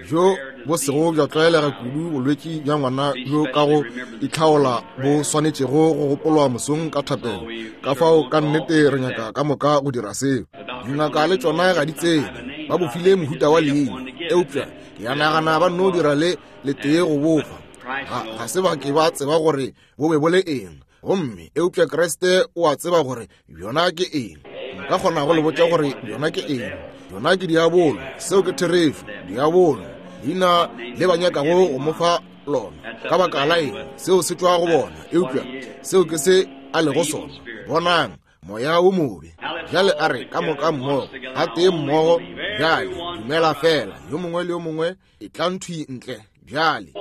bjo bo sego bja tlwaelega kudu bolwetši bja ngwana bjo ka go itlhaola bo swanetšego go gopolwa mosong ka thapelo. Ka fao ka nnete re nyaka ka moka go dira seo. Dingaka le tšona ga di tsebe, ba bo file mohuta wa leina, eupša ke a nagana ba nno dira le letee go bofa. Ga, ga se ba ke ba tseba gore bo be bo le eng. Gomme eupša Kriste o a tseba gore bjona ke eng. Nka kgona go le botša gore bjona ke eng. Bjona ke diabolo. Seo ke therešo. Diabolo, leina le ba nyakago go mo fa lona. Ka baka la eng? Seo se tšwa go bona. Eupša seo ke se a lego sona. Bonang, moya wo mobe. Bjale a re ka moka mmogo, gatee mmogo, bjale, dumela feela, yo mongwe le yo mongwe. E tla nthwi ntle bjale.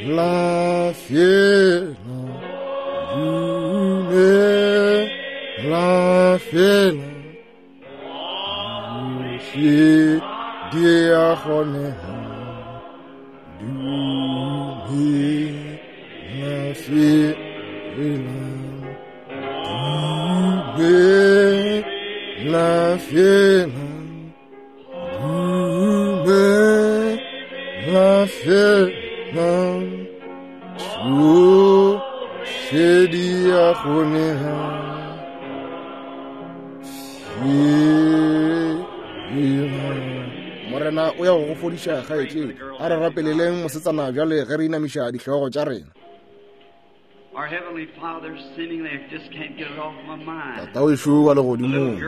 Dumela fela, dumela fela, tšohle di a kgonega. Dumela fela, dumela fela. Morena o ya go go fodiša kgaetšedi. A re rapeleleng mosetsana bjale ge re inamiša dihlogo tša rena. Tatawešu wa Legodimong,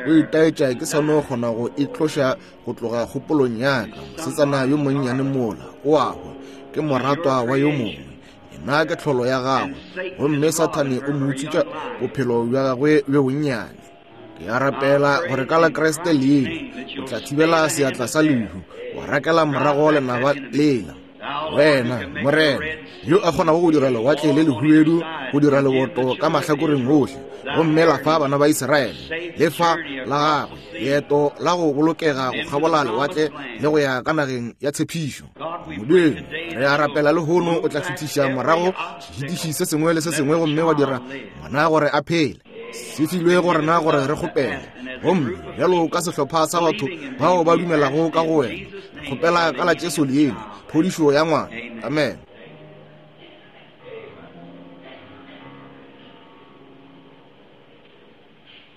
o itaetša ke sa no kgona go e tloša go tloga kgopolong ya ka. Mosetsana yo monnyane mola o a hwa, ke moratwa wa yo mongwe. Yena ke tlholo ya gagwe, gomme Sathane o mo utswitša bophelo bja gagwe bjo bonnyane. Ke a rapela gore ka la Kriste leina o tla thibela seatla sa lehu, wa rakela morago lenaba lela. Wena, Morena, yo a kgonago go dira lewatle le lehubedu go dira leboto ka mahlakoreng ohle, gomme la fa bana ba Israele le fa la gagwe leeto la go bolokega go kgabola lewatle le go ya ka nageng ya tshepišo. Modimo, re a rapela lehono o tla šuthiša morago sešitiši se sengwe le se sengwe gomme wa dira ngwana gore a phele. Se filwe go rena gore re kgopele. Gomme bjalo ka sehlopha sa batho bao ba dumelago ka go wena, re kgopela ka la Jesu leina, phodišo ya ngwana. Amen.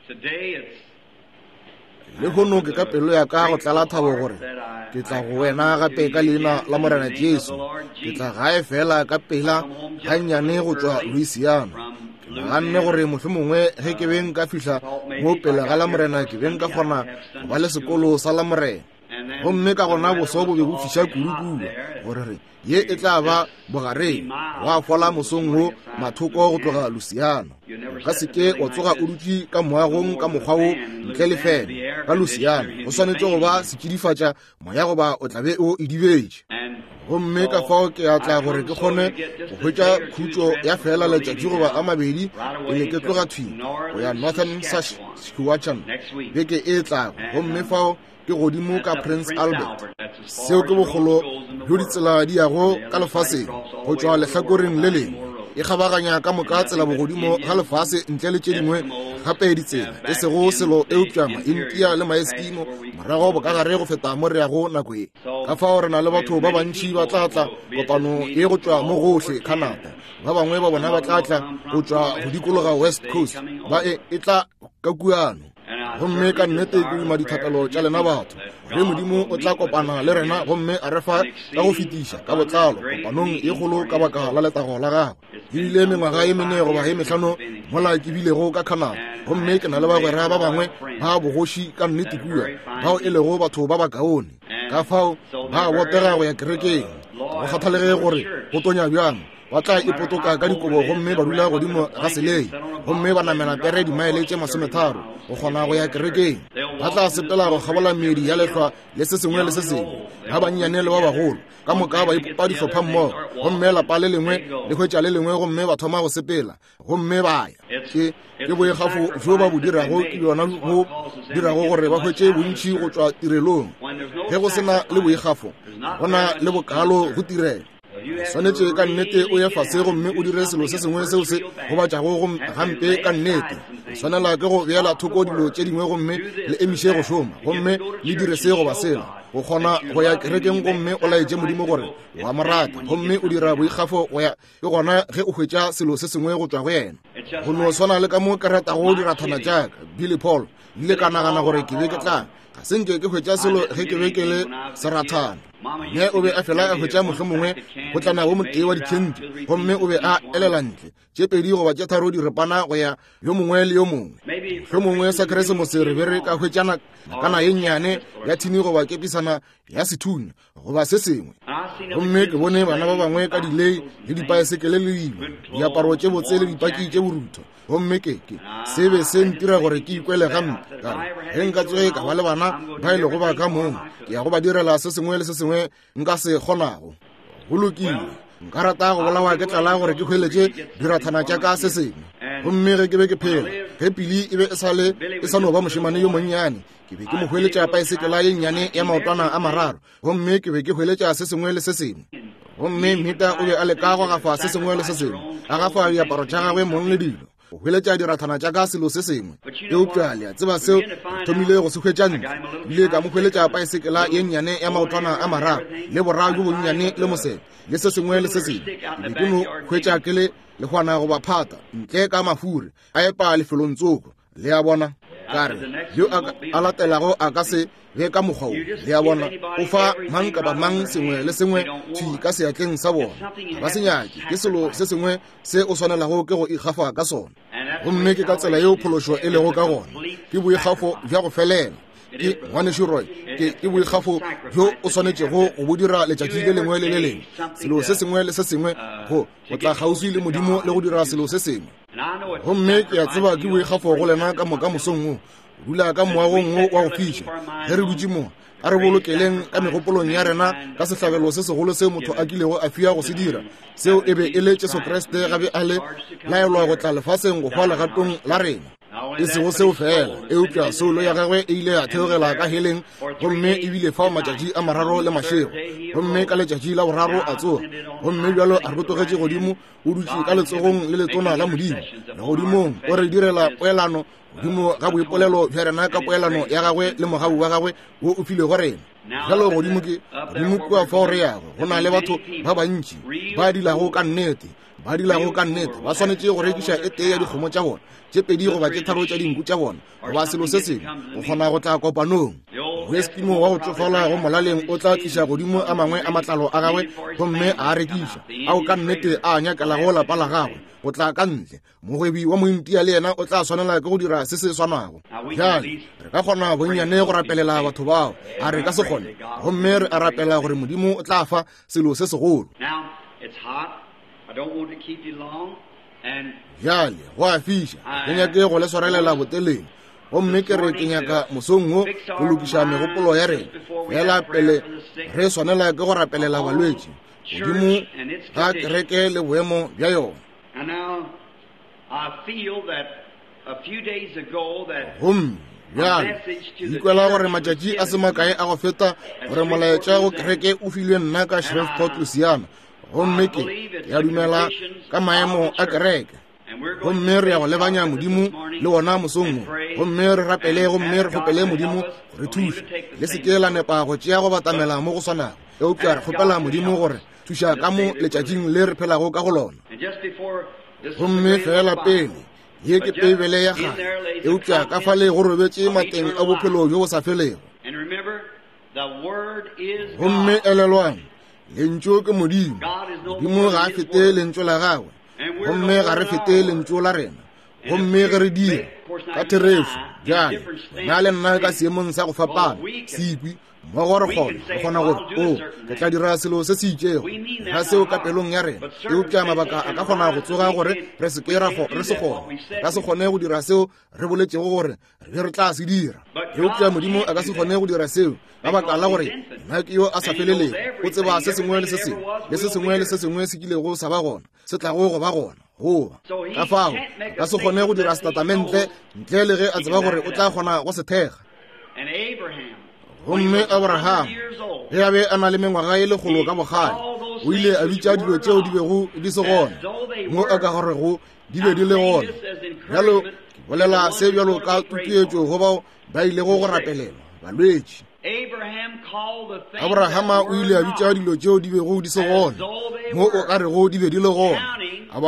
Today it's Lehono ke ka pelo ya ka go tlala thabo gore ke tla go wena gape ka leina la Morena Jesu. Ke tla gae fela ka pela gannyane go tšwa Louisiana. Ke naganne gore mohlomongwe ge ke be nka fihla mo pele ga la Morena ke be nka kgona go ba le sekolo sa la Morena. Gomme ka gona boso bo be bo fiša kudu kua gore re ye e tla ba bogareng wa fola mosong wo mathoko go tloga Louisiana. O ka se ke wa tsoga o dutše ka moagong ka mokgwa wo ntle le fene ka Louisiana. Go swanetše go ba setšidifatša moya goba o tla be o idibetše. Gomme ka fao ke a tla gore ke kgone go hwetša khutšo ya fela letšatši goba a mabedi pele ke tloga thwi go ya Northern Saskatchewan beke e tlago. Gomme fao ke godimo ka Prince Albert. Seo ke bogolo bjo ditsela di yago ka lefaseng go tšwa lehlakoreng le lengwe. E kgabaganya ka moka tsela bogodimo ga lefase ntle le tše dingwe gape ditsela, e sego selo eupša Maintia le Maeskimo morago bokagare go feta mo re yago nako ye. Ka fao re na le batho ba bantši ba tla tla kopano ye go tšwa mo gohle Canada. Ba bangwe ba bona ba tla tla go tšwa go dikologa West Coast, ba e, e tla ka kuano. Gomme ka nnete ke duma dithapelo tša lena batho, ge Modimo o tla kopana le rena gomme a re fa ka go fetiša ka botlalo kopanong ye kgolo ka baka la letago la gagwe. E bile mengwaga ye mene goba ye mehlano mola ke bilego ka Canada, gomme ke na le bagwera ba bangwe ba bogoši ka nnete kua, bao e lego batho ba bakaone. Ka fao ba botega go ya kerekeng, go kgathalege gore go tonya bjang. Ba tla ipotoka ka dikobo gomme ba dula godimo ga selei gomme ba namela pere dimaele tše masometharo go kgona go ya kerekeng. Ba tla sepela go kgabola meedi ya lehlwa le se sengwe le se sengwe, ba bannyane le ba bagolo ka moka ba ipopa dihlopha mmogo, gomme lapa le lengwe le hwetša le lengwe gomme ba thoma go sepela gomme ba ya. Ke, ke boikgafo bjo ba bo dirago ke bjona bo dirago gore ba hwetše bontši go tšwa tirelong. Ge go se na le boikgafo, go na le bokalo go tirelo. Swanetše ka nnete o ye fase gomme o dire selo se sengwe seo se gobatšago gampe ka nnete. Le swanela ke go beela thoko dilo tše dingwe gomme le emiše go šoma, gomme le dire se goba sela, go kgona go ya kerekeng gomme o laetše Modimo gore o a mo rata, gomme o dira boikgafo go ya. Ke gona ge o hwetša selo se sengwe go tšwa go yena. Go no swana le ka mo ke ratago dirathana tša ka, Billy Paul, ile ka nagana gore ke be ke tla ga se nke ke hwetša selo ge ke be ke le serathana. Mme o be a fela a hwetša mohlomongwe gotlana wo motee wa dikhenti, gomme o be a elela ntle tše pedi goba tše tharo diripana go ya yo mongwe le yo mongwe. Mohlomongwe sa Keresemose re be re ka hwetšana kana ye nnyane ya thini goba kepisana ya sethunya goba se sengwe. Gomme ke bone bana ba bangwe ka dilei le dipaesekele le dilo, diaparo tše botse le dipaki tše borutho. Gomme ke ke se be se ntira gore ke ikwele gampe. Ka re, ge nka tsoge ka ba le bana ba e lego ba ka mong, ke ya go ba direla se sengwe le se sengwe nka se kgonago. Go lokile, nka rata go bolawa ke tlala gore ke hweletše dirathana tša ka se sengwe. Gomme ge ke be ke phela, ge Pili e be e sa le e sa no ba mošemane yo monnyane, ke be ke mo hweletša paesekela ye nnyane ya maotwana a mararo, gomme ke be ke hweletša se sengwe le se sengwe. Gomme Mita o be a leka go gafa se sengwe le se sengwe, a gafa diaparo tša gagwe mong le dilo, go hweletša dirathana tša ka selo se sengwe. Eupša le a tseba seo re thomile go se hwetša ntle. Ile ka mo hweletša paesekela ye nnyane ya maotwana a mararo, le bora bjo bonnyane le mosebe, le se sengwe le se sengwe. Ke be ke no hwetša ke le lehwana goba phata, ntle ka mafuri, a epa lefelong tsoko. Le a bona? Ka re, yo a latelago a ka se be ka mokgwa wo. Le a bona? O fa mang kapa mang sengwe le sengwe thwi ka seatleng sa bona. Ga ba se nyake. Ke selo se sengwe se o swanelago ke go ikgafa ka sona. Gomme ke ka tsela yeo phološo e lego ka gona. Ke boikgafo bja go felela. Ke, Ngwanešu Roy, ke, ke boikgafo bjo o swanetšego go bo dira letšatši le lengwe le le lengwe. Selo se sengwe le se sengwe, go, go tla kgauswi le Modimo le go dira selo se sengwe. Gomme ke a tseba ke boikgafo go lena ka moka mosong wo, go dula ka moagong wo wa go fiša. Ge re dutše mo, a re bolokeleng ka megopolong ya rena ka sehlabelo se segolo seo motho a kilego a fiwa go se dira. Seo e be e le Jesu Kriste ga be a le laelwa go tla lefaseng go hwa legatong la rena. E sego seo fela, eupša soulo ya gagwe e ile ya theogela ka heleng gomme e bile fao matšatši a mararo le mašego. Gomme ka letšatši la boraro a tsoga, gomme bjalo a rotogetše godimo, o dutše ka letsogong le letona la Modimo legodimong, o re direla poelano godimo ga boipolelo bja rena ka poelano ya gagwe le mogau wa gagwe wo o filego rena. Bjalo godimo ke godimo kua fao re yago, go na le batho ba bantši ba dilago ka nnete, ba dilago ka nnete, ba swanetše go rekiša e tee ya dikgomo tša bona, tše pedi goba tše tharo tša dinku tša bona, goba selo se sengwe, go kgona go tla kopanong. Moeskimo wa go tšofala go molaleng o tla tliša godimo a mangwe a matlalo a gagwe gomme a a rekiša, ao ka nnete a nyakelago lapa la gagwe go tla ka ntle. Mogwebi wa Mointia le yena o tla swanela ke go dira se se swanago. Bjale re ka kgona bonnyane go rapelela batho bao, a re ka se kgone? Gomme re a rapela gore Modimo o tla fa selo se segolo. Bjale go a fiša, ke nyake go le swarelela botelele. Gomme ke re ke nyaka mosong wo go lokiša megopolo ya rena fela pele re swanela ke go rapelela balwetši godimo ga kereke le boemo bja yona. Gomme bjale ke ikwela gore matšatši a se makae a go feta gore molaetša go kereke o filwe nna ka Shreveport, Louisiana. Gomme ke ke a dumela ka maemo a kereke. Gomme re ya go lebanya Modimo le wona mosong wo. Gomme re rapele gomme re kgopele Modimo go re thuša. Le se ke la nepa go tšea go batamela mo go swanago, eupša re kgopela Modimo gore thuša ka mo letšatšing le re phelago ka go lona. Gomme feela pele, ye ke Beibele ya kgale, eupša ka fale go robetše mateng a bophelo bjo bo sa felego. Gomme elelwang, Lentšu ke Modimo. Modimo ga a fete Lentšu la gagwe, gomme ga re fete lentšu la rena. Gomme ge re dira ka therešo, bjale wena le nna ka seemong sa go fapana, sekwi mmogo re kgona, re kgona gore, o, ke tla dira selo se se itšego, ga seo ka pelong ya rena, eupša mabaka a ka kgona go tsoga gore re se ke ra re se kgone, re ka se kgone go dira seo re boletšego gore re be re tla se dira. Eupša Modimo a ka se kgone go dira seo ka baka la gore yena ke yo a sa felelego, o tseba se sengwe le se sengwe, le se sengwe le se sengwe se kilego sa ba gona, se tlago go ba gona. Goba ka fao a ka se kgone go dira setatamente ntle le ge a tseba gore o tla kgona go se thekga. Gomme Abraham, ge a be a na le mengwaga e lekgolo ka bokgale, o ile a bitša dilo tšeo di bego di se gona, mo a ka gorego di be di le gona. Bjalo ke Bolela se bjalo ka tutuetšo go bao ba ilego go rapelelwa, balwetši. Abrahama o ile a bitša dilo tšeo di bego di se gona, mo o ka rego di be di le gona, a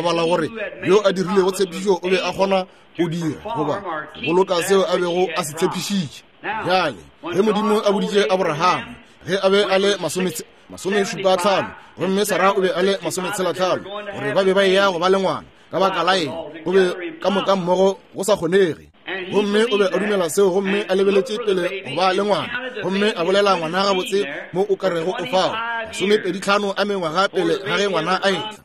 bala gore yo a dirilego tshepišo o be a kgona go dira goba go boloka seo a bego a se tshepišitše. Bjale, ge Modimo a boditše Abrahama ge a be a le masomešupa-tlhano gomme Sara o be a le masometshela-tlhano gore ba be ba eya go ba le ngwana, ka baka la eng go be ka moka mmogo go sa kgonege? Gomme o be a dumela seo gomme a lebeletše pele go ba le ngwana, gomme a bolela ngwana gabotse mo o ka rego o fao 25 a mengwaga pele ga ge ngwana a etla.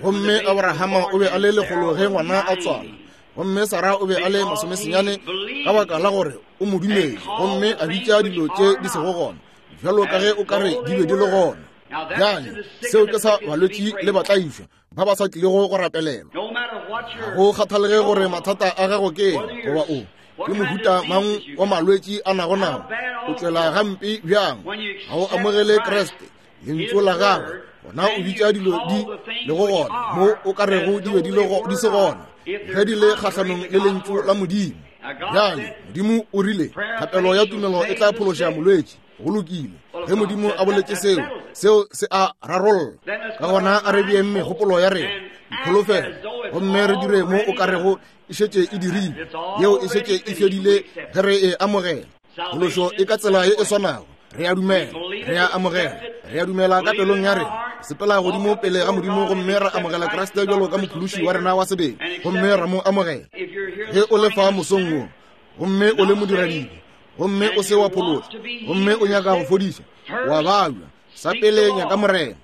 Gomme Abrahama o be a le lekgolo ge ngwana a tswala, gomme Sara o be a le masomesenyane, ka baka la gore o mo dumetše gomme a bitša dilo tše di sego gona bjalo ka ge o ka re di be di le gona. Bjale seo ke sa balwetši le batlaišwa ba ba sa tlilego go rapelelwa. Ga go kgathalege gore mathata a gago ke eng goba o ke mohuta mang wa malwetši a nago nao, o tšwela gampe bjang, ga o amogele Kriste, lentšu la gagwe, gona o bitša dilo di lego gona mo o ka rego di be di se gona, ge di le kgahlanong le lentšu la Modimo. Bjale Modimo o rile thapelo ya tumelo e tla phološa molwetši. Go lokile, ge Modimo a boletše seo, seo se a rarolla. Ka gona a re beeng megopolo ya rena, dikholofelo, gomme re dire mo o ka rego e šetše e dirile, yeo e šetše e fedile ge re e amogela. Phološo e ka tsela ye e swanago. Re a dumela, re a amogela, re a dumela ka pelong ya rena, sepela godimo pele ga Modimo gomme ra amogela Kriste bjalo ka mophološi wa rena wa sebele, gomme ra mo amogela. Ge o le fa mosong wo gomme o le modiradibe gomme o se wa phološwa gomme o nyaka go fodiša, wa babja, sa pele nyaka Morena.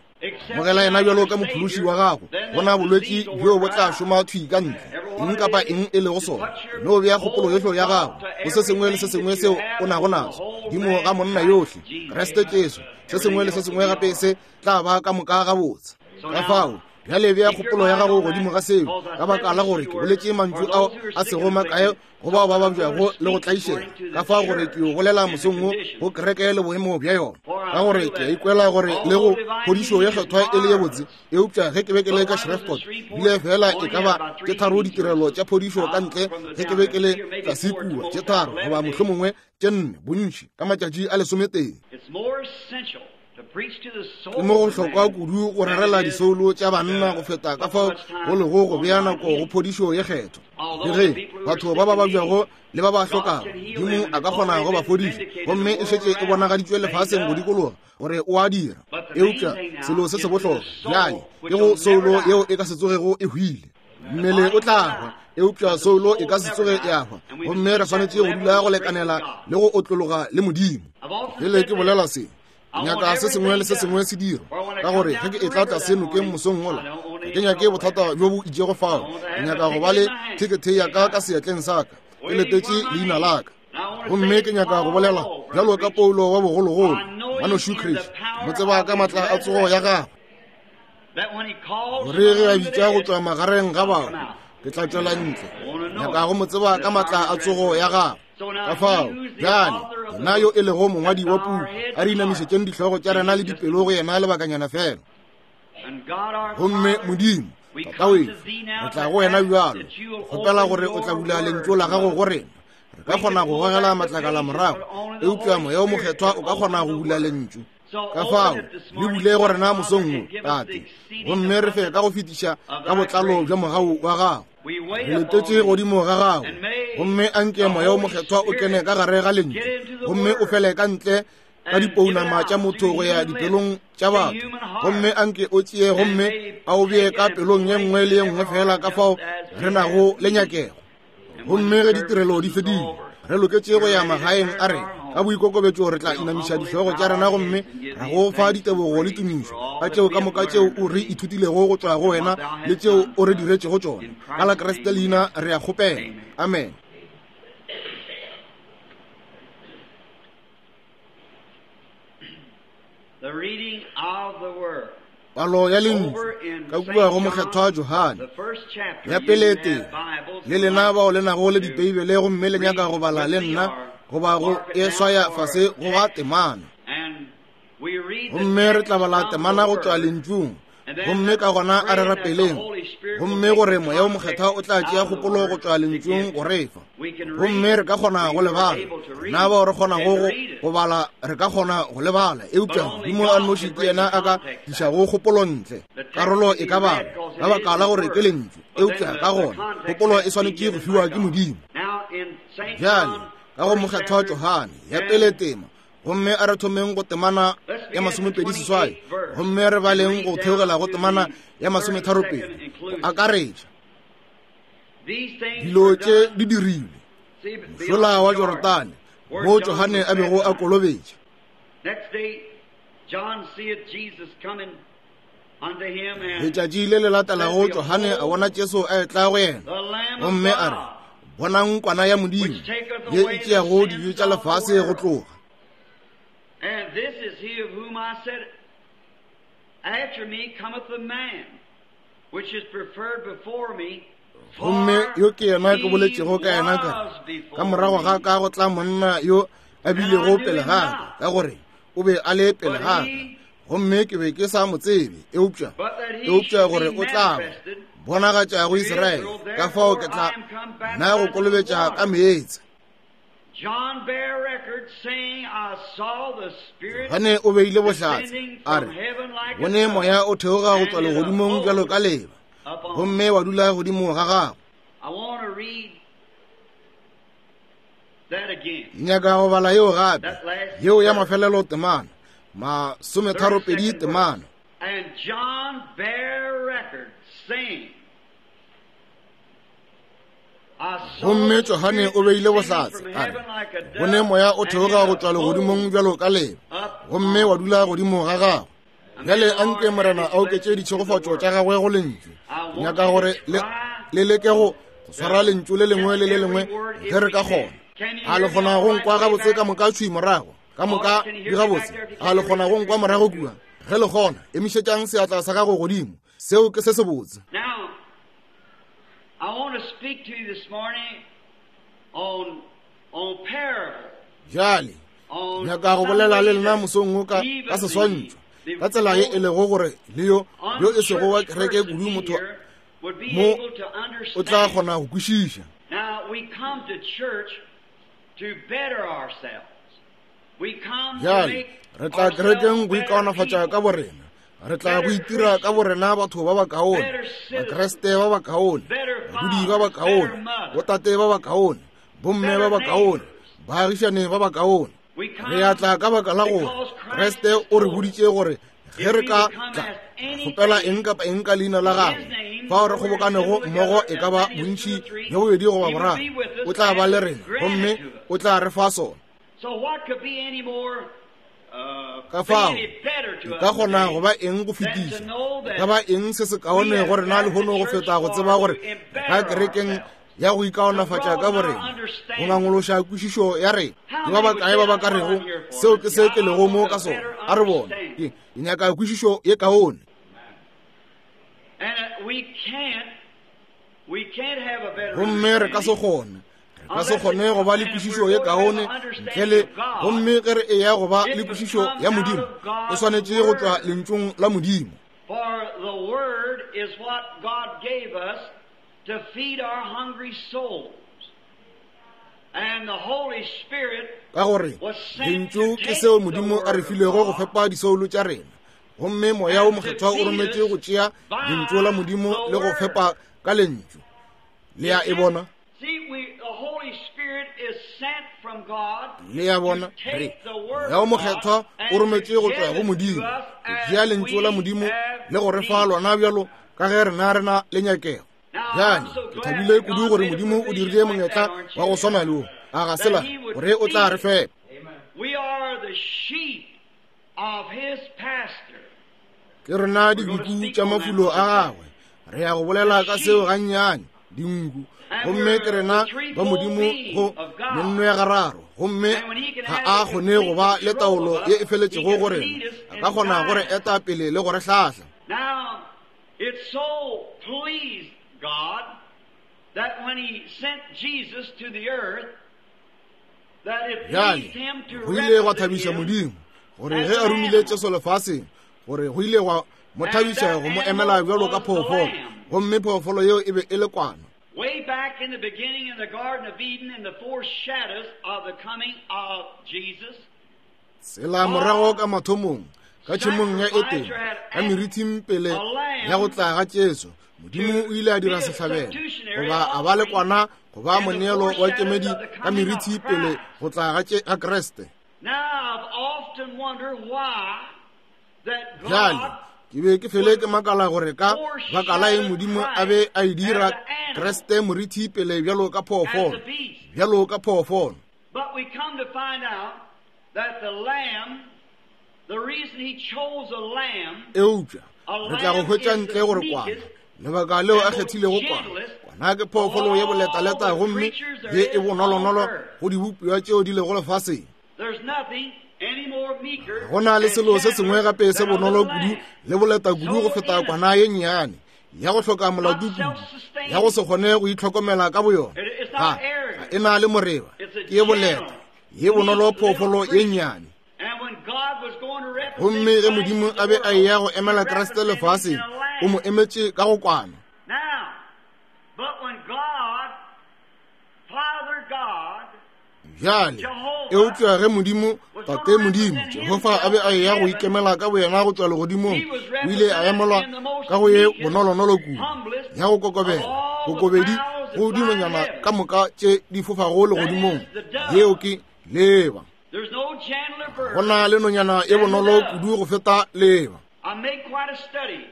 Amogela yena bjalo ka mophološi wa gago, gona bolwetši bjo bo tla šoma thwi ka ntle, eng kapa eng e lego sona. No bea kgopolo yohle ya gago go se sengwe le se sengwe seo o nago naso godimo ga monna yohle, Kriste Jesu. Se sengwe le se sengwe gape se tla ba ka moka gabotse. Ka fao bjale bea kgopolo ya gago godimo ga seo, ka baka la gore ke boletše mantšu ao a sego makae go bao ba babjago le go tlaišega, ka fao gore ke yo bolela mosong wo go kereke le boemo bja yona, ka gore ke a ikwela gore le go phodišo ye kgethwa e le ye botse. Eupša ge ke be ke le ka Shreveport, bile fela e ka ba tše tharo ditirelo tša phodišo ka ntle, ge ke be ke le tlase kua, tše tharo goba mohlomongwe tše nne bontši ka matšatši a lesometee. Ke mo go hlokwa kudu go rerela disoulo tša banna go feta ka fao go lego go bea nako go phodišo ye kgethwa. Le ge batho ba ba babjago le ba ba hlokago, Modimo a ka kgona go ba fodiša, gomme e šetše e bonagaditšwe lefaseng go dikologa gore o a dira. Eupša selo se se bohlokwa bjale ke go soulo yeo e ka se tsogego e hwile. Mmele o tla hwa, eupša soulo e ka se tsoge ya hwa, gomme re swanetše go dula go lekanela le go otlologa le Modimo. Pele ke bolela se, ke nyaka se sengwe le se sengwe se dirwa, ka gore ge ke etla tlase nokeng mosong wola, ga ke nyake bothata bjo bo itšego fao. Ke nyaka go ba le thekethe ya ka ka seatleng sa ka, ke letetše leina la ka. Gomme ke nyaka go bolela bjalo ka Paulo wa bogologolo, Ngwanešu Chris, mo tseba ka matla a tsogo ya gagwe, gore ge a bitša go tšwa magareng ga bahu, ke tla tšwela ntle. Nyaka go mo tseba ka matla a tsogo ya gagwe. Ka fao bjale yena yo e lego mongwadi wa puku, a re inamišetšeng dihlogo tša rena le dipelo go yena lebakanyana fela. Gomme Modimo Tata wešo, re tla go wena bjalo, kgopela gore o tla bula lentšu la gago go rena. Re ka kgona go gogela matlakala morago, eupša Moya o Mokgethwa o ka kgona go bula lentšu. Ka fao le bule go rena mosong wo, Tate, gomme re fe ka go fetiša ka botlalo bja mogau wa gago. Re letetše godimo ga gago, gomme anke Moya o Mokgethwa o kene ka gare ga lentšu gomme o fele ka ntle ka dipounama tša motho go ya dipelong tša batho, gomme anke o tšee gomme a o bee ka pelong ye nngwe le ye nngwe fela ka fao re nago le nyakego. Gomme ge ditirelo di fedile, re loketše go ya magaeng a rena ka boikokobetšo, re tla inamiša dihlogo tša rena gomme ra go fa ditebogo le tumišo ka tšeo ka moka tšeo o re ithutilego go tšwa go wena le tšeo o re diretšego tšona. Ka la Kriste leina re a kgopela. Amen. Palo ya lentšu ka kua go Mokgethwa Johane ya pele tee. Le lena bao le nago le Dibeibele gomme le nyaka go bala le nna goba go e swaya fase go ga temana, gomme re tla bala temana go tšwa lentšung, gomme ka gona a re rapeleng Gomme gore Moya wo Mokgethwa o tla tšea kgopolo go tšwa Lentšung go re fa. Gomme re ka kgona go le bala. Rena bao re kgonago go, go bala, re ka kgona go le bala. Eupša Modimo a nnoši ke yena a ka tlišago kgopolo ntle. Karolo e ka balwa, ka baka la gore ke Lentšu. Eupša ka gona, kgopolo e swanetše go fiwa ke Modimo. Bjale, ka go Mokgethwa Johane, ya pele tema, gomme a re thomeng go temana ya 28 gomme re baleng go theogela go temana ya 32 go akaretša dilo tše di dirilwe mošola wa Jorodane mo Johane a bego a kolobetša. Letšatši le le latelago Johane a bona Jesu a etla go yena gomme a re, Bonang kwana ya Modimo ye e tšeago dibe tša lefase go tloga. And this is he of whom I said, After me cometh a man, which is preferred before me. Gomme yo ke yena ke boletšego ka yena ka re, Ka morago ga ka go tla monna yo a bilego pele ga ka, ka gore o be a le pele ga ka. Gomme ke be ke sa mo tsebe, eupša, eupša gore o tla ba bonagatša go Israele, ka fao ke tla nna go kolobetša ka meetse. Johane o beile bohlatse, a re, Bone moya o theoga go tšwa legodimong bjalo ka leba, gomme wa dula godimo ga gagwe. Nyaka go bala yeo gape, yeo ya mafelelo temana, 32 temana. And John bare record, saying, Gomme Johane o beile bohlatse, a re, Bone moya o theoga go tšwa legodimong bjalo ka leba, gomme wa dula godimo ga gagwe. Bjale a nke Morena a oketše ditšhegofatšo tša gagwe go Lentšu. Ke nyaka gore le, le leke go swara Lentšu le lengwe le le lengwe ge re ka kgona. A le kgona go nkwa gabotse ka moka thwi morago? Ka moka di gabotse? A le kgona go nkwa morago kua? Ge le kgona, emišetšang seatla sa gago godimo. Seo ke se sebotse. Now, I want to speak to you this morning on, on parable. Bjale, nyaka go bolela le lena mosong wo ka, ka seswantšho, ka tsela ye e lego gore le yo, yo e sego wa kereke kudu motho mo o tla kgona go kwešiša. Now, we come to church to better ourselves. Bjale, re tla kerekeng go ikaonafatša ka borena. Re tla go itira ka borena batho ba bakaone, Bakriste ba bakaone, badudi ba bakaone, botate ba bakaone, bomme ba bakaone, baagišane ba bakaone. Re a tla ka baka la gore Kriste o re boditše gore ge re ka tla kgopela eng kapa eng ka leina la gagwe, fao re kgobokanego mmogo e ka ba bontši bjo bobedi goba boraro, o tla ba le rena gomme o tla re fa sona. Ka fao, e ka kgona go ba eng go fetiša, e ka ba eng se se kaone go rena lehono go feta go tseba gore ka kerekeng ya go ikaonafatša ka borena, go ngangološa kwešišo ya rena. Ke ba bakae ba ba ka rego, Seo ke se ke lego mo ka sona? A re bone, ke nyaka kwešišo ye kaone. Gomme re ka se kgone, re ka se kgone go ba le kwešišo ye kaone ntle le, gomme ge re eya go ba le kwešišo ya Modimo, e swanetše go tšwa Lentšung la Modimo. For the word is what God gave us to feed our hungry souls. And the Holy Spirit Ka gore Lentšu ke seo Modimo a re filego go fepa disoulo tša rena, gomme Moya wo Mokgethwa o rometše go tšea Lentšu la Modimo le go fepa ka Lentšu. Le a e bona? Le a bona? Re, Moya wo Mokgethwa o rometše go tšwa go Modimo, go tšea Lentšu la Modimo le go re fa lona bjalo ka ge rena re na le nyakego. Bjale, ke thabile kudu gore Modimo o dirile monyetla wa go swana le wo, a ga se la gore o tla re fepa. Ke rena dinku tša mafulo a gagwe. Re ya go bolela ka seo gannyane, dinku. Gomme ke rena ba Modimo go menno ya gararo, gomme ga a kgone go ba le taolo ye e feletšego go rena. A ka kgona go re eta pele le go re hlahla. Now, it so pleased God that when he sent Jesus to the earth, Bjale, go ile gwa thabiša Modimo gore ge a romile Jesu lefaseng, gore go ile gwa mo thabiša go mo emela bjalo ka phoofolo. Gomme phoofolo yeo e be e le kwana. Way back in the beginning in the Garden of Eden in the foreshadows of the coming of Jesus. Tsela morago ka mathomong, ka tšhemong ya Edene, ka merithing pele ya go tla ga Jesu, Modimo o ile a dira sehlabelo, goba a ba le kwana go ba moneelo wa kemedi ka merithi pele go tla ga Kriste. Bjale, ke be ke fele ke makala gore ka baka la eng Modimo a be a e dira Kriste morithi pele bjalo ka phoofolo, bjalo ka phoofolo. But we come to find out that the lamb, the reason he chose a lamb, Eupša re tla go hwetša ntle gore kwana, lebaka leo a kgethilego kwana, kwana ke phoofolo ye boletaleta gomme ye e bonolonolo go dibopiwa tšeo di lego lefaseng. There's nothing any more meeker Go na le selo se sengwe gape se than a bonolo little kudu lamb. le boleta kudu go feta kwana ye nnyane ya go hloka molato kudu, ya go se kgone go itlhokomela ka boyona. Ga, ga e na le moreba, ke ye boleta, ye bonolo phoofolo ye nnyane. And when God was going to represent Gomme ge Christ Modimo in the a be a world, eya go he emela Kriste represented him lefaseng, in a o mo lamb. emetše ka go kwana. Now, but when God, Father God, Bjale, eupša ge Modimo, Tate Modimo, Jehofa a be a eya go ikemela ka boyena go tšwa legodimong, o ile a emelwa ka go ye bonolonolo kudu, ya go kokobela, kokobedi go dinonyana ka moka tše di fofago legodimong, yeo ke leeba. there's no gentler bird. Go na le nonyana ye bonolo kudu go feta leeba. I made quite a study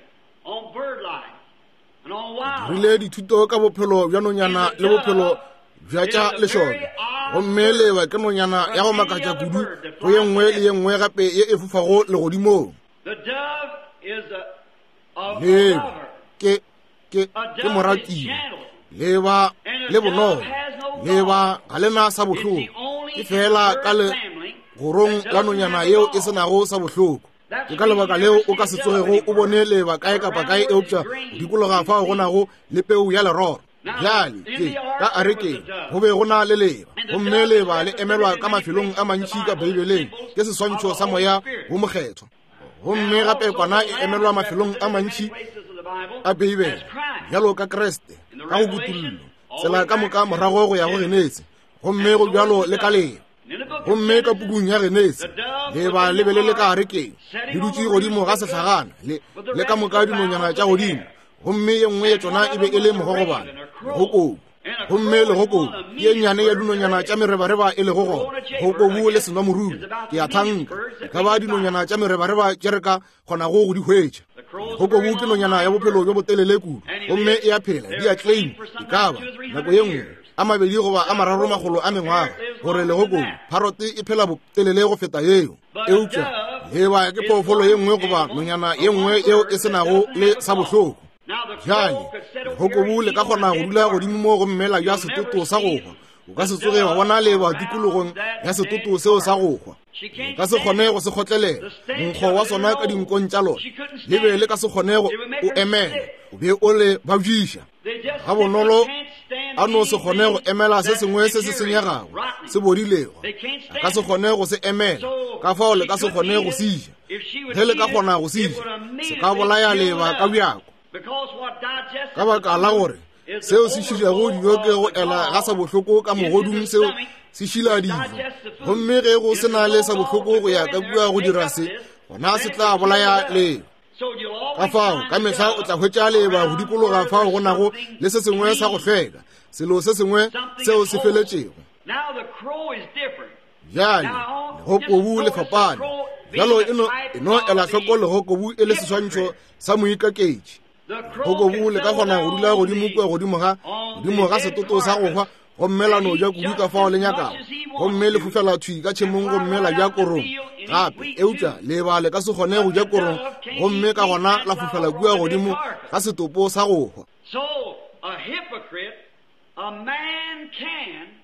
on bird life and on wildlife. Rile dithuto ka bophelo bja nonyana le bophelo bja tša lešoka. Gomme leeba ke nonyana ya go makatša kudu go ye nngwe le ye nngwe gape ye e fofago legodimong. The dove is a, a, a Leeba lover. ke ke A ke dove is moratiwa. gentle. Leeba le bonolo. Leeba ga le na sa It's bohloko. the only Ke fela ka bird le family gorong that la doesn't nonyana have a yeo e gall. se nago sa bohloko. Ke ka lebaka leo o ka se tsogego o bone leeba kae kapa kae eupša go dikologa fao go nago le peu ya leroro. Bjale ke ka arekeng go be go na le leeba, gomme leeba le emelwa ka mafelong a mantši ka Beibeleng ke seswantšho sa moya wo mokgethwa. Gomme gape kwana e emelwa mafelong a mantši a Beibele bjalo ka Kriste ka go kutullo, tsela ka moka morago go ya go Genesi, gomme go bjalo le ka leeba. Gomme ka pukung ya Genesi, leeba le be le le ka arekeng, le dutše godimo ga sehlagana le, le ka moka dinonyana tša godimo, gomme ye nngwe ya tšona e be e le mogogobane, legokobu. Gomme legokobu ke ye nnyane ya dinonyana tša merebareba e lego gona, legokobu le senwamorula, ke a thanka, e ka ba dinonyana tša merebareba tše re ka kgonago go di hwetša. Legokobu ke nonyana ya bophelo bjo botelele kudu, gomme e a phela, di a claim, e ka ba nako ye nngwe a mabedi goba a mararo makgolo a mengwaga, gore legokobu parrot e phela botelele go feta yeo. Eupša leeba ke phoofolo ye nngwe goba nonyana ye nngwe yeo e se nago le sa bohloko. Bjale, legokobu le ka kgona go dula godimo mo gomme la ja setoto sa go hwa. O ka se tsoge wa bona leeba tikologong ya setoto seo sa go hwa. Le ka se kgone go se kgotlelela monkgo wa sona ka dinkong tša lona. Le be le ka se kgone go o emela, o be o le babjiša. Ga bonolo a no se kgone go emela se sengwe se se senyegago, se bodilego. A ka se kgone go se emela, ka fao le ka se kgone go se ja. Ge le ka kgona go se ja, se ka bolaya leeba ka bjako. Ka baka la gore seo se šilago dijo ke go ela ga sa bohloko ka mogodung, seo se šila dijo. Gomme ge go se na le sa bohloko go ya ka kua go dira se, gona se tla bolaya leeba. Ka fao ka mehla o tla hwetša leeba go dikologa fao go nago le se sengwe sa go hlweka, selo se sengwe seo se feletšego. Now the crow is different. Bjale legokobu le fapane. Bjalo e no, e no ela hloko legokobu e le seswantšho sa moikaketši. Legokobu le ka kgona go dula godimo kua godimo ga, godimo ga setoto sa go hwa, gomme la no ja kudu ka fao le nyakago, gomme le fofela thwi ka tšhemong gomme la ja korong gape. Eupša leeba le ka se kgone go ja korong gomme ka gona la fofela kua godimo ga setopo sa go hwa. So a hypocrite, a man can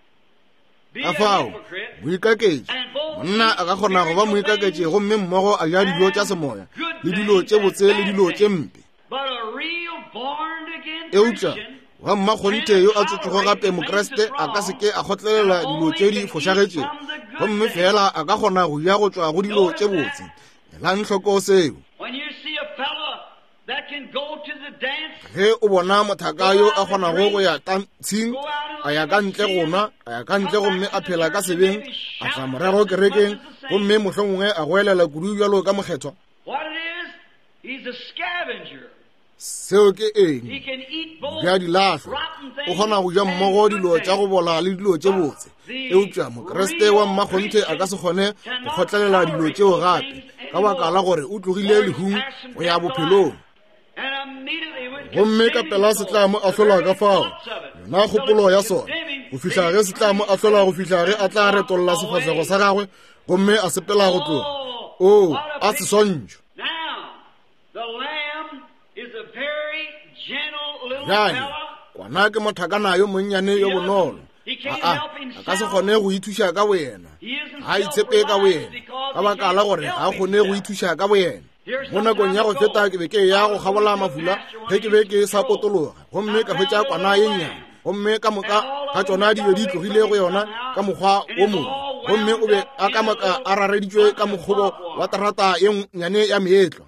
be Ka a fao, hypocrite moikaketši, monna a ka kgona go ba moikaketši gomme mmogo a ja dijo tša semoya le dilo tše botse le dilo tše mpe. But a real born again Eupša Christian wa mmakgonthe yo a tswetšego gape Mokriste a ka se ke a kgotlelela dilo tše di fošagetšego, gomme fela a ka kgona go ja go tšwa go dilo tše botse. Elang hloko seo. When you see a fella that can go to the dance Ge o bona mothaka yo a kgonago go ya tantshing, a ya ka ntle go nwa, a ya ka ntle gomme a phela ka sebeng, a tla morago kerekeng, gomme mohlomongwe a goelela kudu bjalo ka mokgethwa. Seo ke eng? Bja dilahlwa. O kgona go ja mmogo dilo tša go bola le dilo tše botse. Eupša Mokriste wa mmakgonthe a ka se kgone go kgotlelela dilo tšeo gape, ka baka la gore o tlogile lehung go ya bophelong. Gomme ka pela se tla mo ahlola ka fao, yona kgopolo ya sona, go fihla ge se tla mo ahlola, go fihla ge a tla retolla sefahlego sa gagwe gomme a sepela go tloga. Oo, a seswantšho! Bjale, kwana ke mothakana yo monnyane yo bonolo. Aa, a ka se kgone go ithuša ka boyena. Ga a itshepe ka boyena, ka baka la gore ga a kgone go ithuša ka boyena. Mo nakong ya go feta ke be ke ya go kgabola mafula ge ke be ke sa potologa, gomme ka hwetša kwana ye nnyane, gomme ka moka ga tšona di be di tlogile go yona ka mokgwa wo mongwe, gomme o be a ka moka a rareditšwe ka mokgobo wa terata ye nnyane ya meetlwa.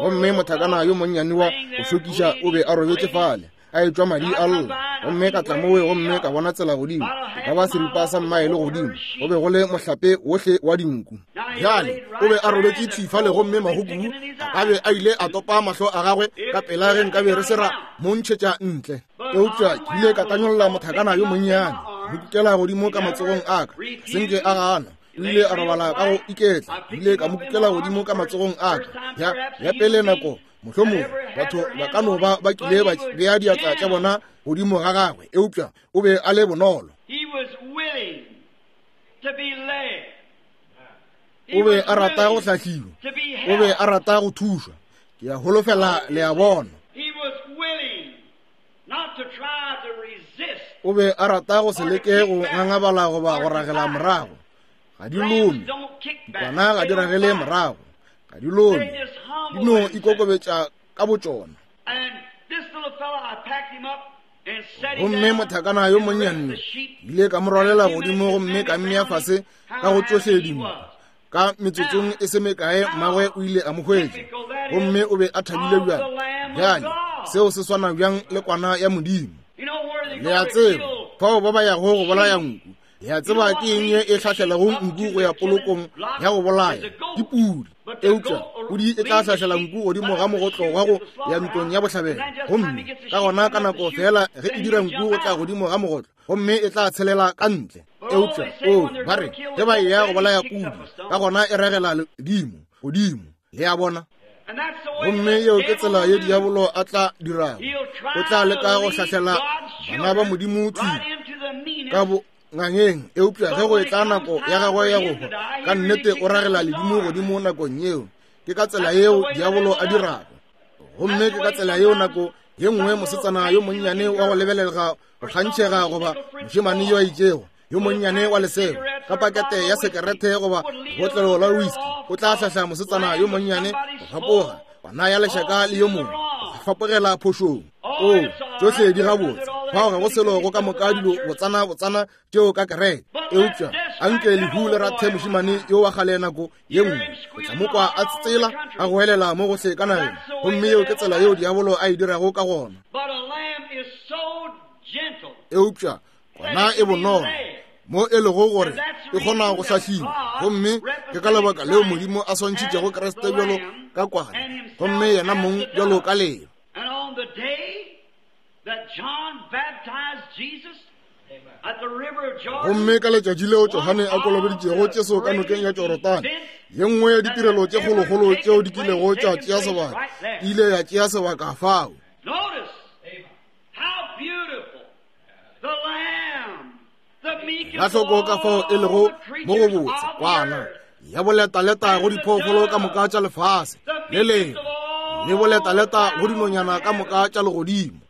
Gomme mothakana yo monnyane wa go šokiša o be a robetše fale, a etšwa madi a lla. Gomme ka tla mowe gomme ka bona tsela godimo, e ka ba seripa sa mmaele godimo, go be go le mohlape wohle wa dinku. Bjale o be a robetše thwi fale, gomme magokubu a ka be a ile a topa mahlo a gagwe ka pela ge nkabe re se ra mo ntšhetša ntle. Eupša ke ile ka tanyolla mothakana yo monnyane, mo kukela godimo ka matsogong a ka, se nke a gana. O ile a robala ka go iketla. Ke ile ka mo kukela godimo ka matsogong a ka. Ya, ya pele nako, mohlomongwe batho ba ka no ba ba kile ba bea diatla tša bona godimo ga gagwe, eupša o be a le bonolo. O be a rata go hlahliwa, o be a rata go thušwa. Ke a holofela le a bona. O be a rata go se leke go ngangabala goba go ragela morago. Ga di lome, dikwana ga di ragele morago, ga di lome, di no ikokobetša ka botšona. Gomme mothakana yo monnyane ile ka mo rwalela godimo gomme ka mmea fase ka go tšohle dinku. Ka metsotsong e se mekae mmagwe o ile a mo hwetša, gomme o be a thabile bjang. Bjale seo se swana bjang le kwana ya Modimo. Le a tseba, fao ba ba yago go bolaya nku, le a tseba ke eng ye e hlahlelago nku go ya polokong ya go bolaya? Ke pudi. Eupša pudi e tla hlahlela nku godimo ga mogotlo wa go ya ntlong ya bohlabelo, gomme ka gona ka nako feela ge e dira nku go tla godimo ga mogotlo, gomme e tla tshelela ka ntle. Eupša o ba re ge ba eya go bolaya pudi, ka gona e ragela ledimo godimo. Le a bona? Gomme yeo ke tsela ye diabolo a tla dirago. O tla leka go hlahlela bana ba Modimo thwi ka bongangeng, eupša ge go etla nako ya gagwe ya go hwa, ka nnete o ragela ledimo godimo nakong yeo. Ke ka tsela yeo diabolo a dirago. Gomme ke ka tsela yeo nako ye nngwe mosetsana yo monnyane wa go lebelelega go kgantšhega goba mošemane yo a itšego yo monnyane wa lesego ka pakete ya sekerete goba botlelo la whisky o tla hlahla mosetsana yo monnyane go fapoga bana ya lešaka le yo mongwe go fapogela phošong. O tšohle di gabotse, fao ga go selo go ka moka dilo botsana botsana tšeo ka kereke. Eupša anke lehu le rathe mošemane yo wa kgale nako ye nngwe, o tla mo kwa a tsela a goelela mo gohle ka nageng. Gomme yeo ke tsela yeo diabolo a e dirago ka gona. Eupša kwana e bonolo mo e lego gore e kgona go hlahliwa, gomme ke ka lebaka leo Modimo a swantšhitšego Kriste bjalo ka kwana, gomme yena mong bjalo ka leo. Gomme ka letšatši leo Johane a kolobeditšego Jesu ka nokeng ya Jorodane, ye nngwe ya ditirelo tše kgolokgolo tšeo di kilego tša tšea sebaka e ile ya tšea sebaka fao. La hloko ka fao e lego mo go botse kwana ya boletaleta go diphoofolo ka moka tša lefase le lengwe, le boletaleta go dinonyana ka moka tša legodimo.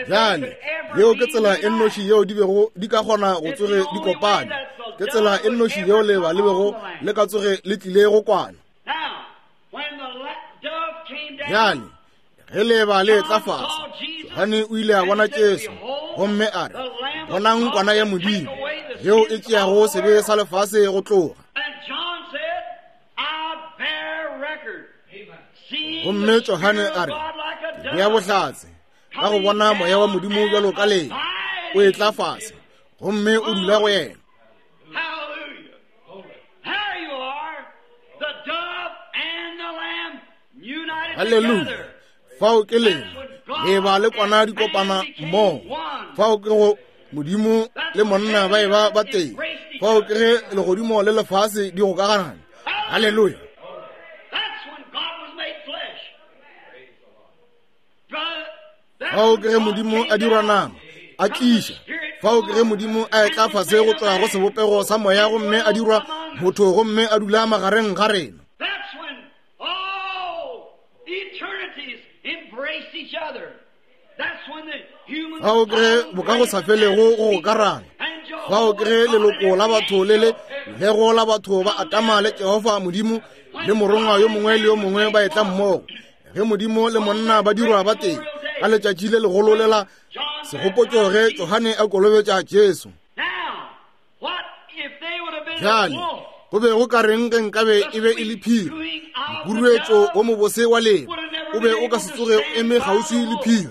Bjale, yeo ke tsela e nnoši yeo di bego di ka kgona go tsoge di kopane. Ke tsela e nnoši yeo leba le bego le ka tsoge le tlile go kwana. Bjale, ge leeba le etla fase, Johane o ile a bona Jesu gomme a re, Bonang kwana ya Modimo yeo e tšeago sebe sa lefase go tloga. Gomme Johane a re, Ke bea bohlatse ka go bona moya wa Modimo bjalo ka lee o etla fase gomme o dula go yena. Haleluya! Fao ke lena, leeba le kwana di kopana mmogo. Fao ke go Modimo le monna ba eba ba tee. Fao ke ge legodimo le lefase di gokagana. Haleluya! Fao ke ge Modimo a dirwa nama, a tliša. Fao ke ge Modimo a etla fase go tšwa go sebopego sa moya gomme a dirwa motho gomme a dula magareng ga rena. Fao ke ge bokagosafelego go gokarana. Fao ke ge leloko la batho le le lego la batho ba Adama le Jehofa Modimo le morongwa yo mongwe le yo mongwe ba etla mmogo. Ge Modimo le monna ba dirwa ba tee ka letšatši le legolo lela segopotšo ge Johane a kolobetša Jesu. Bjale, go be go ka reng ge nkabe e be e le phiri? Mokuruetšo wo mobose wa lena o be o ka se tsoge o eme kgauswi le phiri.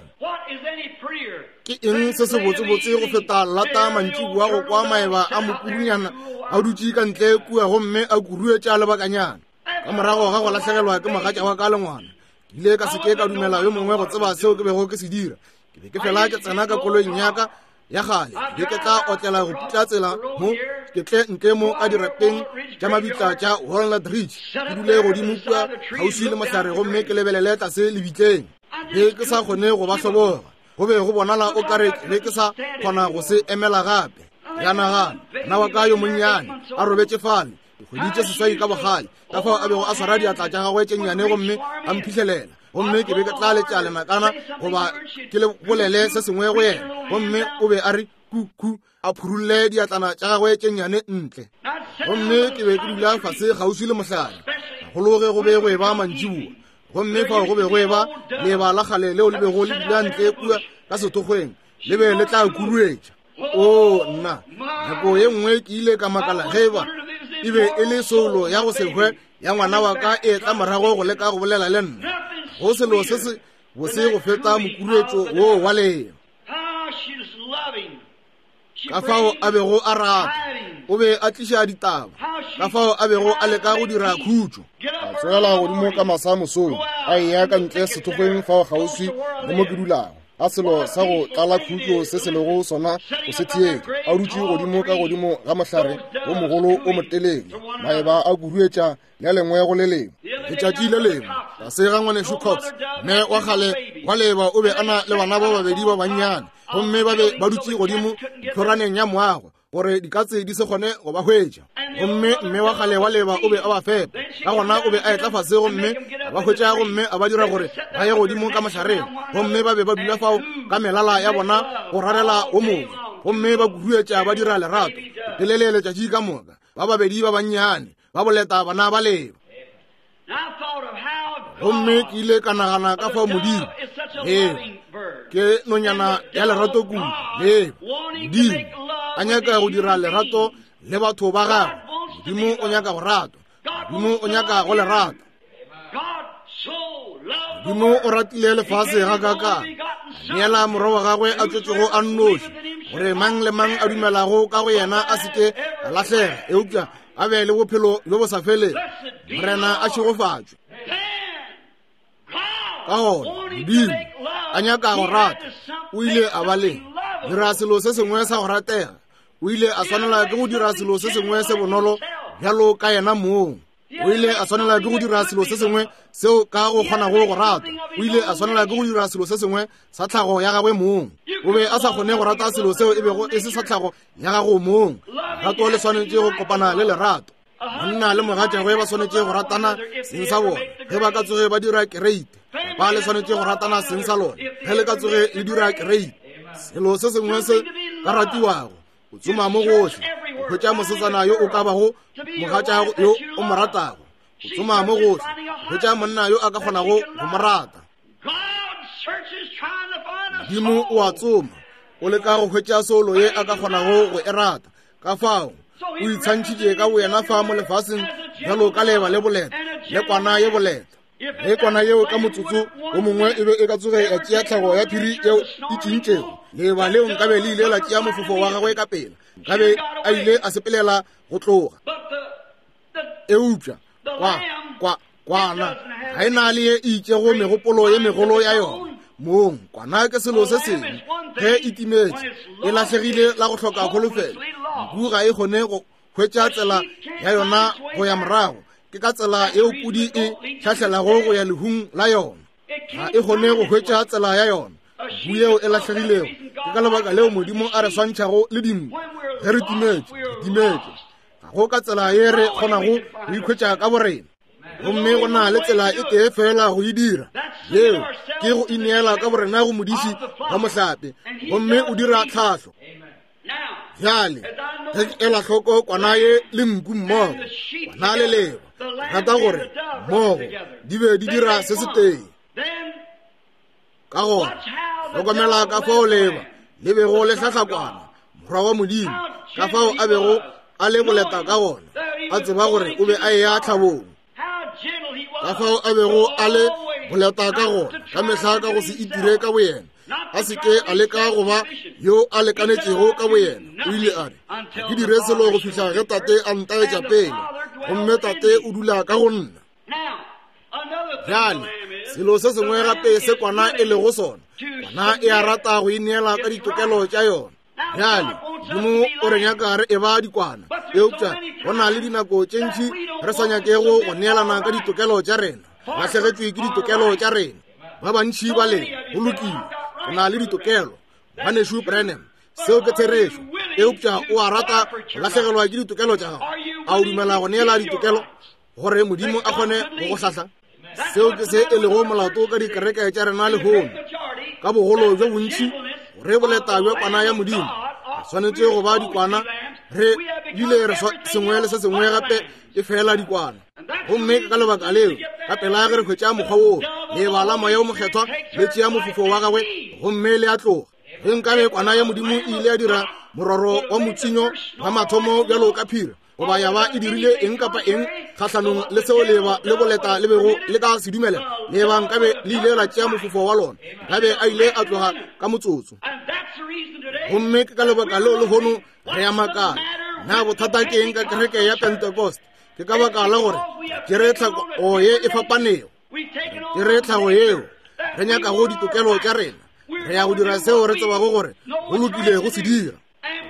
Ke eng se sebotsebotse go feta lata mantšiboa go kwa maeba a mokurunyana a dutše ka ntle kua gomme a kuruetša lebakanyana? Ka morago ga go lahlegelwa ke mogatša wa ka le ngwana, ke ile ka se ke ka dumela yo mongwe go tseba seo ke bego ke se dira. Ke be ke fela ke tsena ka koloing ya ka ya kgale, ke be ke tla otlela go putla tsela mo ke tle ntle mo ka dirapeng tša mabitla tša Walnut Ridge, ke dule godimo kua kgauswi le mohlare gomme ke lebelele tlase lebitleng. Be ke sa kgone go ba hloboga, go be go bonala o kare ke be ke sa kgona go se emela gape. Ya nagana, ngwana wa ka yo monnyane a robetše fale, dikgwedi tše seswai ka bogale, ka fao a bego a swara diatla tša gagwe tše nnyane gomme a mphihlelela, gomme ke be ke tla letša lenakana goba ke le bolele se sengwe go yena, gomme o be a re ku ku, a phurulle diatlana tša gagwe tše nnyane ntle. Gomme ke be ke dula fase kgauswi le mohlare, gagolo ge go be go eba mantšiboa, gomme fao go be go eba leeba la kgale leo le bego le dula ntle kua ka sethokgweng, le be le tla kuruetša. Oo, nna, nako ye nngwe ke ile ka makala ge eba e be e le soulo ya go se hwe ya ngwana wa ka e tla morago go leka go bolela le nna. Go selo se se bose go feta mokuruetšo woo wa leeba. Ka fao a bego a rata, o be a tliša ditaba, ka fao a bego a leka go dira khutšo. A tsogela godimo ka masa mosong, a eya ka ntle sethokgweng fao kgauswi le mo ke dulago. A selo sa go tlala khutšo se se lego sona go se theetša, a dutše godimo ka godimo ga mohlare wo mogolo o motelele, maeba a kuruetša le lengwe go le lengwe. Letšatši le lengwe tlase ga ngwanešu Cox, mme wa kgale wa leeba o be a na le bana ba babedi ba bannyane, gomme ba be ba dutše godimo tlhoraneng ya moago gore dikatse di se kgone go ba hwetša. Gomme mme wa kgale wa leeba o be a ba fepa, ka gona o be a etla fase gomme a ba hwetša gomme a ba dira gore ba ye godimo ka mohlareng, gomme ba be ba dula fao ka melala ya bona go rarela wo mongwe, gomme ba kuruetša ba dira lerato telele letšatši ka moka. Ba babedi ba bannyane ba boleta bana ba leeba. Gomme ke ile ka nagana ka fao Modimo, ee, ke nonyana ya lerato kudu, ee, Modimo a nyaka go dira lerato le batho ba gagwe. Modimo o nyaka go ratwa. Modimo o nyaka go le rata. Modimo o ratile lefase gakaakang, a neela morwa wa gagwe a tswetšego a nnoši, gore mang le mang a dumelago ka go yena a se ke a lahlega, eupša a be le bophelo bjo bo sa felego. Morena a šegofatšwe. Ka gona Modimo a nyaka go rata, o ile a ba le dira selo se sengwe sa go ratega. O ile a swanela ke go dira selo se sengwe se bonolo bjalo ka yena mong. O ile a swanela ke go dira selo se sengwe seo ka go kgonago go rata. O ile a swanela ke go dira selo se sengwe sa tlhago ya gagwe mong. O be a sa kgone go rata selo seo e bego e se sa tlhago ya gago mong. Lerato le swanetše go kopana le lerato. Monna le mogatšagwe ba swanetše go ratana seng sa bona ge ba ka tsoge ba dira kereite. Ba le swanetše go ratana seng sa lona ge le ka tsoge le dira kereite. Selo se sengwe se ka ratiwago, o tsoma mo gohle go hwetša mosetsana yo o ka bago mogatšago yo o mo ratago. O tsoma mo gohle go hwetša monna yo a ka kgonago go mo rata. Modimo o a tsoma, o leka go hwetša soulo ye a ka kgonago go e rata. Ka fao o itshwantšhitše ka boyena fa mo lefaseng bjalo ka leeba le boleta le kwana ye boleta. Ge kwana yeo ka motsotso o mongwe e be e ka tsoge ya tšea tlhago ya phiri yeo e tšintšego, leeba leo nkabe le ile la tšea mofofo wa gagwe ka pela, nkabe a ile a sepelela go tloga. Eupša kwa, kwa, kwana ga e na le ye e itšego megopolo ye megolo ya yona mong. Kwana ke selo se sengwe, ge e timetše, e lahlegile la go hloka kholofelo. Nku ga e kgone go hwetša tsela ya yona go ya morago. Ke ka tsela yeo pudi e hlahlelago go ya lehung la yona. Ga e kgone go hwetša tsela ya yona, nku yeo e lahlegilego. Ke ka lebaka leo Modimo a re swantšhago le dinku. Ge re timetše, re timetše. Ga go ka tsela ye re kgonago go ikhwetša ka borena. Gomme go na le tsela e tee fela go e dira, yeo ke go ineela ka borena go modiši wa mohlape, gomme o dira tlhahlo. Bjale ge ke ela hloko kwana ye le nku mmogo, kwana le leba, rata gore mmogo di be di dira se se tee. Ka gona hlokomela ka fao leba le bego le hlahla kwana, morwa wa Modimo, ka fao a bego a le boleta ka gona, a tseba gore o be a eya tlhabong. Ka fao a bego a le boleta ka gona, ka mehla ka go se itire ka boyena, a se ke a leka go ba yo a lekanetšego ka boyena. O ile a re, ga ke dire selo go fihla ge Tate a ntaetša pele, gomme Tate o dula ka go nna. Bjale selo se sengwe gape se kwana e lego sona, kwana e a rata go ineela ka ditokelo tša yona. Bjale Modimo o re nyaka re eba dikwana, eupša go na le dinako tše ntši re sa nyakego go neelana ka ditokelo tša rena. Lahlegetšwe ke ditokelo tša rena. Ba bantši ba le go lokile, re na le ditokelo, Ngwanešu Branham, seo ke therešo, eupša o a rata go lahlegelwa ke ditokelo tša gago. A o dumela go neela ditokelo gore Modimo a kgone go go hlahla? Seo ke se e lego molato ka dikereke tša rena lehono, ka bogolo bjo bontši gore boleta bja kwana ya Modimo. Re swanetše go ba dikwana, re bile re sengwe le se sengwe gape e fela dikwana. Gomme ka lebaka leo, ka pela ge re hwetša mokgwa woo, leeba la Moya wo Mokgethwa le tšea mofofo wa gagwe gomme le a tloga. Ge nkabe kwana ya Modimo e ile ya dira mororo wa motsinyo wa mathomo bjalo ka phiri, goba ya ba e dirile eng kapa eng kgahlanong le seo leeba le boleta le bego le ka se dumela, leeba nkabe le ile la tšea mofofo wa lona, nkabe a ile a tloga ka motsotso. Gomme ke ka lebaka leo lehono re a makala, na bothata ke eng ka kereke ya Pentecost? Ke ka baka la gore ke re tlhago ye e fapanego, ke re tlhago yeo re nyakago ditokelo tša rena, re ya go dira seo re tsebago gore go lokile go se dira.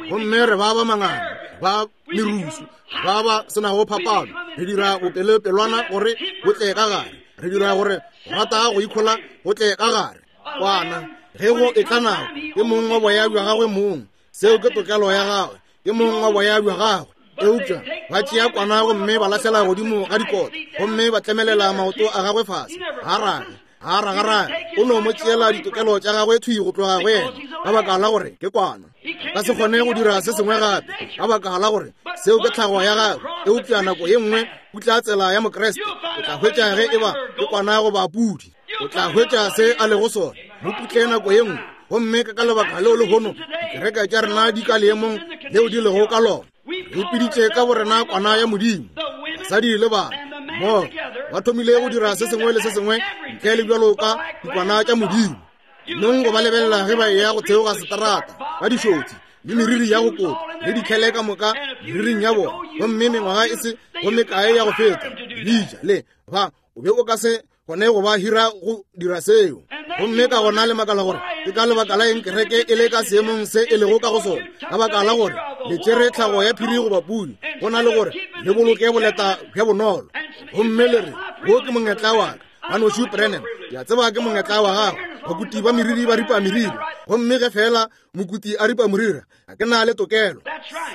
Gomme re ba ba mangana, ba merusu, ba ba senago phapano, re dira bopelepelwana gore bo tle ka gare, re dira gore go rata go ikhola go tle ka gare. Kwana ge go etla nako, ke mong wa boya bja gagwe mong, seo ke tokelo ya gagwe, ke mong wa boya bja gagwe. Eupša ba tšea kwana gomme ba lahlela godimo ga dikota, gomme ba tlemelela maoto a gagwe fase, ga rage, ga ragarage. O no mo tšeela ditokelo tša gagwe thwi go tloga go yena, ka baka la gore ke kwana. Ka se kgone go dira se sengwe gape, ka baka la gore seo ke tlhago ya gagwe. Eupša nako ye nngwe o tla tsela ya Mokriste, o tla hwetša ge eba ke kwana goba pudi, o tla hwetša se a lego sona. Mo putle nako ye nngwe. Gomme ka lebaka leo lehono dikereke tša rena di ka leemong leo di lego ka lona. Re ipiditše ka borena kwana ya Modimo. Basadi le bana mmogo ba thomile go dira se sengwe le se sengwe ntle le bjalo ka dikwana tša Modimo. Nong go ba lebelela ge ba eya go theoga seterata ka dišotsi le meriri ya go kota le dikhele ka moka meriring ya bona, gomme mengwaga e se go mekae ya go feta bitša le ba o be o ka se gone go ba hira go dira seo. Gomme ka gona le makala gore ke ka lebaka la eng kereke e le ka seemong se e lego ka go sona, ka baka la gore le tšere tlhago ya phiri goba pudi go na le gore le boloke boleta bja bonolo. Gomme le re, wo ke mongetla wa ka, Ngwanešu Branham, ke a tseba ke mongetla wa gago. Bakuti ba meriri ba ripa meriri, gomme ge fela mokuti a ripa moriri, ga ke na le tokelo.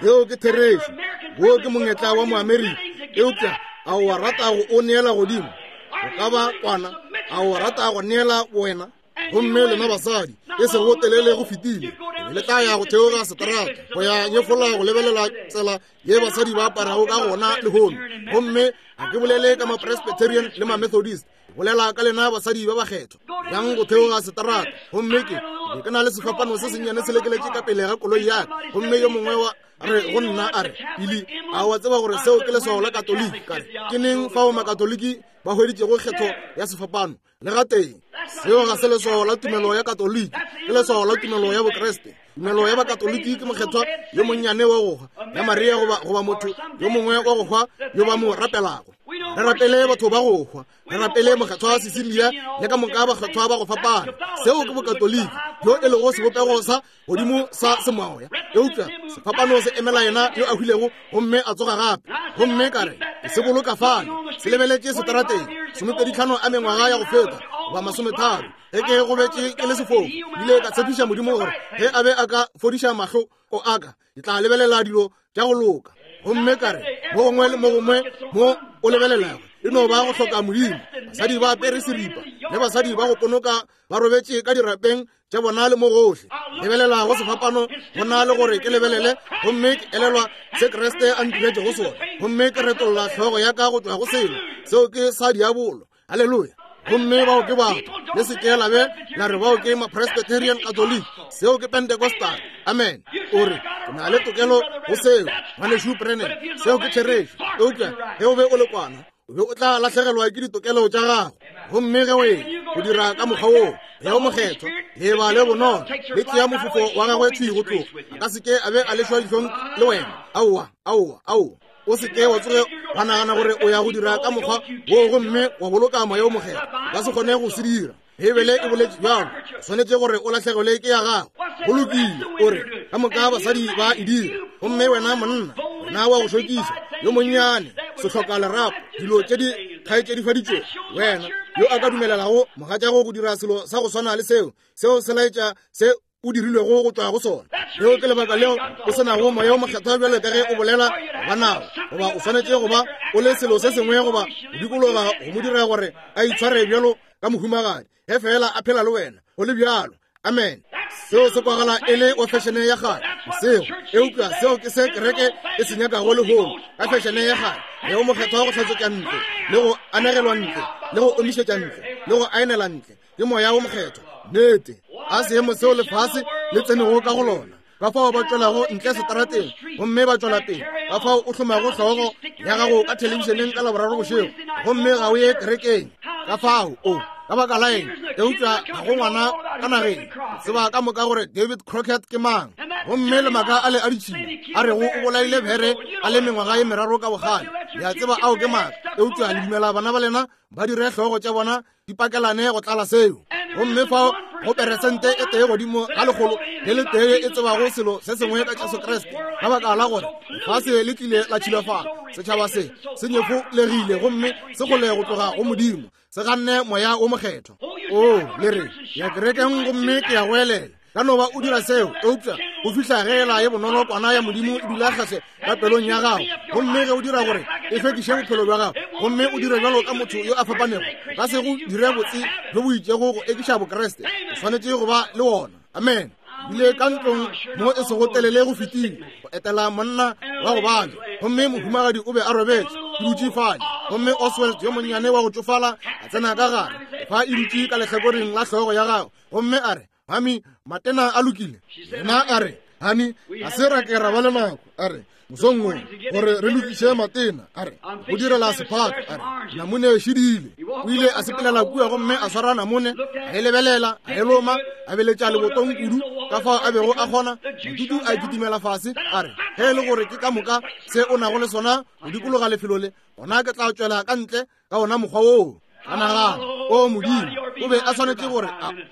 Seo ke therešo. Wo ke mongetla wa Moamerika, eupša a o rata go o neela godimo? O ka ba kwana, a o rata go neela wena? Gomme lena basadi, e sego telele go fetile, le tla ya go theoga seterata go ya nyefola go lebelela tsela ye basadi ba aparago ka gona lehono. Gomme ga ke bolele ka ma-Presbyterian le ma-Methodist, bolela ka lena basadi ba bakgethwa yang go theoga seterata. Gomme ke be ke na le sefapano se sennyane se lekeletše ka pele ga koloi ya ka, gomme yo mongwe wa re go nna a re, Billy, a wa tseba gore seo ke leswao la Katoliki? Ka re, ke neng fao Makatoliki ba hweditšego kgetho ya sefapano? Le gatee. Seo ga se leswao la tumelo ya Katoliki, ke leswao la tumelo ya Bokriste. Tumelo ya Bakatoliki ke mokgethwa yo monnyane wa go hwa ya Maria goba, goba motho yo mongwe wa go hwa yo ba mo rapelago. Re rapele batho ba go hwa, re rapele mokgethwa Cecilia le ka moka bakgethwa ba go fapana. Seo ke Bokatoliki bjo e lego sebopego sa godimo sa semoya. Eupša sefapano se emela yena yo a hwilego gomme a tsoga gape. Gomme ka re, ke se boloka fale, se lebeletše seterateng, 25 a mengwaga ya go feta, goba 30, ge ke gobetše ke le sefofu. Ile ka tshepiša Modimo gore ge a be a ka fodiša mahlo o aka, ke tla lebelela dilo tša go loka. Gomme ka re, mo gongwe le mo gongwe mo o lebelelago, e no ba go hloka Modimo. Basadi ba apere seripa, le basadi ba go ponoka ba robetše ka dirapeng tša bona le mo gohle. Lebelela go sefapano go na le gore ke lebelele, gomme ke elelwa se Kriste a ntiretšego sona, gomme ke retolla hlogo ya ka go tšwa go selo seo ke sa diabolo. Haleluya! Gomme bao ke batho, le se ke la be la re bao ke ma-Presbyterian Catholic, seo ke Pentecostal. Amen. O re, ke na le tokelo go seo, ngwanešu Branham, seo ke therešo. Eupša ge o be o le kwana, o be o tla lahlegelwa ke ditokelo tša gago. Gomme ge o e go dira ka mokgwa woo, ge o mokgethwa, leeba le bonolo le tšea mofofo wa gagwe thwi go tloga, a ka se ke a be a lešwa dihlong le wena. Aowa, aowa, aowa. O se ke wa tsoge wa nagana gore o ya go dira ka mokgwa woo gomme wa boloka moya o mokgethwa. O ka se kgone go se dira. Beibele e boletše bjalo. O swanetše gore o lahlegelwe ke ya gago. Go lokile, o re, ka moka basadi ba e dira. Gomme wena monna, wena wa go šokiša, yo monnyane, sehloka lerapo, dilo tše di kgaetšedifaditšwego, wena yo a ka dumelelago mogatšago go dira selo sa go swana le seo, seo se laetša se o dirilwego go tšwa go sona. Leo ke lebaka leo o se nago moya o mokgethwa bjalo ka ge o bolela goba nago, goba o swanetše go ba o le selo se sengwe goba go dikologa go mo dira gore a itshware bjalo ka mohumagadi, ge feela a phela le wena go le bjalo. Amen. Seo se kwagala e le wa fešene ya kgale seo, eupša seo ke se kereke e se nyakago lehono, ka fešene ya kgale, moya o mokgethwa go hlatswetša ntle le go anegelwa ntle le go omišetša ntle le go aenela ntle ke moya wo mokgethwa. Nnete, a seemo seo lefase le tsenego ka go lona, ka fao ba tšwelago ntle seterateng gomme ba tšwela pele, ka fao o hlomago hlogo ya gago ka thelebišeneng ka Laboraro bošego gomme ga o ye kerekeng, ka fao o ka baka la eng? Eupša ga go ngwana ka nageng tseba ka moka gore David Crockett ke mang, gomme le maaka a le a ditšhila a rego o bolaile bere a le mengwaga ye meraro ka bogale. Le a tseba ao ke maaka, eupša le dumela bana ba lena ba dire hlogo tša bona di pakelane go tlala seo. Gomme fao go peresente e tee godimo ga lekgolo le le tee e tsebago selo se sengwe ka Jesu Kriste, ka baka la gore lefase le tlile la tšhilafala, setšhaba se se nyefolegile gomme se kgole go tloga go Modimo, se ganne moya wo mokgethwa. O le re, ya kerekeng gomme ke ya go elela. Ka no ba o dira seo, eupša go fihla ge ela ye bonolo kwana ya Modimo e dula kgahle ka pelong ya gago, gomme ge o dira gore e hlwekiše bophelo bja gago, gomme o dire bjalo ka motho yo a fapanego, ka se go dire botse bjo bo itšego go ekiša Bokriste. O swanetše go ba le wona. Amen. Bile ka ntlong mo e sego telele go fetile go etela monna wa go babja, gomme mohumagadi o be a robetše, ke dutše fale, gomme Oswald yo monnyane wa go tšofala a tsena ka gare, fa e dutše ka lehlakoreng la hlogo ya gagwe, gomme a re, Mami, matena a lokile. Yena a re, Hani, ga se ra ke ra ba le nako, a re, mosong wo, gore re lokiše matena, a re, go direla sephato, a re, namune e šidile. O ile a sepelela kua gomme a swara namune, a e lebelela, a e loma, a beletša lebotong kudu ka fao a bego a kgona. Matutu a kitimela fase, a re, ge e le gore ke ka moka se o nago le sona go dikologa lefelo le, gona ke tla tšwela ka ntle ka ona mokgwa woo. Ka nagana, o Modimo, o be a swanetše gore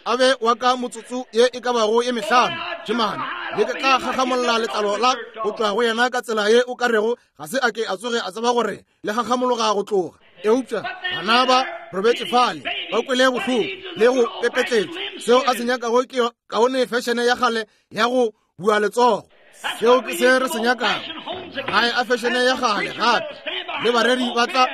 a be wa ka motsotso ye e ka bago ye mehlano tšhemane, le ke tla gagamolla letlalo la go tšwa go yena ka tsela ye o ka rego ga se a ke a tsoge a tseba gore le gagamologa go tloga. Eupša bana ba robetše fale ba kwele bohloko le go pepetletšwa. Seo a se nyakago ke kaone fešene ya kgale ya go bua letsogo. Seo ke se re se nyakago, gae a fešene ya kgale gape, le bareri ba tla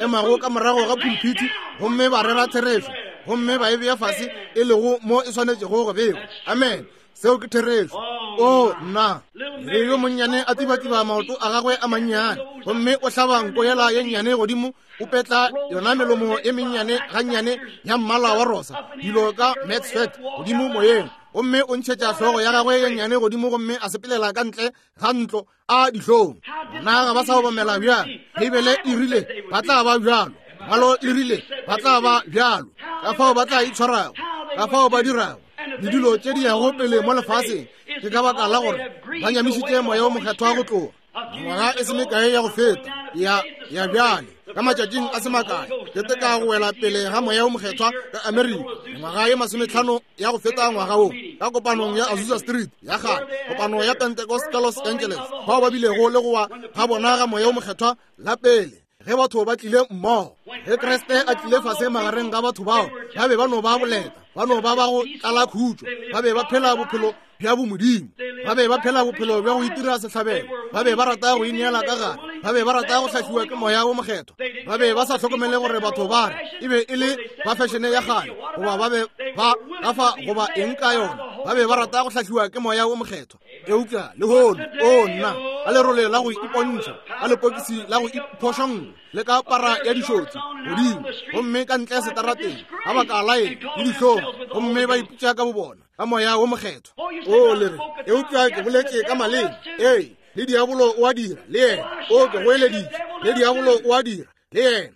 emago ka morago ga pulpiti gomme ba rera therešo gomme ba e bea fase e lego mo e swanetšego go bewa. Amen. Seo ke therešo. O nna, le yo monnyane a tiba-tiba maoto a gagwe a mannyane, gomme o hlaba nko yela ye nnyane godimo, o petla yona melomo e mennyane gannyane ya mmala wa rosa, dilo ka Max Fat godimo moyeng, gomme o ntšhetša hlogo ya gagwe ye nnyane godimo gomme a sepelela ka ntle ga ntlo a dihlong. Bona ga ba sa obamela bjang? Beibele e rile ba tla ba bjalo. Lengwalo le rile ba tla ba bjalo, ka fao ba tla itshwarago, ka fao ba dirago, le dilo tše di yago pele mo lefaseng, ke ka baka la gore ba nyamišitše Moya wo Mokgethwa go tloga. Mengwaga e se mekae ya go feta, ya, ya bjale, ka matšatšing a se makae, ke teka go wela pele ga Moya wo Mokgethwa ka Amerika, mengwaga ye 50 ya go feta ngwaga wo, ka kopanong ya Azusa Street ya kgale, kopano ya Pentecost ka Los Angeles, bao ba bilego le go wa ga bona ga Moya wo Mokgethwa la pele, ge batho ba tlile mmogo, ge Kriste a tlile fase magareng ga batho bao, ba be ba no ba boleta, ba no ba ba go tlala khutšo, ba be ba phela bophelo bja bomodimo, ba be ba phela bophelo bja go itira sehlabelo, ba be ba rata go ineela ka gare, ba be ba rata go hlahliwa ke Moya wo Mokgethwa, ba be ba sa hlokomele gore batho ba re e be e le ba fešene ya kgale goba ba be ba gafa goba eng ka yona, ba be ba rata go hlahliwa ke Moya wo Mokgethwa. Eupša lehono, o nna, ka lerole la go ipontšha, ka lepokisi la go iphošolla, le ka para ya dišotsi godimo gomme ka ntle setarateng, ka baka la eng, le dihlong, gomme ba ipitša ka bobona ka Moya wo Mokgethwa. O le re, eupša ke boletše ka maleme. Ee, le diabolo o a dira le yena. O, ke goeleditše, le diabolo o a dira le yena.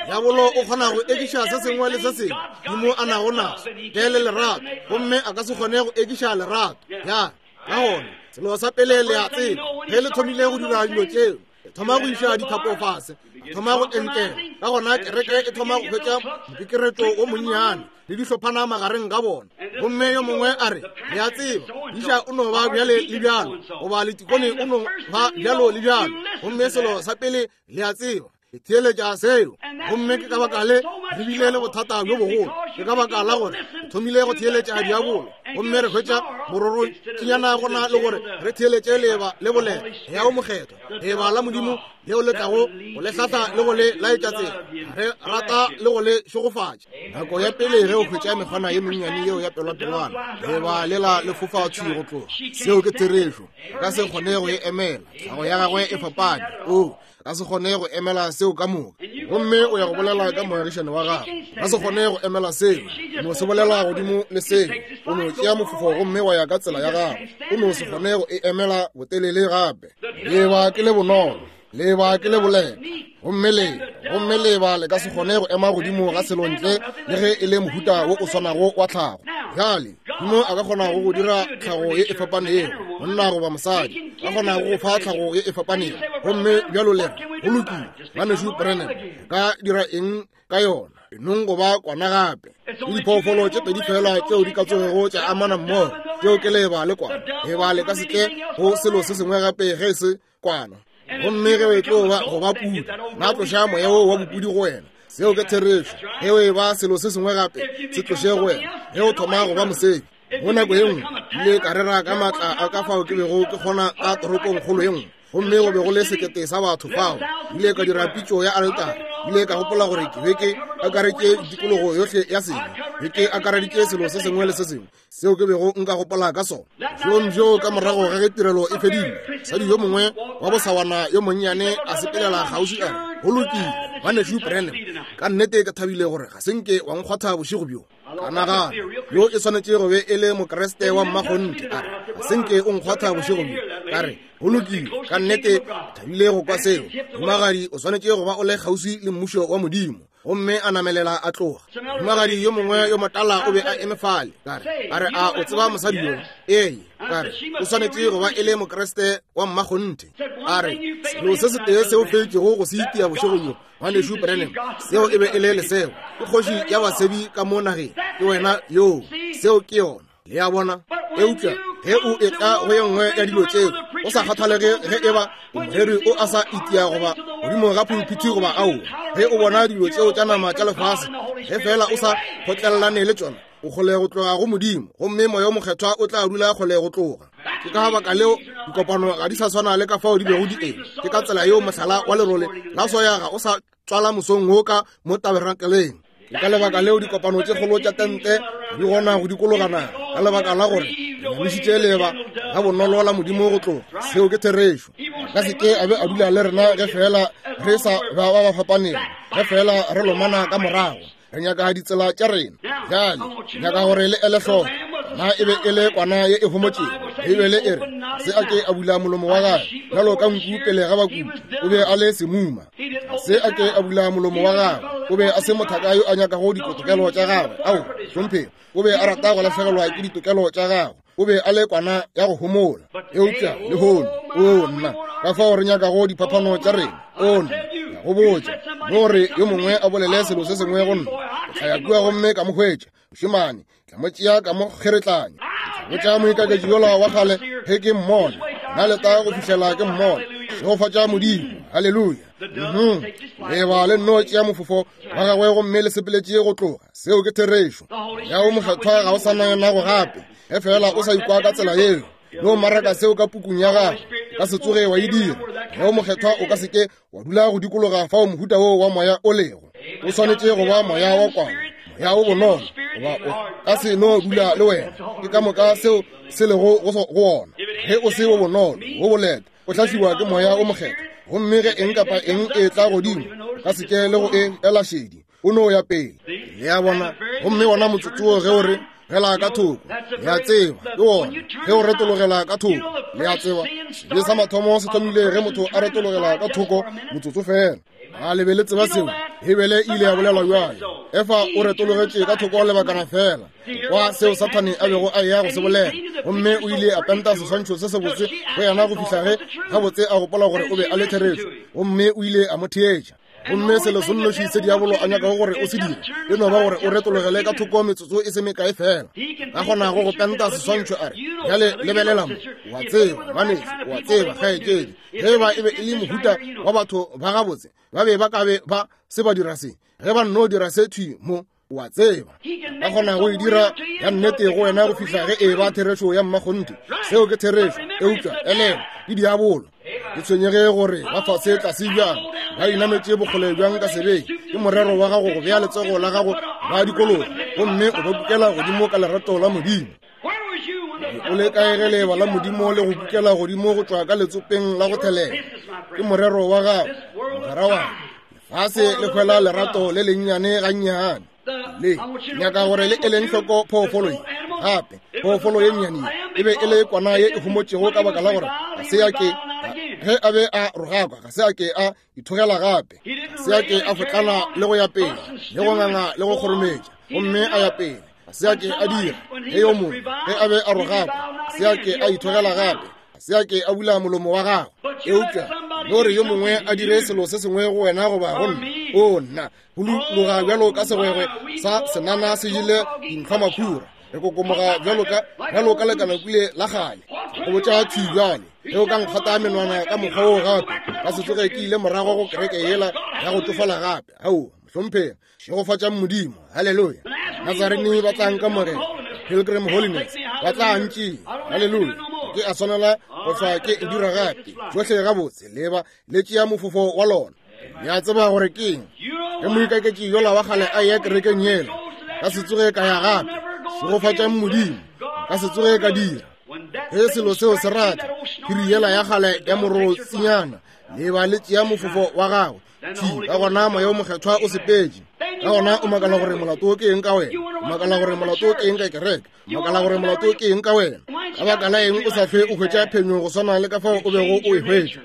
Diabolo o kgona go ekiša se sengwe le se sengwe Modimo a nago naso, ntle le lerato, gomme a ka se kgone go ekiša lerato. Ya, ka gona, selo sa pele le a tseba, ge le thomile go dira dilo tšeo, le thoma go iša dithapo fase, ba thoma go entela. Ka gona kereke e thoma go hwetša mokekeretšo wo monnyane le dihlophana magareng ga bona. Gomme yo mongwe a re, le a tseba, iša o no ba bjale le bjalo, goba letikone o no ba bjalo le bjalo. Gomme selo sa pele le a tseba, le theeletša seo. Gomme ke ka baka le re bile le bothata bjo bogolo, ke ka baka la gore re thomile go theeletša diabolo, gomme re hwetša mororotšinyana gona le gore re theeletše leeba le bolela ya o Mokgethwa, leeba la Modimo leo le tlago go le hlahla le go le laetša tsela, re rata le go le šegofatša. Nako ya pele ge o hwetša mekgwana ye mennyane yeo ya pelwapelwana, leeba lela le fofa thwi go tloga. Seo ke therešo. A ka se kgone go e emela, tlhago ya gagwe e fapane. O ka se kgone go emela seo ka moka. Gomme o ya go bolela ka moagišane wa gago, ka se kgone go emela seo, no se bolela godimo le seo. O no tšea mofofo gomme wa ya ka tsela ya gago. O no se kgone go e emela botelele gape. Leeba ke le bonolo, leeba ke le boleta, gomme le, gomme leeba le ka se kgone go ema godimo ga selo ntle le ge e le mohuta wo o swanago wa tlhago. Bjale, Modimo a ka kgona go dira tlhago ye e fapanego, monna goba mosadi, a kgona go fa tlhago ye e fapanego. Gomme bjalo le re, go lokile, Ngwanešu Branham, re ka dira eng ka yona? Enong go ba kwana gape. Ke diphoofolo tše pedi fela tšeo di ka tsogego tša amana mmogo, tšeo ke leeba le kwana. Leeba le ka se tle go selo se sengwe gape ge e se kwana. Gomme ge o e tlo ba go ba pudi, na tloša moya wo wa bopudi go wena. Seo ke therešo. Ge o e ba selo se sengwe gape, se tloše go wena. Ge o thoma go ba mosegi, mo nako ye nngwe ile ka rera ka maatla a ka fao ke bego ke kgona ka toropong kgolo ye nngwe, gomme go be go le sekete sa batho fao. Ile ka dira pitšo ya aletare. Ile ka gopola gore ke be ke akaretše tikologo yohle ya sebe, be ke akareditše selo se sengwe le se sengwe seo ke bego nka gopola ka sona. Bjong bjo ka morago ga ge tirelo e fedile, mosadi yo mongwe wa bosawana yo monnyane a sepelela kgauswi a re, go lokile, Ngwanešu Branham, ka nnete ke thabile gore ga se nke wa nkgwatha bošego bjo. Ka nagana, yo e swanetše go be e le Mokriste wa mmakgonthe. A re, ga se nke o nkgwatha bošego bjo. Ka re, go lokile, ka nnete ke thabile go kwa seo. Mohumagadi, o swanetše go ba o le kgauswi le Mmušo wa Modimo. Gomme a namelela a tloga. Mohumagadi yo mongwe yo motala o be a eme fale. Ka re, a re, a o tseba mosadi yo? Ee. Ka re, o swanetše go ba e le Mokriste wa mmakgonthe. A re, selo se setee seo fetšego go se itia bošego bjo, Ngwanešu Branham, seo e be e le lesego. Ke kgoši ya basebi ka mo nageng. Ke wena yoo. Seo ke yona. Le a bona? Eupša ge o etla go ye nngwe ya dilo tšeo, go sa kgathalege ge eba o moreri o a sa itia goba godimo ga pulpiti goba aowa, ge o bona dilo tšeo tša nama tša lefase, ge feela o sa kgotlelelane le tšona, o kgole go tloga go Modimo, gomme Moya wo Mokgethwa o tla dula kgole go tloga. Ke ka baka leo dikopano ga di sa swana le ka fao di bego di eme. Ke ka tsela yeo mohlala wa lerole la soya ga o sa tswala mosong wo ka mo tabernakeleng. Ke ka lebaka leo dikopano tše kgolo tša tente di gona go dikologa naga, ka lebaka la gore re nyamišitše leeba ga bonolo la Modimo go tloga. Seo ke therešo. A ka se ke a be a dula le rena ge feela re sa ba ba ba fapanego, ge feela re lomana ka morago. Re nyaka ditsela tša rena. Bjale, nyaka gore le ele hloko. Na e be e le kwana ye e homotšego. Beibele e re, se a ke a bula molomo wa gagwe bjalo ka nku pele ga bakuti. O be a le semuma. Se a ke a bula molomo wa gagwe. O be a se mothaka yo a nyakago ditokelo tša gagwe. Ao, hlomphego. O be a rata go lahlegelwa ke ditokelo tša gagwe. O be a le kwana ya go homola. Eupša lehono, oo nna, ka fao re nyakago diphaphano tša rena. Oo nna, ke a go botša, no re yo mongwe a bolele selo se sengwe go nna, ke tla ya kua gomme ka mo hwetša. Mošemane, tla mo tšea ka mo kgeretlanya. Ke tla botša moikaketši yola wa kgale ge ke mmona. Nna leta go fihlela ke mmona. Šegofatša Modimo. Haleluya. Mhm. Leba le nno tšea mofofo wa gagwe gomme le sepeletše go tloga. Seo ke therešo. Moya wo Mokgethwa ga o sa na nago gape. Ge fela o sa ikwa ka tsela yeo, no maraka seo ka pukung ya gago, ka se tsoge wa e dira. Moya wo Mokgethwa o ka se ke wa dula go dikologa fao mohuta wo wa moya o lego. O swanetše go ba moya wa kwana, moya o bonolo, goba o ka se no dula le wena. Ke ka moka seo se lego go wona. Ge o se wo bonolo, wo boleta, o hlahliwa ke Moya wo Mokgethwa, gomme ge eng kapa eng e tla godimo, o ka se ke le go e ela šedi. O no ya pele. Le a bona? Gomme wona motsotso wo ge o re, gela ka thoko, le a tseba, ke wona ge o retologela ka thoko. Le a tseba, sebe sa mathomo se thomile ge motho a retologela ka thoko motsotso fela. A le be le tseba seo? Beibele e ile ya bolela bjale. Efa o retologetše ka thoko lebakana fela kwa seo Sathane a bego a eya go se bolela, gomme o ile a penta seswantšho se sebotse go yena go fihla ge gabotse a gopola gore o be a le therešo, gomme o ile a mo theetša. Gomme selo se nnoši se diabolo a nyakago gore o se dire e no ba gore o retologele ka thoko metsotso e se mekae fela. Ka kgonago go penta seswantšho a re, bjale lebelela mo, o a tseba, ngwanešu, o a tseba, kgaetšedi, ge ba e be e le mohuta wa batho ba gabotse, ba be ba ka be ba se ba dira se, ge ba nno dira se thwi mo, o a tseba. Ba kgona go e dira ya nnete go wena go fihla ge e ba therešo ya mmakgonthe. Seo ke therešo, eupša elelwa, ke diabolo. Ke tshwenyege gore ba fase tlase bjang, ba inametše bokgole bjang ka sebeng, ke morero wa gago go bea letsogo la gago ba dikologa gomme o ba kukela godimo ka lerato la Modimo. O le kae ge leeba la Modimo le go kukela godimo go tšwa ka letsopeng la go thelela? Ke morero wa gago, mogwera wa ka. Lefase le hwela lerato le lennyane gannyane. Le nyaka gore le eleng hloko phoofolo ye gape. Phoofolo ye nnyane ye e be e le kwana ye e homotšego ka baka la gore ga se ya ke ge a be a rogakwa, ga se a ke a ithogela gape, ga se a ke a fotlana le go ya pele le go nganga le go kgorometša gomme a ya pele. Ga se a ke a dira ge yo mongwe ge a be a rogakwa, ga se a ke a ithogela gape, ga se a ke a bula molomo wa gagwe. Eupša no re yo mongwe a dire selo se sengwe go wena goba go nna, o nna, go loga bjalo ka segwegwe sa senana se jele dintlhwa makhura, re kokomoga bjalo ka bjalo ka lekanakule la kgale. Go botša thwi bjale, ge o ka nkgata menwana ka mokgwa wo gape, ka se tsoge ke ile morago go kereke yela ya go tšofala gape. Aowa, mohlomphegi. Šegofatšang Modimo. Haleluya. Nazarene ba tla nkamogela. Pilgrim Holiness ba tla ntšea. Haleluya. Ke a swanela go hlwa ke e dira gape. Tšohle gabotse leba le tšea mofofo wa lona. Le a tseba gore ke eng. Ge moikaketši yola wa kgale a eya kerekeng yela, ka se tsoge ka ya gape. Šegofatšang Modimo. Ka se tsoge ka dira. Ge selo seo se rata, phiri yela ya kgale ya morotsinyana, leba le tšea mofofo wa gagwe. Thi, ka gona Moya wo Mokgethwa o sepetše. Ka gona o makala gore molato ke eng ka wena. O makala gore molato ke eng ka kereke. O makala gore molato ke eng ka wena. Ka baka la eng o sa hlwe o hwetša phenyo go swana le ka fao o bego o e hwetša?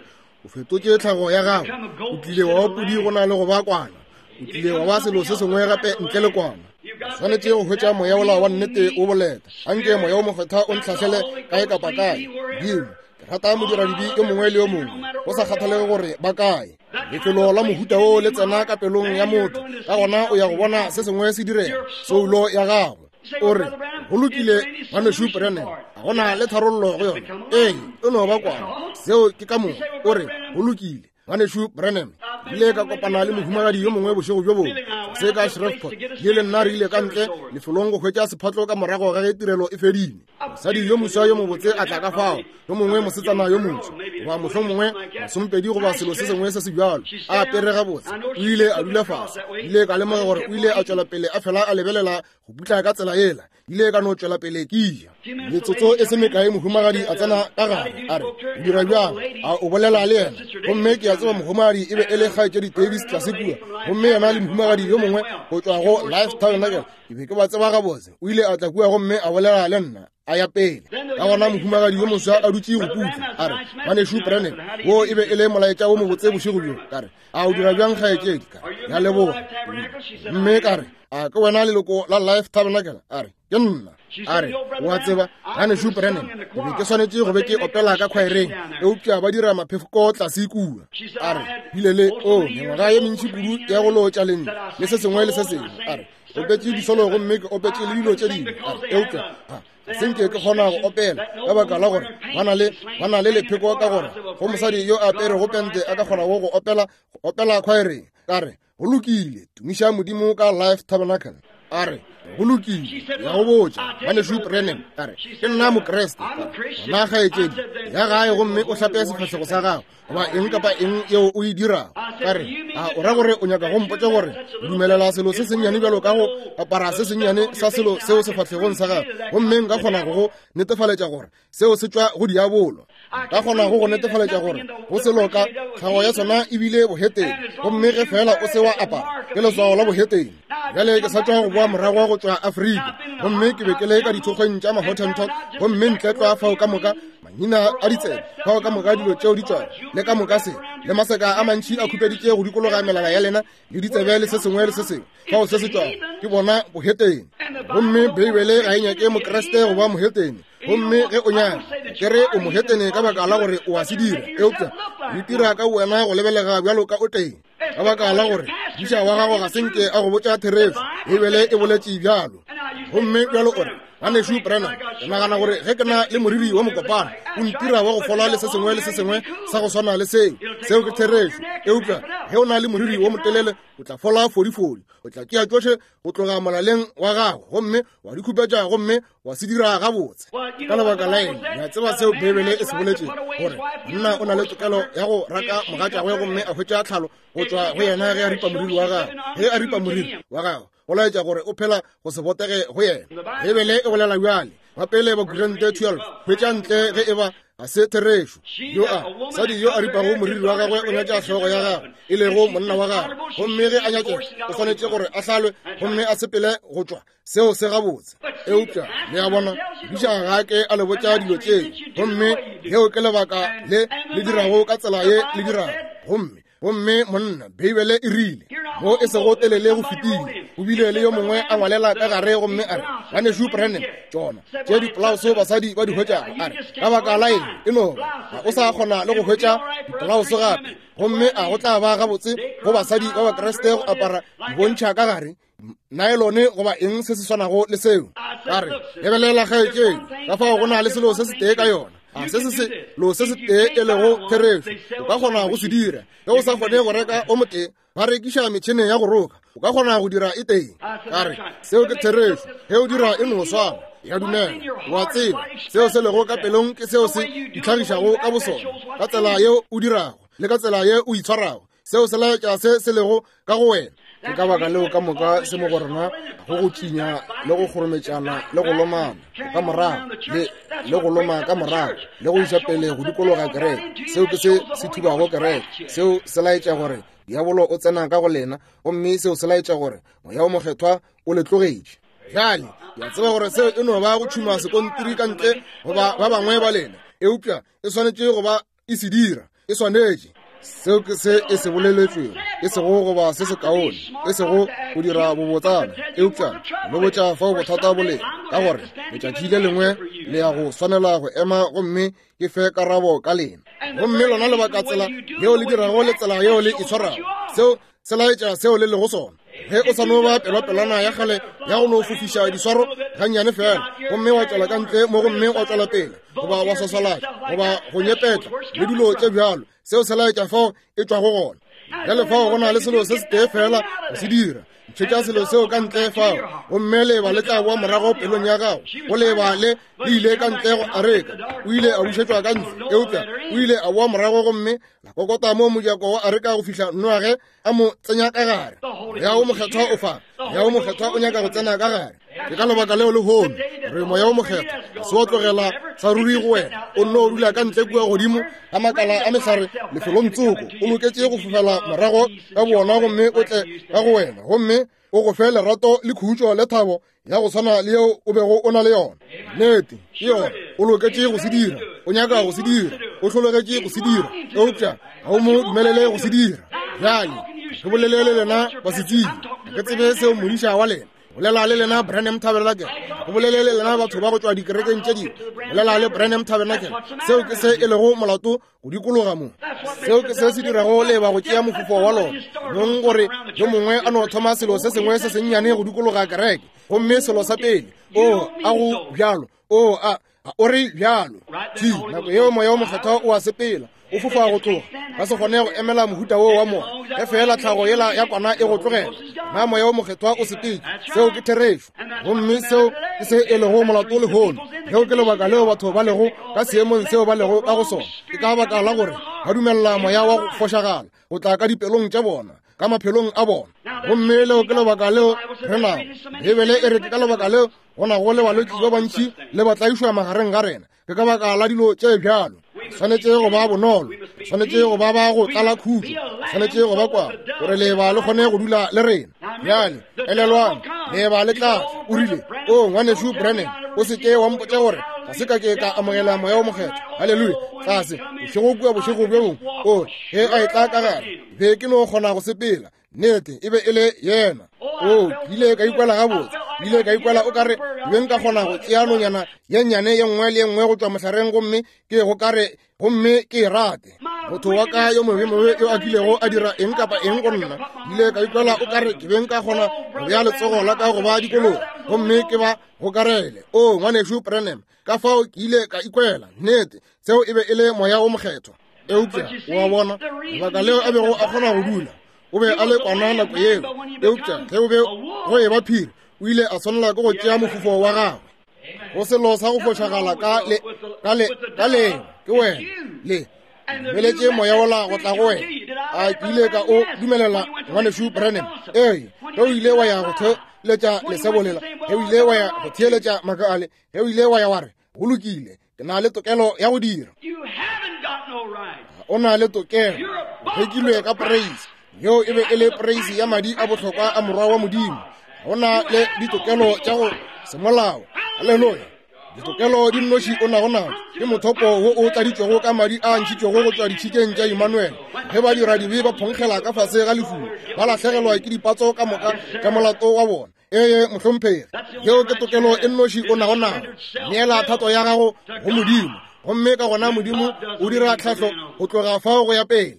O fetotše tlhago ya gago. O tlile wa ba pudi go na le go ba kwana. O tlile wa ba selo se sengwe gape ntle le kwana. O swanetše go hwetša moya wola wa nnete o boleta. Anke Moya wo Mokgethwa o ntlhahlele kae kapa kae. Modimo, ke rata modiradibe yo mongwe le yo mongwe, go sa kgathalege gore ba kae. Lefelo la mohuta wo le tsena ka pelong ya motho, ka gona o ya go bona se sengwe se direga, soulo ya gago. O re, go lokile, Ngwanešu Branham, ga go na le tharollo go yona. Ee, e no ba kwana. Seo ke ka moka. O re, go lokile, Ngwanešu Branham, ke ile ka kopana le mohumagadi yo mongwe bošego bjo bongwe se ka Shreveport. Ke le nna re ile ka ntle lefelong go hwetša sephatlo ka morago ga ge tirelo e fedile. Mosadi yo moswa yo mobotse a tla ka fao, yo mongwe mosetsana yo moswa, goba mohlomongwe masompedi goba selo se sengwe se se bjalo, a apere gabotse. O ile a dula fase. Ke ile ka lemoga gore o ile a tšwela pele a fela a lebelela go putla ka tsela yela. Ile ka no tšwela pele ke ja. Metsotso e se mekae mohumagadi a tsena ka gare, a re, O dira bjang? A o bolela le yena? Gomme ke a tseba mohumagadi e be e le kgaetšedi Davis tlase kua, gomme yena le mohumagadi yo mongwe go tšwa go Life Tabernacle, ke be ke ba tseba gabotse. O ile a tla kua gomme a bolela le nna. A ya pele. Ka gona mohumagadi yo moswa a dutše go putla, a re, Ngwanešu Branham, wo e be e le molaetša wo mobotse bošego bjo. Ka re, A o dira bjang, kgaetšedi? Ka re, Ya leboga. Mme ka re, A ke wena leloko la Life Tabernacle? A re, Ke nna. A re, O a tseba, Ngwanešu Branham, ke be ke swanetše go be ke opela ka khwaereng, eupša ba dira maphefoko tlase kua. A re, Bile le, o, mengwaga ye mentši kudu ya go lootša lentšu, le se sengwe le se sengwe. A re, opetše disolo gomme ke opetše le dilo tše dingwe. A re, eupša ga se nke ke kgona go opela ka baka la gore ba na le lepheko ka gore go mosadi yo a aperego pente a ka kgonago go opela go opela khwaereng. Ka re, Go lokile, tumiša Modimo ka Life Tabernacle. A re, Go lokile, ya go botša, Ngwanešu Branham. A re, Ke nna Mokriste. Ka re, Gona kgaetšedi, ya gae gomme o hlape sefahlego sa gago, goba eng kapa eng yeo o e dirago. Ka re, A o ra gore o nyaka go mpotša gore o dumelela selo se sennyane bjalo ka go apara se sennyane sa selo seo sefahlegong sa gago, gomme nka kgona go go netefaletša gore seo se tšwa go diabolo? Ka kgona go go netefaletša gore go selo ka tlhago ya sona ebile bohetene, gomme ge fela o se wa apara ke leswao la bohetene. Bjale ke sa tšwa go boa morago go tšwa Afrika, gomme ke be ke le ka dithokgweng tša Mahottentot, gomme ntle tlwa fao ka moka mangina a ditsebe, fao ka moka dilo tšeo di tšwago, le ka moka se, le maseka a mantši a khupeditše go dikologa melala ya lena le ditsebe le se sengwe le se sengwe fao se se tšwago, ke bona bohetene. Gomme Beibele ga e nyake Mokriste go ba mohetene. Gomme ge o nyaka, ke re o mohetene ka baka la gore o a se dira, eupša o itira ka wena go lebelega bjalo ka o teng, ka baka la gore modiša wa gago ga se nke a go botša therešo. Beibele e boletše bjalo. Gomme bjalo o re, Ngwanešu Branham, ke nagana gore ge ke na le moriri wa mokopana o ntira wa go fola le se sengwe le se sengwe sa go swana le seo. Seo ke therešo. Eupša ge o na le moriri wo motelele, o tla fola fodifodi. O tla tšea tšohle go tloga molaleng wa gago gomme wa di khupetša gomme wa se dira gabotse. Ka lebaka la eng? Le a tseba seo Beibele e se boletšego, gore monna o na le tokelo ya go raka mogatšagwe gomme a hwetša tlhalo go tšwa go yena ge a ripa moriri wa gagwe. Ge a ripa moriri wa gagwe, go laetša gore o phela go se botege go yena. Beibele e bolela bjale, ba pele Bakorinte 12, hwetša ntle ge e ba ga se therešo. Yo a mosadi yo a ripago moriri wa gagwe o nyatša hlogo ya gagwe, e lego monna wa gagwe, gomme ge a nyatšega o swanetše gore a hlalwe gomme a sepele go tšwa. Seo se gabotse. Eupša le a bona, modiša ga ke a le botša dilo tšeo, gomme leo ke lebaka le le dirago ka tsela ye le dirago. Gomme monna, Beibele e rile, mo e sego telele go fetile, o bile le yo mongwe a ngwalela ka gare gomme a re, Ngwanešu Branham, tšona tše dipolauso basadi ba di hwetšago, a re, ka baka la eng, e no ba ga o sa kgona le go hwetša dipolauso gape, gomme a go tla ba gabotse go basadi ba Bakriste go apara dibontšha ka gare naelone goba eng se se swanago le seo? Ka re, lebelela kgaetšedi, ka fao go na le selo se setee ka yona, a se se selo se setee e lego therešo, o ka kgona go se dira. Ge o sa kgone go reka o motee, ba rekiša metšhene ya go roka, o ka kgona go dira e tee. Ka re, seo ke therešo, ge o dira e no swana. Ya dumela, o a tseba, seo se lego ka pelong ke seo se itlhagišago ka bosona, ka tsela yeo o dirago le ka tsela ye o itshwarago, seo se laetša se se lego ka go wena. Ke ka baka leo ka moka se mo go rena go go tšinya le go kgorometšana le go lomana ka morago le go loma ka morago le go iša pele go dikologa kereke. Seo ke se se thubago kereke. Seo se laetša gore diabolo o tsena ka go lena, gomme seo se laetša gore Moya o Mokgethwa o le tlogetše. Bjale ke a tseba gore seo e no ba go tšhuma sekontiri ka ntle goba ba bangwe ba lena, eupša e swanetše go ba e se dira, e swanetše. Seo ke se e se boleletšwego, e sego goba se sekaone, e sego go dira bobotsana, eupša le botša fao bothata bo lego, ka gore letšatši le lengwe le ya go swanela go ema gomme ke fe karabo ka lena. Gomme lona lebaka tsela yeo le dirago le tsela yeo le itshwarago, seo se laetša seo le lego sona. Ge o sa no ba pelopelwana ya kgale ya go no fofiša diswaro gannyane fela, gomme wa tšwela ka ntle mo gomme wa tšwela pele, goba wa swaswalatša, goba go nyepetla le dilo tše bjalo, seo se laetša fao e tšwago gona. Bjale fao go na le selo se setee fela go se dira, ntšhetša selo seo ka ntle fao, gomme leeba le tla boa morago pelong ya gago. Go leeba le le ile ka ntle go areka, o ile a bušetšwa ka ntle, eupša o ile a boa morago gomme la kokota mo mojako wa areka go fihla Noage a mo tsenya ka gare. Moya wo Mokgethwa o fa, Moya wo Mokgethwa o nyaka go tsena ka gare. Ke ka lebaka leo lehono re Moya wo Mokgethwa ga se wa tlogela sa ruri go wena, o nno dula ka ntle kua godimo ga makala a mehlare lefelong tsoko, o loketše go fofela morago ka bona gomme o tle ka go wena gomme. o go fe lerato le khutšo le thabo ya go swana le yeo o bego o na le yona. Nnete, ke yona. O loketše go se dira. O nyaka go se dira. O hlologetše go se dira. Eupša ga o mo dumelele go se dira. Bjale, ke bolele le lena basetsebje. Ga ke tsebe seo modiša wa lena. Bolela le lena Branham Tabernacle. Go bolele le lena batho ba go tšwa dikerekeng tše dingwe. Bolela le Branham Tabernacle. Seo ke se e lego molato go dikologa mo. Seo ke se se dirago leba go tšea mofufo wa lona. Nong gore yo mongwe a no thoma selo se sengwe se sennyane go dikologa kereke. Gomme selo sa pele, o a go bjalo, o a o re bjalo. Thi, nako yeo Moya wo Mokgethwa o a sepela, o fofa go tloga. Ba se kgone go emela mohuta woo wa moya. Ge feela tlhago yela ya kwana e go tlogela, na Moya wo Mokgethwa o sepetše. Seo ke therešo. Gomme seo ke se e lego molato lehono. Leo ke lebaka leo batho ba lego ka seemong seo ba lego ka go sona. Ke ka baka la gore ba dumelela moya wa go fošagala go tla ka dipelong tša bona, ka maphelong a bona. Gomme leo ke lebaka leo re nago. Beibele e re ke ka lebaka leo go nago le balwetši ba bantši le batlaišwa magareng ga rena. Ke ka baka la dilo tše bjalo. Swanetše go ba bonolo, swanetše go ba ba go tlala khutšo, swanetše go ba kwa gore leeba le kgone go dula le rena. Bjale elelwang, leeba le tla tla. O rile, O ngwanešu Branham, o se ke wa mpotša gore ga se ka ke ka amogela Moya wo Mokgethwa. Haleluya! Tlase bošego kua bošego bjo bongwe, o ge a etla ka gare, be ke no kgona go sepela. Nnete, e be e le yena. O, ke ile ka ikwela gabotse. Ke ile ka ikwela o ka re ke be nka kgona go tšea nonyana ye nnyane ye nngwe le ye nngwe go tšwa mohlareng gomme ke go ka re gomme ke e rate. Motho wa ka yo mobe mobe yo a kilego a dira eng kapa eng go nna, ke ile ka ikwela o ka re ke be nka kgona go bea letsogo la ka go ba dikologa gomme ke ba gokarele. O, ngwanešu Branham, ka fao ke ile ka ikwela. Nnete, seo e be e le Moya wo Mokgethwa. Eupša o a bona lebaka leo a bego a kgona go dula, o be a le kwana nako yeo, eupša ge o be go eba phiri, o ile a swanela ke go tšea mofufo wa gagwe. Go selo sa go fošagala ka le, ka le, ka leo, ke wena, le dumeletše moya wola go tla go wena. A ke ile ka o dumelela, ngwanešu Branham? Ee, ge o ile wa ya go theeletša lesebo lela, ge o ile wa ya go theeletša maaka ale, ge o ile wa ya wa re, go lokile, ke na le tokelo ya go dira. O na le tokelo. O rekilwe ka poreisi. Yeo e be e le poreisi ya madi a bohlokwa a Morwa wa Modimo. Ga o na le ditokelo tša go semolao. Haleluya! Ditokelo di nnoši o nago nago ke mothopo wo o tladitšwego ka madi a ntšhitšwego go tšwa ditšhikeng tša Immanuel. Ge ba dira dibe ba phonkgela ka fase ga lefulo, ba lahlegelwa ke dipatso ka moka tša molato wa bona. Ee, mohlomphegi, yeo ke tokelo e nnoši o nago nago. Neela thato ya gago go Modimo, gomme ka gona Modimo o dira tlhahlo go tloga fao go ya pele.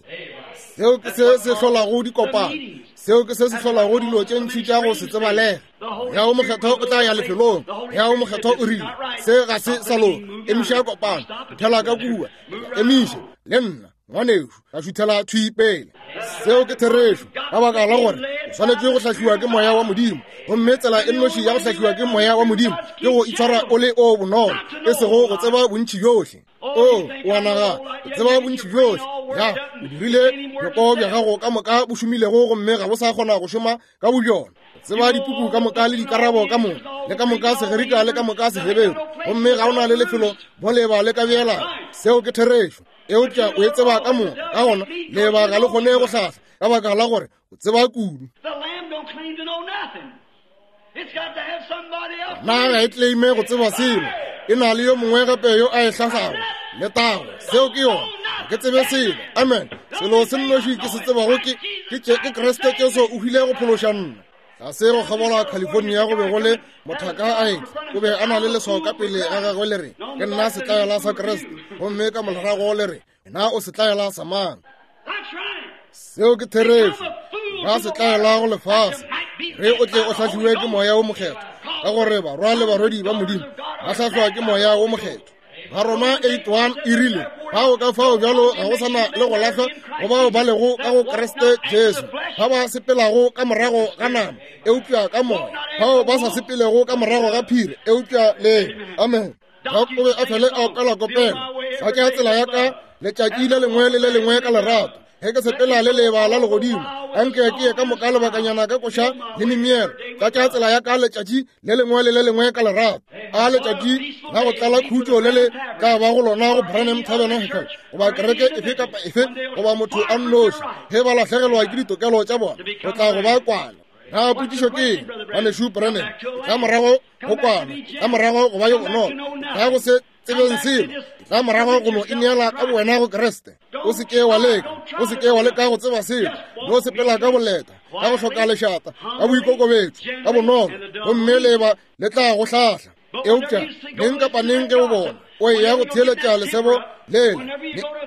Seo ke se se hlolago dikopano. Seo ke se se hlolago dilo tše ntši tša go se tsebalege. Moya wo Mokgethwa o tla ya lefelong. Moya wo Mokgethwa o rile, se ga se sa loka. Emiša kopano. Šuthela ka kua. Emiše, le nna. Ngwanešu, ka šuthela thwi pele. Seo ke therešo, ka baka la gore o swanetše go hlahliwa ke Moya wa Modimo. Gomme tsela e nnoši ya go hlahliwa ke Moya wa Modimo ke go itshwara o le o bonolo, e sego go tseba bontši bjohle. O, o a nagana, o tseba bontši bjohle. Ya, o dirile bjoko bja gago ka moka bo šomilego gomme ga bo sa kgona go šoma ka bobjona. Tseba dipuku ka moka le dikarabo ka moka, le ka moka Segerika le ka moka Seheberu, gomme ga o na le lefelo mo leba le ka beelago. Seo ke therešo. Eupša o e tseba ka moka, ka gona leba ga le kgone go hlahla ka baka la gore o tseba kudu. Na ga e claime go tseba selo, e na le yo mongwe gape yo a e hlahlago. Letago, seo ke yona. Ga ke tsebe selo. Amen. Selo se nnoši ke se tsebago ke, ke, ke Kriste Jesu o hwile go phološa nna. Tlase go kgabola California go be go le mothaka a etla. O be a na le leswao ka pele ga gagwe le re, ke nna setlaela sa Kriste. Gomme ka morago le re, na o setlaela sa mang? Seo ke therešo. Ba setlaela go lefase. Re o tle o hlahliwe ke Moya wo Mokgethwa, ka gore barwa le barwedi ba Modimo ba hlahlwa ke Moya wo Mokgethwa. Baroma 8:1 e rile, bao ka fao bjalo ga go sa na le go lahlwa go bao ba lego ka go Kriste Jesu, ba ba sepelago ka morago ga nama, eupša ka moya, bao ba sa sepelego ka morago ga phiri, eupša le. Amen. Doc o be a fele a opela kopelo, Sa tšea tsela ya ka letšatši le lengwe le le lengwe ka lerato, ge ke sepela le leeba la legodimo, anke ke ye ka moka lebakanyana ka koša le mimielo. Ka tšea tsela ya ka letšatši le lengwe le le lengwe ka lerato. A letšatši la go tlala khutšo le le tla ba go lona go Branham Tabernacle goba kereke efe kapa efe goba motho a nnoši, ge ba lahlegelwa ke ditokelo tša bona, go tla go ba kwana. Na potšišo ke eng, Ngwanešu Branham? Tla morago go kwana, tla morago go ba yo bonolo, tla go se tsebeng selo, tla morago go no ineela ka bowena go Kriste. O se ke wa leka, o se ke wa leka go tseba selo, no sepela ka boleta, ka go hloka lešata, ka boikokobetšo, ka bonolo, gomme leba le tla go hlahla. Eupša neng kapa neng ge o bona o eya go theeletša lesebo lela,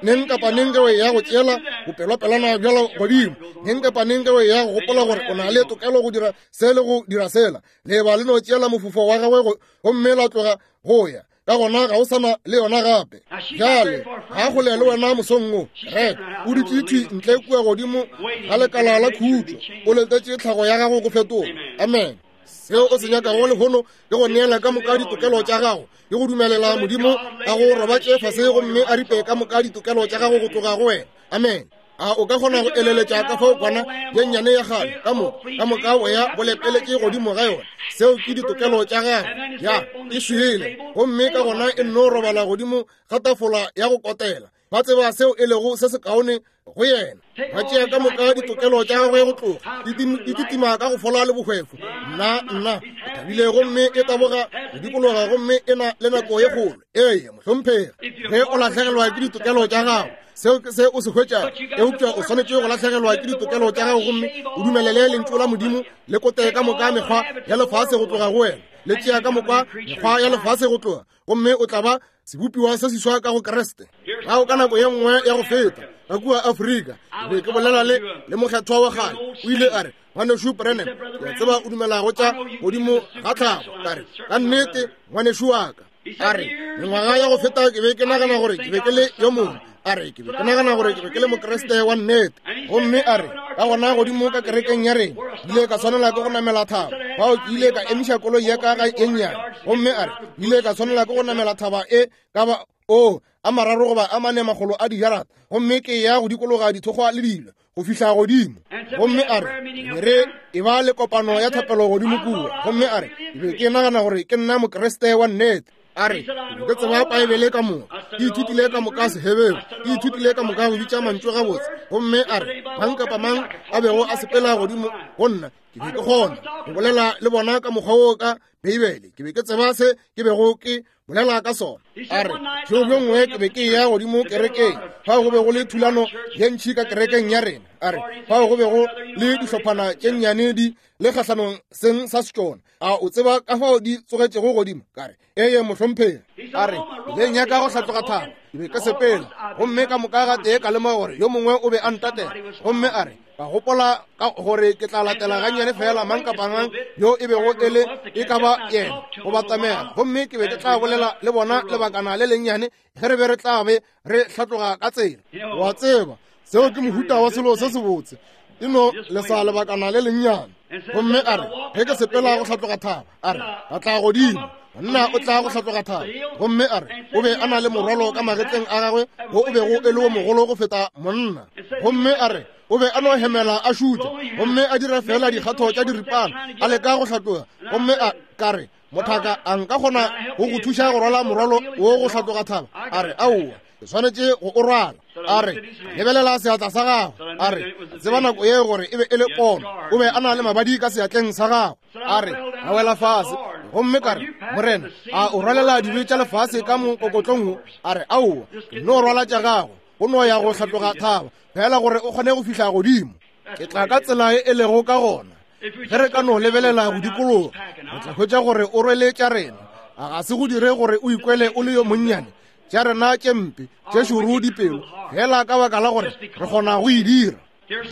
neng kapa neng ge o eya go tšeela bopelopelana bjalo godimo, neng kapa neng ge o eya go gopola gore o na le tokelo go dira se le go dira sela, leba le no tšeela mofufo wa gagwe gomme la tloga go ya. Ka gona ga o sana le yona gape. Bjale ga kgole le wena mosong wo, rek o dutše thwi ntle kua godimo ga lekala la khutšo, o letetše tlhago ya gago go fetoga. Amen. Seo o se nyakago lehono ke go neela ka moka ditokelo tša gago, ke go dumelela Modimo a go robatše fase gomme a ripe ka moka ditokelo tša gago go tloga go wena. Amen. A o ka kgona go eleletša ka fao kwana ye nnyane ya kgale ka mo ka moka o ya bo lepeletše godimo ga yona? Seo ke ditokelo tša gago. Ya e swele, gomme ka gona e nno robala godimo ga tafola ya go kotela. Ba tseba seo e lego se sekaone go yena. Ba tšea ka moka ditokelo tša gagwe go tloga, e kitima ka go fola le bohwefo. Nna, nna, o thabile gomme e taboga go dikologa gomme e na le nako ye kgolo. Ee, mohlomphegi, ge o lahlegelwa ke ditokelo tša gago, seo ke se o se hwetšago. Eupša o swanetše go lahlegelwa ke ditokelo tša gago gomme o dumelele lentšu la Modimo le kote ka moka mekgwa ya lefase go tloga go wena, le tšea ka moka mekgwa ya lefase go tloga, gomme o tla ba sebopiwa se seswa ka go Kriste. Gao ka nako ye nngwe ya go feta ka kua Afrika, ke be ke bolela le le mokgethwa wa kgale, o ile a re, Ngwanešu Branham, ke a tseba o dumela go tša godimo ga tlhago. Ka re, ka nnete, ngwanešu wa ka. A re, mengwaga ya go feta ke be ke nagana gore ke be ke le yo mongwe. A re, ke be ke nagana gore ke be ke le Mokriste wa nnete. Gomme a re, ka gona godimo ka kerekeng ya rena, ke ile ka swanela ke go namela thaba. Fao ke ile ka emiša koloi ya ka ga e nnyane. Gomme a re, ke ile ka swanela ke go namela thaba e ka ba o a mararo goba a mane makgolo a dijarata, gomme ke ya go dikologa dithokgwa le dilo go fihla godimo. Gomme a re, be re e ba le kopano ya thapelo godimo kua. Gomme a re, ke be ke nagana gore ke nna Mokriste wa nnete. A re, ke be ke tseba Paebele ka moka, ke ithutile ka moka Seheberu, ke ithutile ka moka go bitša mantšu gabotse. Gomme a re, mang kapa mang a bego a sepela godimo go nna, ke be ke kgona go bolela le bona ka mokgwa wo ka Beibele. Ke be ke tseba se ke bego ke bolela ka sona. A re, bjo bjo nngwe ke be ke eya godimo kerekeng, fao go be go le thulano ye ntši ka kerekeng ya rena. A re, fao go be go le dihlophana tše nnyane di le kgahlanong seng sa setšona. A o tseba ka fao di tsogetšego godimo? Ka re, eye mohlomphegi. A re, le nyaka go hlatloga thaba. Ke be ke sepela, gomme ka moka ga tee ka lemoga gore yo mongwe o be a ntatela. Gomme a re, ka gopola ka gore ke tla latela gannyane fela mang kapa mang yo e bego e le e ka ba yena go batamela, gomme ke be ke tla bolela le bona lebakana le lennyane ge re be re tla be re hlatloga ka tsela. Wa tseba, seo ke mohuta wa selo se sebotse, e no lesa lebakana le lennyane. Gomme a re, ge ke sepela go hlatloga thaba, a re, ka tla godimo, monna o tla go hlatloga thaba. Gomme a re, o be a na le morwalo ka magetleng a gagwe wo o bego e le wo mogolo go feta monna. Gomme a re, o be a no hemela a šutša, gomme a dira fela dikgatho tša diripana, a leka go hlatloga. Gomme a ka re, mothaka, a nka kgona go go thuša go rwala morwalo wo go hlatloga thaba? A re, aowa, ke swanetše go o rwala. A re, lebelela seatla sa gagwe. A re, tseba nako ye gore e be e le pono, o be a na le mabadi ka seatleng sa gagwe. A re, a wela fase, gomme ka re, Morena, a o rwalela dibe tša lefase ka mokokotlong wo? A re, aowa, ke no rwala tša gago, go no ya go hlatloga thaba fela gore o kgone go fihla godimo. Ke tla ka tsela e e lego ka gona. Ge re ka no lebelela go dikologa, re tla hwetša gore o rwele tša rena. A ga se go dire gore o ikwele o le yo monnyane? Tša rena tše mpe, tše šoro dipelo, fela ka baka la gore re kgona go e dira.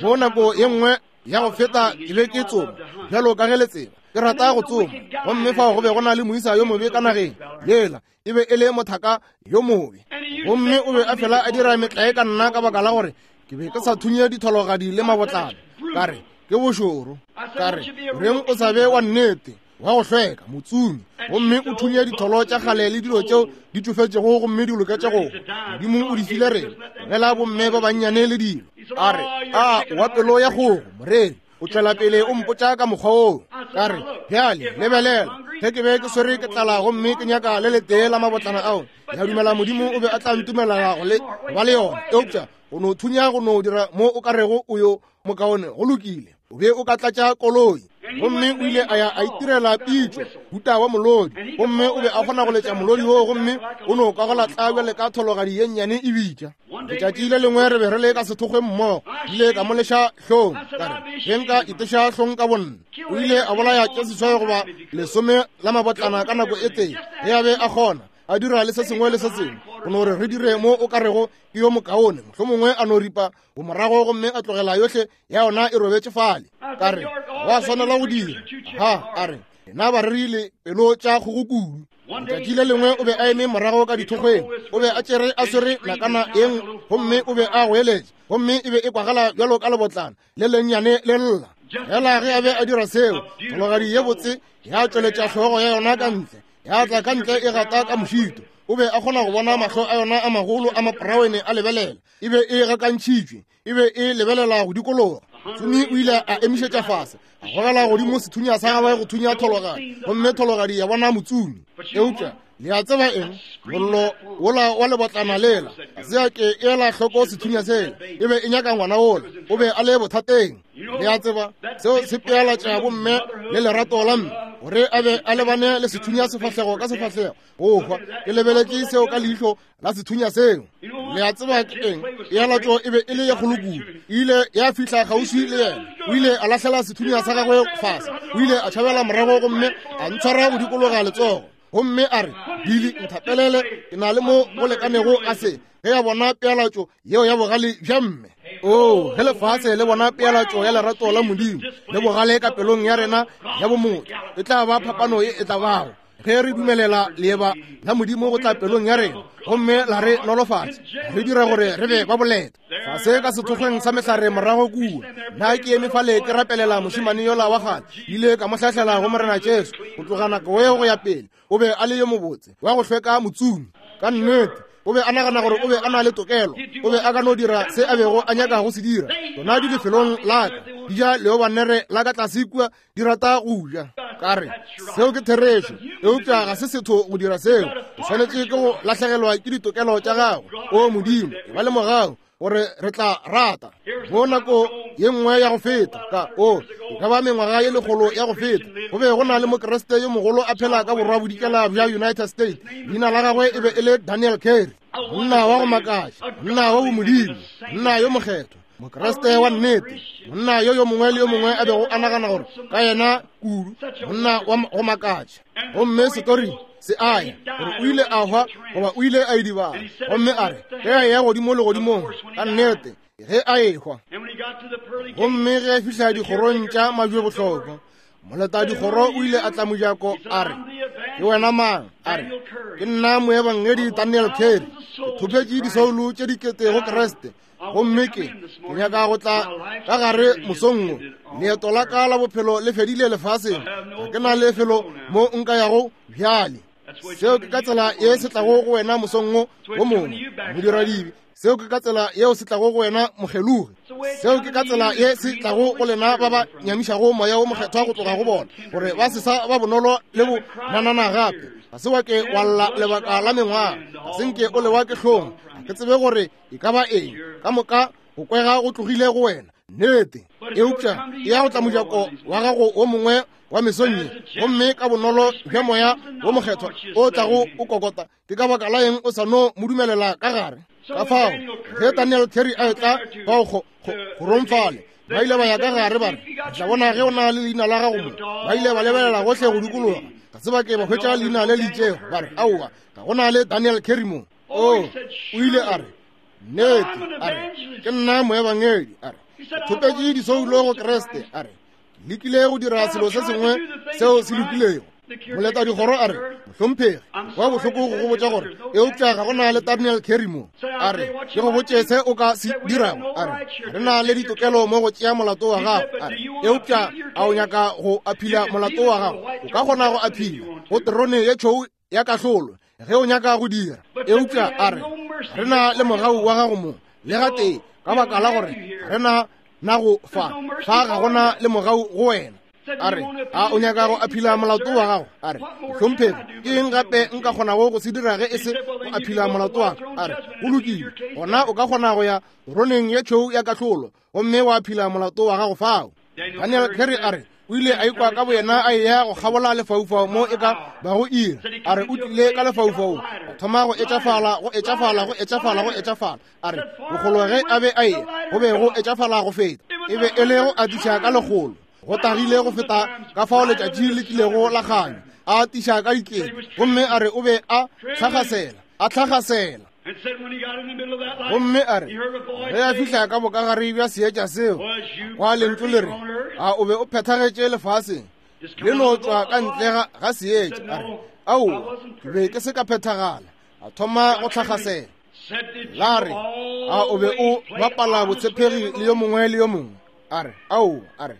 Mo nako ye nngwe ya go feta ke be ke tsoma, bjalo ka ge le tseba, ke rata go tsoma. Gomme fao go be go na le moisa yo mobe ka nageng yela, e be e le mothaka yo mobe, gomme o be a fela a dira metlae ka nna ka baka la gore ke be ke sa thunye dithologadi le mabotlana. Ka re, ke bošoro. Ka re, reng o sa be wa nnete, wa go hlweka, motsumi, gomme o thunye ditholo tša kgale le dilo tšeo di tšofetšego gomme di loketše go Modimo o di file rena, tlogela bomme ba bannyane le dilo. A re, a wa pelo ya kgogo, moreri, o tšwela pele o mpotša ka mokgwa woo. Ka re, bjale lebelela, ge ke be ke swere ke tlala gomme ke nyaka le letee la mabotlana ao, ke a dumela Modimo o be a tla ntumelela go le ba le yona. Eupša go no thunya go no dira mo o ka rego o yo mokaone, go lokile, o be o ka tlatša koloi. Gomme o ile a ya a itirela pitšo, huta wa molodi, gomme o be a kgona go letša molodi woo, gomme o no kwa go tla bjale ka thologadi ye nnyane e bitša. Letšatši le lengwe re be re le ka sethokgweng mmogo, ile ka mo leša hlong, ka re ge nka iteša hlong ka bonna. O ile a bolaya tše 8 goba 10 la mabotlana ka nako e tee, ge a be a kgona a dira le se sengwe le se sengwe. Go no re re dire mo o ka rego ke yo mokaone, mohlomongwe a no ripa go morago gomme a tlogela yohle ya yona e robetše fale. Ka re wa swanela go dira. Ha a re na ba rerile pelo tša kgogo kudu. Letšatši le lengwe o be a eme morago ka dithokgweng, o be a tšere a swere nakana eng, gomme o be a goeletša, gomme e be e kwagala bjalo ka lebotlana le lennyane le lla. Fela ge a be a dira seo, thologadi ye botse ya tšweletša hlogo ya yona ka ntle, ya tla ka ntle e gata ka mošito. O be a kgona go bona mahlo a yona a magolo a maporawene a lebelela. E be e gakantšhitšwe, e be e lebelela go dikologa. Tsumi o ile a emišetša fase, a gogela godimo sethunya sa gagwe go thunya thologadi, gomme thologadi ya bona motsumi. Eupša le a tseba eng? Mollo wola wa lebotlana lela ga se a ke ela hloko sethunya sela, e be e nyaka ngwana wola, o be a le bothateng. Le a tseba seo se pealatša bomme le lerato la mme, gore a be a lebane le sethunya sefahlego ka sefahlego. Go hwa, ke lebeletše seo ka leihlo la sethunya seo. Le a tseba ke eng? Pealatšo e be e le ye kgolo kudu, e ile ya fihla kgauswi le yena. O ile a lahlela sethunya sa gagwe fase, o ile a tšhabela morago gomme a ntshwara go dikologa letsogo, gomme a re, Billy, nthapelele, ke na le mo go lekanego a se. Ge a bona pealatšo yeo ya bogale bja mme, oo, ge lefase le bona pealatšo ya lerato la Modimo le bogale ka pelong ya rena ya bomotho, e tla ba phapano ye e tla bago ge re dumelela leeba la Modimo go tla pelong ya rena gomme la re nolofatša, re dira gore re be ba boleta. Fase ka sethokgweng sa mehlare morago kua, nna ke eme fale ke rapelela mošemane yola wa kgale, ile ka mo hlahlela go Morena Jesu. Go tloga nako yeo go ya pele, o be a le yo mobotse wa go hlweka motsumi. Ka nnete o be a nagana gore o be a na le tokelo, o be a ka no dira se a bego a nyaka go se dira. Tsona di lefelong la ka, di ja leobanere la ka tlase kua, di rata go ja. Ka re seo ke therešo, eupša ga se setho go dira seo. O swanetše ke go lahlegelwa ke ditokelo tša gago. O Modimo, e ba le mogau gore re tla rata. Mo nako ye nngwe ya go feta, ka o e ka ba mengwaga ye lekgolo ya go feta, go be go na le Mokriste yo mogolo a phela ka borwa bodikela bja United States. Leina la gagwe e be e le Daniel Carey, monna wa go makaša, monna wa bomodimo, monna yo mokgethwa, Mokriste wa nnete, monna yo yo mongwe le yo mongwe a bego a nagana gore ka yena kudu, monna wa go makatša. Gomme setori se a ya gore o ile a hwa goba o ile a idibala, gomme a re ge a eya godimo legodimong, ka nnete ge a ehwa. Gomme ge a fihla dikgorong tša majwebohlokwa, moleta dikgoro o ile a tla mojako a re, ke wena mang? A re, ke nna moebangedi Daniel Carey, ke thopetše disoulo tše dikete go Kriste, gomme ke nyaka go tla ka gare mosong wo. Leeto la ka la bophelo le fedile lefaseng, ga ke na lefelo mo nka yago bjale. Seo ke ka tsela ye se tlago go wena mosong wo wo mongwe, modiradibe. Seo ke ka tsela yeo se tlago go wena mokgelogi. Seo ke ka tsela ye se tlago go lena ba ba nyamišago moya wo mokgethwa go tloga go bona, gore ba se sa ba bonolo le bo nanana gape. Ga se wa ke wa lla lebaka la mengwaga, ga se nke o lewa ke hlong. Ga ke tsebe gore e ka ba eng, ka moka go kwega go tlogile go wena, nnete. Eupša e ya go tla mojako wa gago wo mongwe wa mesong ye, gomme ka bonolo bja moya wo mokgethwa o tlago o kokota, ke ka baka la eng o sa no mo dumelela ka gare? Ka fao ge Daniel Carey a etla fao kgorong fale, ba ile ba ya ka gare ba re, re tla bona ge o na le leina la gago mo. Ba ile ba lebelela gohle go dikologa, ga se ba ke ba hwetša leina le le itšego. Ba re, aowa, ga go na le Daniel Carey mo. O ile a re, nnete, a re, ke nna moebangedi. A re, ke thopetše disoulo go Kriste. A re, ke lekile go dira selo se sengwe seo se lokilego. Moleta dikgoro a re, mohlomphegi, kwa bohloko go go botša gore eupša ga go na le Daniel Carey mo. A re, ke go botše se o ka se dirago. A re, re na le ditokelo mo go tšea molato wa gago. A re, eupša a o nyaka go aphila molato wa gago? O ka kgona go aphila go terone ye tšhou ya kahlolo ge o nyaka go dira. Eupša a re, re na le mogau wa gago mo le gatee, ka baka la gore re na nago fa fa ga gona le mogau go wena. A re, a o nyaka go aphila molato wa gago? A re, mohlomphegi, ke eng gape nka kgonago go se dira ge e se go aphila molato wa ka? A re, go lokile, gona o ka kgona go ya teroneng ye tšhweu ya kahlolo gomme wa aphila molato wa gago fao. Daniel Carey a re, O ile a ikwa ka boyena a eya go kgabola lefaufau mo e ka bago iri. A re o tlile ka lefaufaung, a thoma go etšafala, go etšafala, go etšafala, go etšafala. A re bokgolo ge a be a eya go be go etšafala go feta. E be e le go atiša ka lekgolo, go tagile go feta ka fao letšatši le tlilego la kganya. A atiša ka dikete, gomme a re o be a tlhagasela, a tlhagasela. Gomme a re ge a fihla ka bokagare bja seetša seo, kwa lentšu le re, a o be o phethagetše lefaseng le no tšwa ka ntle ga seetša? A re, aowa, ke be ke se ka phethagala. A thoma go tlhagasela. La re, a o be o bapala botshepegi le yo mongwe le yo mongwe? A re, aowa. A re,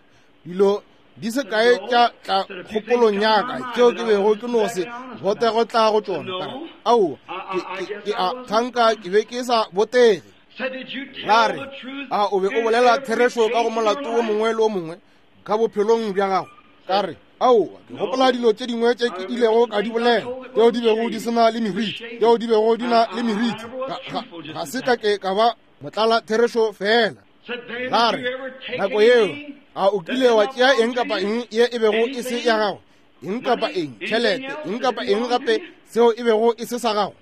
dilo di se kae tša tla kgopolong ya ka tšeo ke bego ke no se botego tla go tšona. Ka re, aowa, ke a thanka ke be ke sa botege. La re, a o be o bolela therešo ka go molato wo mongwe le wo mongwe ka bophelong bja gago? Ka re, aowa, ke gopola dilo tše dingwe tše ke ilego ka di bolela tšeo di bego di se na le meriti, tšeo di bego di na le meriti. Ga se ka ke ka ba motlala therešo fela. La re, nako yeo, a o kile wa tšea eng kapa eng ye e bego e se ya gago, eng kapa eng, tšhelete, eng kapa eng gape seo e bego e se sa gago?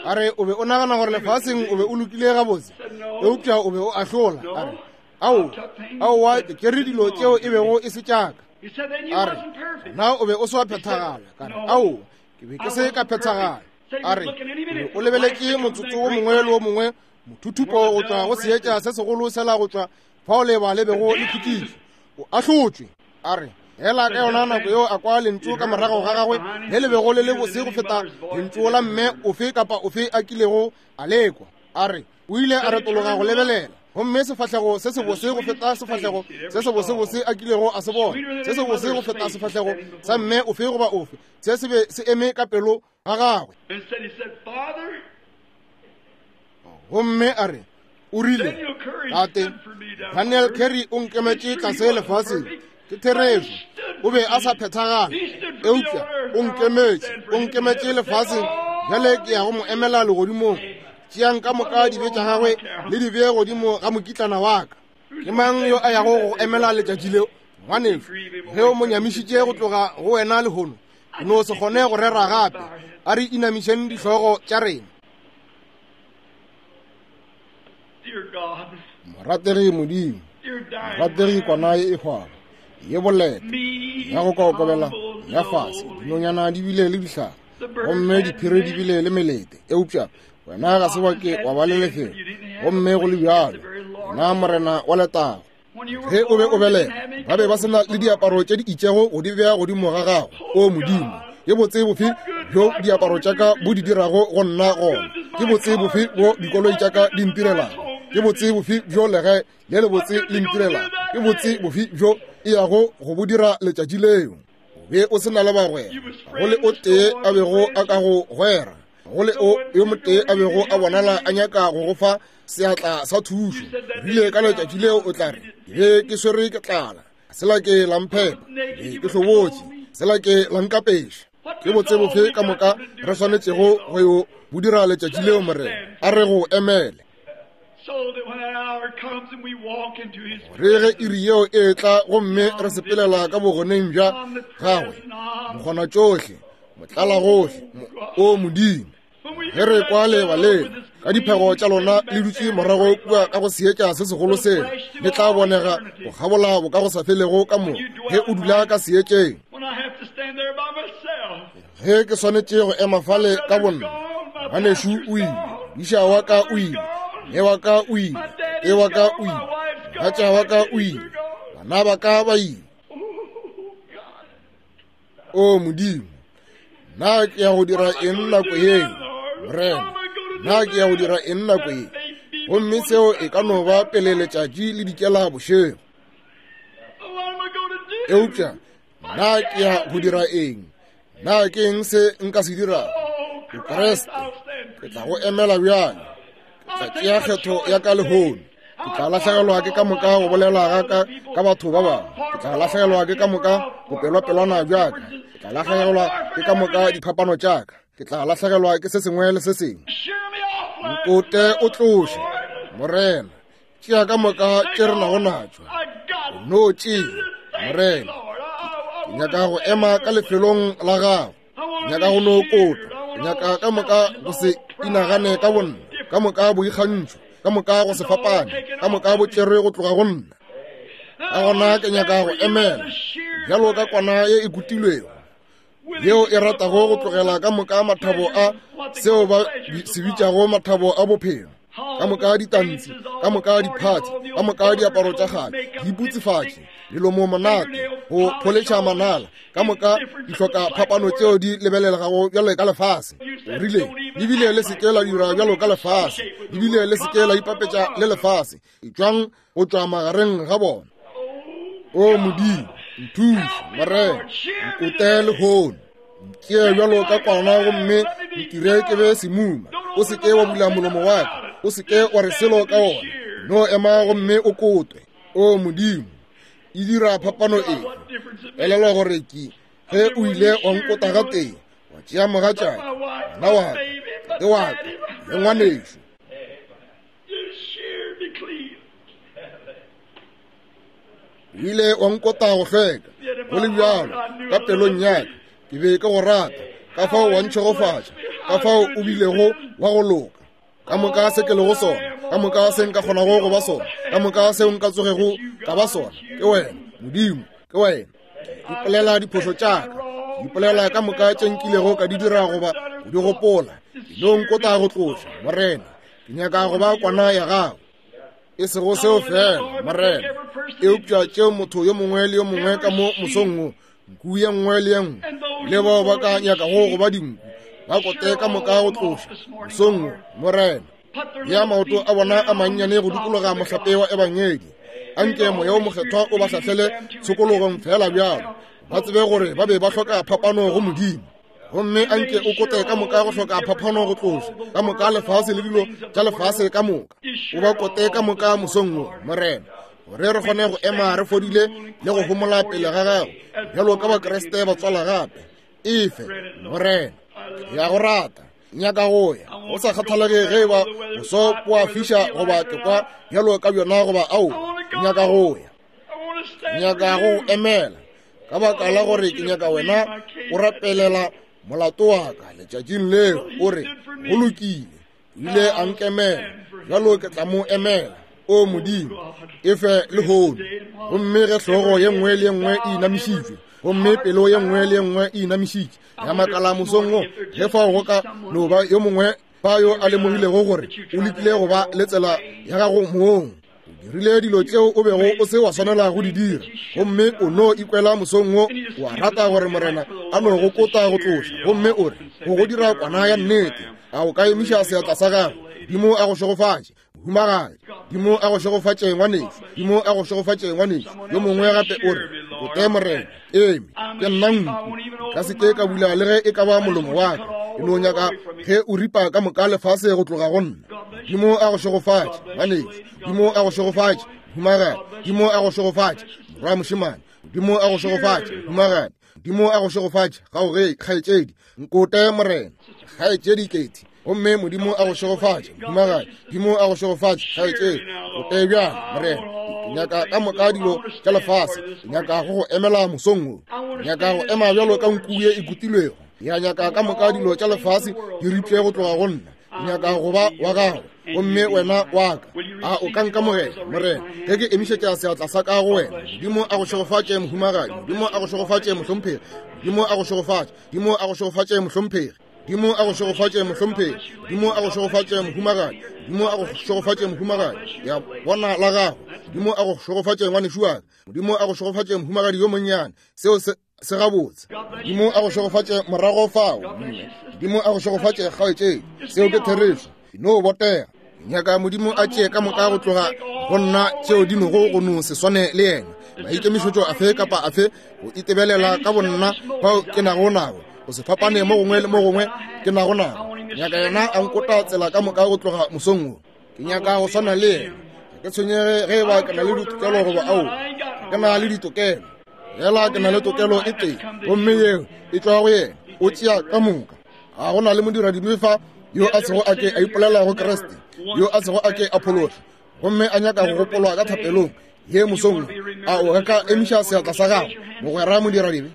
A re, o be o nagana gore lefaseng o be o lokile gabotse, eupša o be o ahlola. A re, aowa, aowa, ke tšere dilo tšeo e bego e se tšaka. A re, na o be o se wa phethagala? Ka re, aowa, ke be ke se ka phethagala. A re, o lebeletše motsotso wo mongwe le wo mongwe mothuthupo go tšwa go seetša se segolo sela go tšwa fao leba le bego le khutšitšwe, o ahlotšwe. A re, hela ka yona nako yeo a kwa lentšu ka morago ga gagwe le le bego le le bose go feta lentšu la mme ofe kapa ofe a kilego a lekwa. A re, o ile a retologa go lebelela, gomme sefahlego se sebose go feta sefahlego se sebosebose a kilego a se bona, se sebose go feta sefahlego sa mme ofe goba ofe, se se be se eme ka pelo ga gagwe. Gomme a re, o rile, Tate, Daniel Carey o nkemetše tlase lefaseng. Ke therešo, o be a sa phethagala, eupša o nkemetše, o nkemetše lefaseng. Bjale ke ya go mo emela legodimong. Tšeang ka moka dibe tša gagwe le di bee godimo ga mokitlana wa ka. Ke mang yo a yago go emela letšatši leo? Ngwanešu, ge o mo nyamišitše go tloga go wena lehono, o no se kgone go rera gape. A re inamišeng dihlogo tša rena. Morategi Modimo, morategi kwana ye e hwago, ye boleta, ya go kokobela, ya fase, dinonyana di bile le dihlare, gomme diphiri di bile le melete, eupša wena ga se wa ke wa ba le lefelo, gomme go le bjalo, wena Morena wa letago. Ge o be o belega, ba be ba se na le diaparo tše di itšego go di bea godimo ga gago. O Modimo, ke botse bofe bjo diaparo tša ka bo di dirago go nna gona? Ke botse bofe bo dikoloi tša ka di ntirelago? Ke botse bofe bjo legae le lebotse le ntirelago? Ke botse bofe bjo e yago go bo dira letšatši leo? O be o se na le bagwera, go le o tee a bego a ka go gwera, go le o yo motee a bego a bonala a nyaka go go fa seatla sa thušo. Rile ka letšatši leo o tla re, ke be ke swere ke tlala, sela ke la mphepa, be ke hlobotše, sela ke la nkapeša. Ke botse bofe ka moka re swanetšego go yo bo dira letšatši leo, Morena? A re go emele. Gore ge iri yeo e etla gomme re sepelela ka bogoneng bja gagwe, mokgona tšohle, motlala gohle, o Modimo, ge re kwa leba lela ka diphego tša lona le dutše morago kua ka go seetša se segolo sela, le tla bonega go kgabola bo ka go sa felego ka mo ge o dula ka seetšeng. Ge ke swanetše go ema fale ka bonna, ngwanešu o ile, modiša wa ka o ile, mme wa ka o ile, tate wa ka o ile, mogatša wa ka o ile, bana ba ka ba ile. O Modimo, na ke ya go dira eng nako ye, Morena? Na ke ya go dira eng nako ye? Gomme seo e ka no ba pele letšatši le dikela bošego. Eupša na ke ya go dira eng? Na ke eng se nka se dirago? O Kriste, ke tla go emela bjale. Ke tla tšea kgetho ya ka lehono. Ke tla lahlegelwa ke ka moka go bolela ga ka ka batho ba bangwe. Ke tla lahlegelwa ke ka moka bopelwapelwana bja ka. Ke tla lahlegelwa ke ka moka diphapano tša ka. Ke tla lahlegelwa ke se sengwe le se sengwe. Nkote o tloše, Morena. Tšea ka moka tše re nago natšo. No tšea, Morena. Ke nyaka go ema ka lefelong la gago. Ke nyaka go no kotwa. Ke nyaka ka moka go se inagane ka bonna, ka moka boikgantšho, ka moka go se fapane, ka moka bo tšerwe go tloga go nna. Ka gona ke nyaka go emela bjalo ka kwana ye e kutilwego, yeo e ratago go tlogela ka moka mathabo a seo ba se bitšago mathabo a bophelo, ka moka ditantsi, ka moka diphathi, ka moka diaparo tša kgale, diputsefatši, melomo monate, go pholetšha manala, ka moka dihloka phapano tšeo di lebelelegago bjalo ka lefase. O rile, ebile le seke la dira bjalo ka lefase, ebile le seke la ipapetša le lefase, etšwang go tšwa magareng ga bona. O Modimo, nthuše, Morena, nkote lehono. Ntšee bjalo ka kwana gomme ntire ke be semuma. O se ke wa bula molomo wa ka, o se ke wa re selo ka wona. No ema gomme o kotwe. O Modimo, e dira phapano efe? Elelwa gore ke ge o ile wa nkota gatee, wa tšea mogatšaka, ngwana wa ka, tate wa ka, le ngwanešo. O ile wa nkota go hlweka, go le bjalo ka pelong ya ka ke be ke go rata, ka fao wa ntšhegofatša, ka fao o bilego wa go loka. Ka moka se ke lego sona, ka moka se nka kgonago go ba sona, ka moka seo nka tsogego ka ba sona, ke wena Modimo, ke wena. Ke ipolela diphošo tša ka, ke ipolela ka moka tše nkilego ka di dira goba go di gopola. Ke no nkota go tloša, Morena. Ke nyaka go ba kwana ya gago. E sego seo fela, Morena, eupša tšeo motho yo mongwe le yo mongwe ka mo mosong wo, nku ye nngwe le ye nngwe, le bao ba ka nyakago go ba dinku, ba kote ka moka go tloša mosong wo, Morena. Ya maoto a bona a mannyane go dikologa mohlape wa Ebangedi. Anke Moya wo Mokgethwa o ba hlahlele tshokologong fela bjalo, ba tsebe gore ba be ba hloka phapano go Modimo. Gomme anke o kote ka moka go hloka phaphano go tloša ka moka lefase le dilo tša lefase ka moka, o ba kote ka moka mosong wo, Morena, gore re kgone go ema re fodile le go homola pele ga gago bjalo ka Bakriste ba tswala gape. Efe, Morena. Ke a go rata, nyaka go ya, go sa kgathalege ge e ba boso bo a fiša goba ke kwa bjalo ka bjona goba ao, nyaka go ya, nyaka go emela, ka baka la gore ke nyaka wena o rapelela molato wa ka letšatšing leo, o re, go lokile, o ile a nkemela, bjalo ke tla mo emela. O Modimo, e fe lehono. Gomme ge hlogo ye nngwe le ye nngwe e inamišitšwe, gomme pelo ye nngwe le ye nngwe e inamišitše, ya makala mosong wo, ge fao go ka no ba yo mongwe fa yo a lemogilego gore o lekile go ba le tsela ya gago mong, o dirile dilo tšeo o bego o se wa swanela go di dira, gomme o no ikwela mosong wo wa rata gore Morena a no go kota go tloša, gomme o re go go dira kwana ya nnete, a o ka emiša seatla sa gago? Modimo a go šegofatše, mohumagadi. Modimo a go šegofatše, ngwanešu. Modimo a go šegofatše, ngwanešu. Yo mongwe gape o re, Kote Morena, eme, ke nna nku, ka se ke ka bula le ge e ka ba molomo wa ka, ke no nyaka ge o ripa ka moka lefase go tloga go nna. Modimo a go šegofatše, ngwanešu. Modimo a go šegofatše, mohumagadi. Modimo a go šegofatše, morwa mošemane. Modimo a go šegofatše, mohumagadi. Modimo a go šegofatše, gaoge, kgaetšedi. Nkote Morena, kgaetšedi Keti. Gomme Modimo a go šegofatše, mohumagadi. Modimo a go šegofatše, kgaetšedi. Kote bjang, Morena. Ke nyaka ka moka dilo tša lefase. Ke nyaka go go emela mosong wo. Ke nyaka go ema bjalo ka nku ye e kutilwego. Ya nyaka ka moka dilo tša lefase di ripše go tloga go nna. Ke nyaka go ba wa gago, gomme wena wa ka. A o ka nkamogela, Morena, ge ke emišetša seatla sa ka go wena? Modimo a go šegofatše, mohumagadi. Modimo a go šegofatše, mohlomphegi. Modimo a go šegofatše. Modimo a go šegofatše, mohlomphegi. Modimo a go šegofatše, mohlomphegi. Modimo a go šegofatše, mohumagadi. Modimo a go šegofatše, mohumagadi. Ya bona la gago. Modimo a go šegofatše, ngwanešu wa ka. Modimo a go šegofatše, mohumagadi yo monnyane. Seo se se gabotse. Modimo a go šegofatše morago fao, mme. Modimo a go šegofatše, kgaetšedi. Seo ke therešo. No botega. Nyaka Modimo a tšee ka moka go tloga go nna tšeo di nogo go no se swane le yena. Maikemišetšo afe kapa afe go itebelela ka bonna bao ke nago nago, go se fapane mo gongwe le mo gongwe ke nago nago. Nyaka yena a nkota tsela ka moka go tloga mosong wo. Ke nyaka go swana le yena. Ga ke tshwenyege ge e ba ke na le ditokelo goba ao. Ke na le ditokelo. Fela ke na le tokelo e tee, gomme yeo e tšwa go yena. O tšea ka moka. Ga go na le modiradibe fa yo a sego a ke a ipolela go Kriste, yo a sego a ke a phološwa, gomme a nyaka go gopolwa ka thapelong ye mosong. A o ka emiša seatla sa gago, mogwera modiradibe?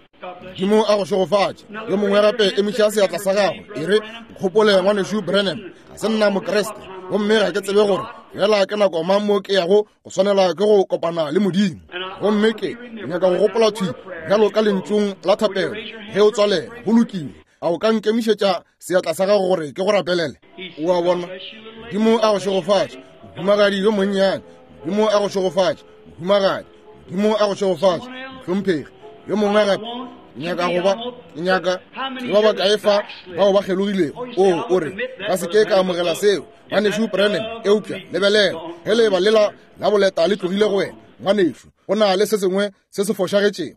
Modimo a go šegofatše. Yo mongwe gape emiša seatla sa gago, e re, Nkgopole, Ngwanešu Branham, ga se nna Mokriste, gomme ga ke tsebe gore fela ke nako mang mo ke yago go swanela ke go kopana le Modimo. Gomme ke nyaka go gopola thwi bjalo ka lentšung la thapelo ge o tswalela. Go lokile. A o ka nkemišetša seatla sa gago gore ke go rapelele? O a bona? Modimo a go šegofatše, mohumagadi yo monnyane. Modimo a go šegofatše, mohumagadi. Modimo a go šegofatše, mohlomphegi. Yo mongwe gape, ke nyaka go ba, ke nyaka ke ba bakae fa bao ba kgelogilego? O, o re, ka se ke ka amogela seo, Ngwanešu Branham, eupša lebelela, ge leeba lela la boleta le tlogile go wena, ngwanešu, go na le se sengwe se se fošagetšego.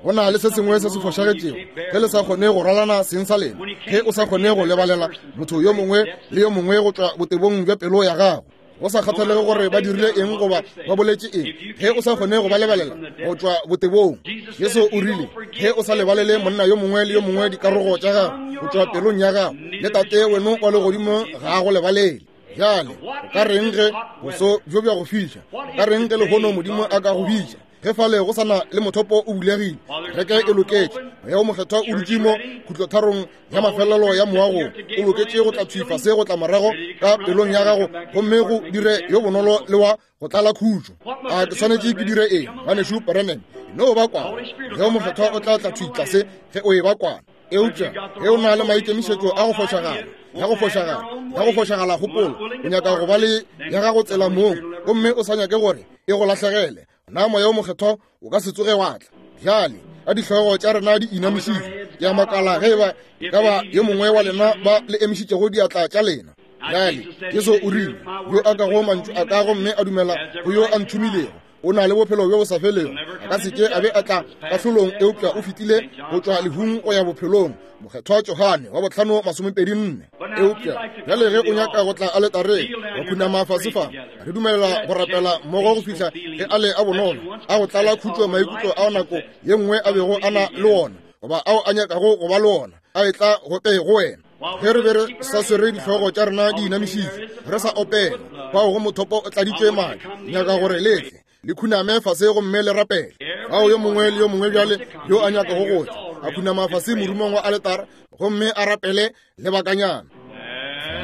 Go na le se sengwe se se fošagetšego ge le sa kgone go ralana seng sa lena, ge o sa kgone go lebalela motho yo mongwe le yo mongwe go tšwa botebong bja pelo ya gago, go sa kgathalege gore ba dirile eng goba ba boletše eng, ge o sa kgone go ba lebalela go tšwa botebong. Jesu o rile, ge o sa lebalele monna yo mongwe le yo mongwe dikarogo tša gago go tšwa pelong ya gago, le Tate weno wa legodimo ga a go lebalele. Bjale, o ka reng ge boso bjo bja go fiša? O ka reng ge lehono Modimo a ka go bitša? Ge fale go sa na le mothopo o bulegile, kereke e loketše, Moya wo Mokgethwa o dutše mo khutlotarong ya mafelelo ya moago, o loketše go tla thwi fase go tla morago ka pelong ya gago gomme go dire yo bonolo le wa go tlala khutšo. A ke swanetše ke dire eng, Ngwanešu Branham? No ba kwana. Moya wo Mokgethwa o tla tla thwi tlase ge o e ba kwana. Eupša ge o na le maikemišetšo a go fošagala, ya go fošagala, ya go fošagala kgopolo, o nyaka go ba le ya gago tsela mong, gomme o sa nyake gore e go lahlegele, na Moya wo Mokgethwa o ka se tsoge wa tla. Bjale, ka dihlogo tša rena di inamišitšwe, ke a makala ge eba e ka ba yo mongwe wa lena ba le emišitšego diatla tša lena. Bjale, Jesu o rile, Yo a kago mantšu a ka gomme a dumela go yo a nthomilego, o na le bophelo bjo bo sa felego, a ka se ke a be a tla kahlolong, eupša o fetile go tšwa lehung go ya bophelong. Mokgethwa Johane wa bohlano 24. Eupša bjale ge o nyaka go tla aletareng wa khunama fase fa, re dumelela go rapela mmogo go fihla ge a le a bonolo a go tlala khutšo maikutlo ao nako ye nngwe a bego a na le ona goba ao a nyakago go ba le ona a etla go pele go wena. Ge re be re sa swere dihlogo tša rena di inamišitšwe, re sa opela, fao go mothopo o tladitšwe madi, nyaka gore le tle le khuname fase gomme le rapele. Fao yo mongwe le yo mongwe bjale yo a nyakago go tla a khunama fase morumong wa aletara gomme a rapele lebakanyana.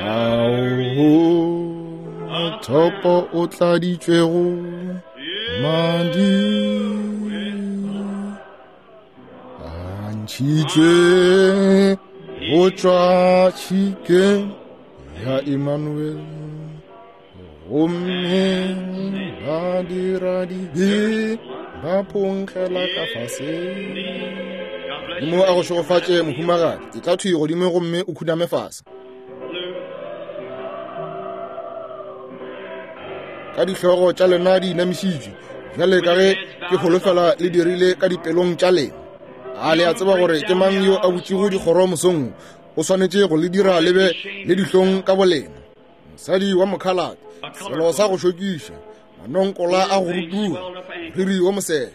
Fao mothopo o tladitšwego madi a ntšhitšwe go tšwa tšhikeng ya Emmanuel, gomme ba dira dibe ba phonkgela ka fase. Modimo a go šegofatše, mohumagadi. E tla thwi godimo gomme o khuname fase. Ka dihlogo tša lena di inamišitšwe, bjale ka ge ke holofela le dirile ka dipelong tša lena. A le a tseba gore ke mang yo a butšego dikgoro mosong? O swanetše go le dira le be le dihlong ka bolena. Mosadi wa mokhalate, selo sa go šokiša, manonkola a go rutuga, moriri wo mosehla,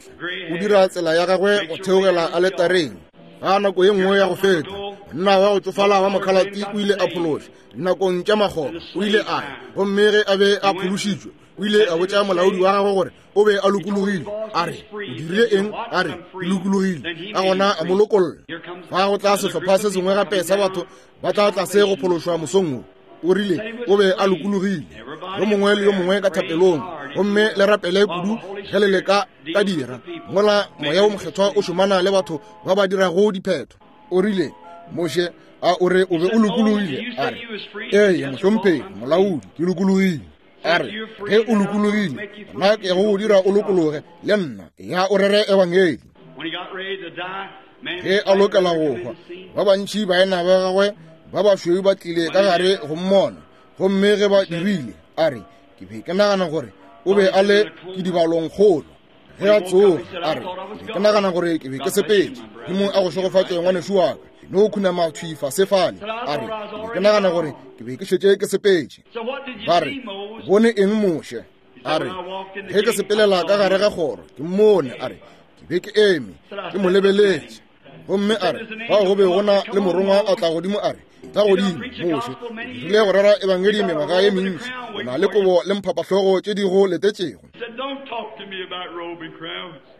o dira tsela ya gagwe go theogela aletareng. Ga nako ye nngwe ya go feta, monna wa go tšofala wa mokhalate o ile a phološa dinakong tša makgoba, o ile a ya, gomme ge a be a phološitšwe, o ile a botša molaodi wa gagwe gore o be a lokologile. A re, O dirile eng? A re, Ke lokologile. Ka gona a mo lokolla. Fa go tla sehlopha se sengwe gape sa batho ba tla tlase go phološwa mosong wo. O rile o be a lokologile. Yo mongwe le yo mongwe ka thapelong, gomme le rapele kudu ge le leka ka dira mola Moya wo Mokgethwa o šomana le batho ba ba dirago diphetho. O rile, Moshe, a o re o be o lokologile? A re, Ee, mohlomphegi, molaodi, ke lokologile. A re, Ge o lokologile, nna ke go dira o lokologe le nna, ya o rere ebangedi. Ge a lokela go hwa, ba bantši baena ba gagwe ba bašweu ba tlile ka gare go mmona, gomme ge ba dirile, a re, Ke be ke nagana gore o be a le kidibalong kgolo. Ge a tsoga, a re, Ke be ke nagana gore ke be ke sepetše. Modimo a go šegofatše, ngwanešu wa ka. No khunama thwi fase fale. A re, Ke be ke nagana gore ke be ke šetše ke sepetše. Ba re, O bone eng, Moshe? A re, Ge ke sepelela ka gare ga kgoro, ke mmone. A re, Ke be ke eme, ke mo lebeletše. Gomme a re, Fao go be go na le morongwa a tla godimo a re, Etla godimo, Moshe, o dirile go rera ebangedi mengwaga ye mentši, o na le kobo le mphapahlogo tše di go letetšego.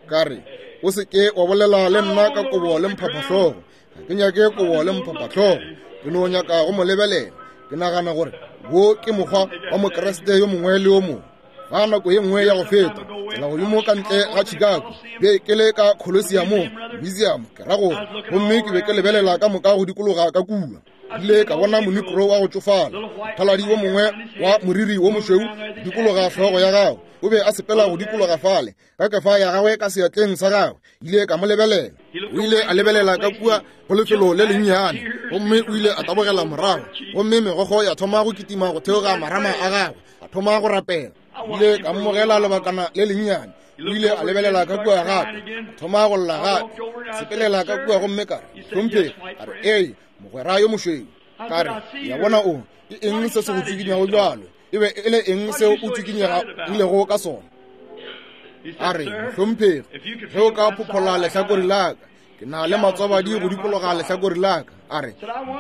Ka re, O se ke wa bolela le nna ka kobo le mphapahlogo. Ga ke nyake kobo le mphapahlogo. Ke no nyaka go mo lebelela. Ke nagana gore wo ke mokgwa wa Mokriste yo mongwe le yo mongwe. Fa nako ye nngwe ya go feta, tsela godimo ka ntle ga Chicago, be ke le ka Colosseum, museum, ke ra gore, gomme ke be ke lebelela ka moka go dikologa ka kua. Ile ka bona monikro wa go tšofala, mothaladi wo mongwe wa moriri wo mošweu dikologa hlogo ya gagwe, o be a sepela go dikologa fale ka kefa ya gagwe ka seatleng sa gagwe. Ile ka mo lebelela, o ile a lebelela ka kua go lefelo le lennyane, gomme o ile a tabogela morago, gomme megokgo ya thoma go kitima go theoga marama a gagwe, a thoma go rapela. Ile ka mmogela lebakana le lennyane, o ile a lebelela ka kua gape, a thoma go lla gape, sepelela ka kua, gomme ka re, Hlomphegi. A re, Ee, mogwera yo mošweu. Ka re, Ya bona o, ke eng se se go tsikinyago bjalo? E be e le eng seo o tsikinyegilego ka sona? A re, Mohlomphegi, ge o ka phophola lehlakore la ka, ke na le matswabadi go dikologa lehlakore la ka. A re,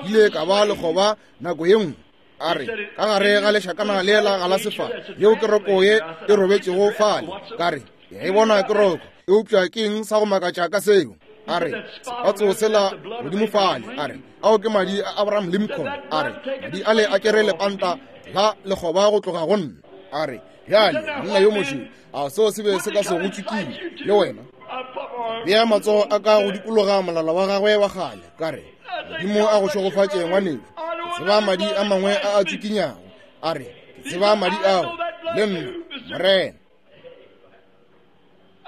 Nkile ka ba lekgoba nako ye nngwe. A re, Ka gare ga lešakana lela ga la sefa, yeo ke roko ye e robetšego fale. Ka re, Ke a e bona ke roko, eupša ke eng sa go makatša ka seo? A re, Sepatso sela godimo fale. A re, Ao ke madi a Abraham Lincoln. A re, Madi ale a tšere lepanta la lekgoba go tloga go nna. A re, Bjale, monna yo mošweu, a seo se be se ka se go tšwikile le wena? Bea matsogo a ka go dikologa molala wa gagwe wa kgale. Ka re, Modimo a go šegofatše, ngwanešu. Ke tseba madi a mangwe a a tšikinyago. A re, Ke tseba madi ao, le nna, Morena.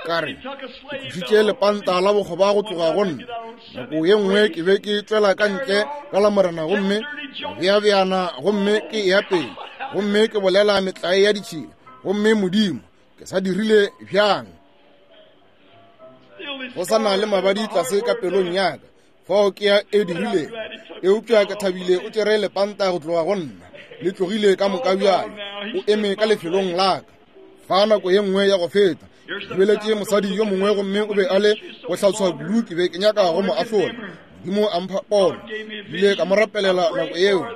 Ka re, Ke tlošitše lepanta la bokgoba go tloga go nna. Nako ye nngwe ke be ke tšwela ka ntle ka la Morena gomme beabeana gomme ke eya pele gomme ke bolela metlae ya ditšhila, gomme Modimo, ke sa dirile bjang? Go sa na le mabadi tlase ka pelong ya ka, fao ke ya e dirile, eupša ke thabile o tšere lepanta go tloga go nna, le tlogile ka moka bjale, o eme ka lefelong la ka. Fa nako ye nngwe ya go feta, ke lebeletše mosadi yo mongwe gomme o be a le go hlatswa kudu, ke be ke nyaka go mo ahlola. Modimo a mpha pono, ile ka mo rapelela nako yeo,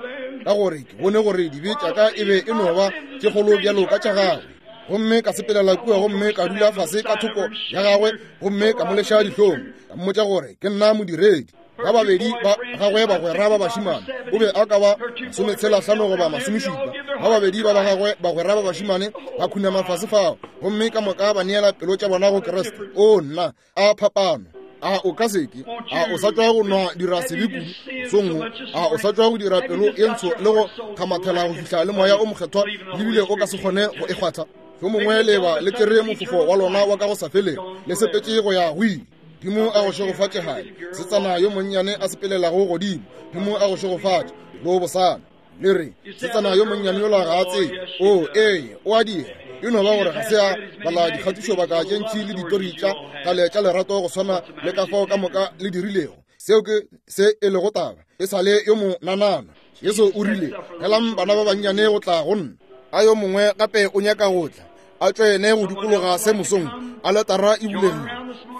ka gore ke bone gore dibe tša ka e be e no ba tše kgolo bjalo ka tša gagwe. Gomme ka sepelela kua gomme ka dula fase ka thoko ya gagwe gomme ka mo leša dihlong, ka mmotša gore ke nna modiredi. Ba babedi ba gagwe bagwera ba bašimane, o be a ka ba 65 goba 70, ba babedi ba ba gagwe bagwera ba bašimane ba khunama fase fao gomme ka moka ba neela pelo tša bona go Kriste. O nna, a phapano! A o ka seke? A o sa tšwa go nwa dira sebe kudu mosong wo? A o sa tšwa go dira pelo ye ntsho le go kgamathela go fihla le Moya o Mokgethwa le bile o ka se kgone go e kgwatha? Yo mongwe leba le tšere mofofo wa lona wa ka go sa felego, le sepetše go ya go ile. Modimo a go šegofatše gae, setsana yo monnyane a sepelelago godimo. Modimo a go šegofatše, lo bosana. Le re, setsana yo monnyane yola ga a tsebe. O, ee, o a dira. E no ba gore ga se a bala dikgatišobaka tše ntši le ditori tša kgale tša lerato go swana le ka fao ka moka le dirilego. Seo ke se e lego taba. E sa le yo monanana. Jesu o rile, Helang bana ba bannyane go tla go nna. A yo mongwe gape o nyaka go tla, a tšwene go dikologa se mosong, aletara e bulegile.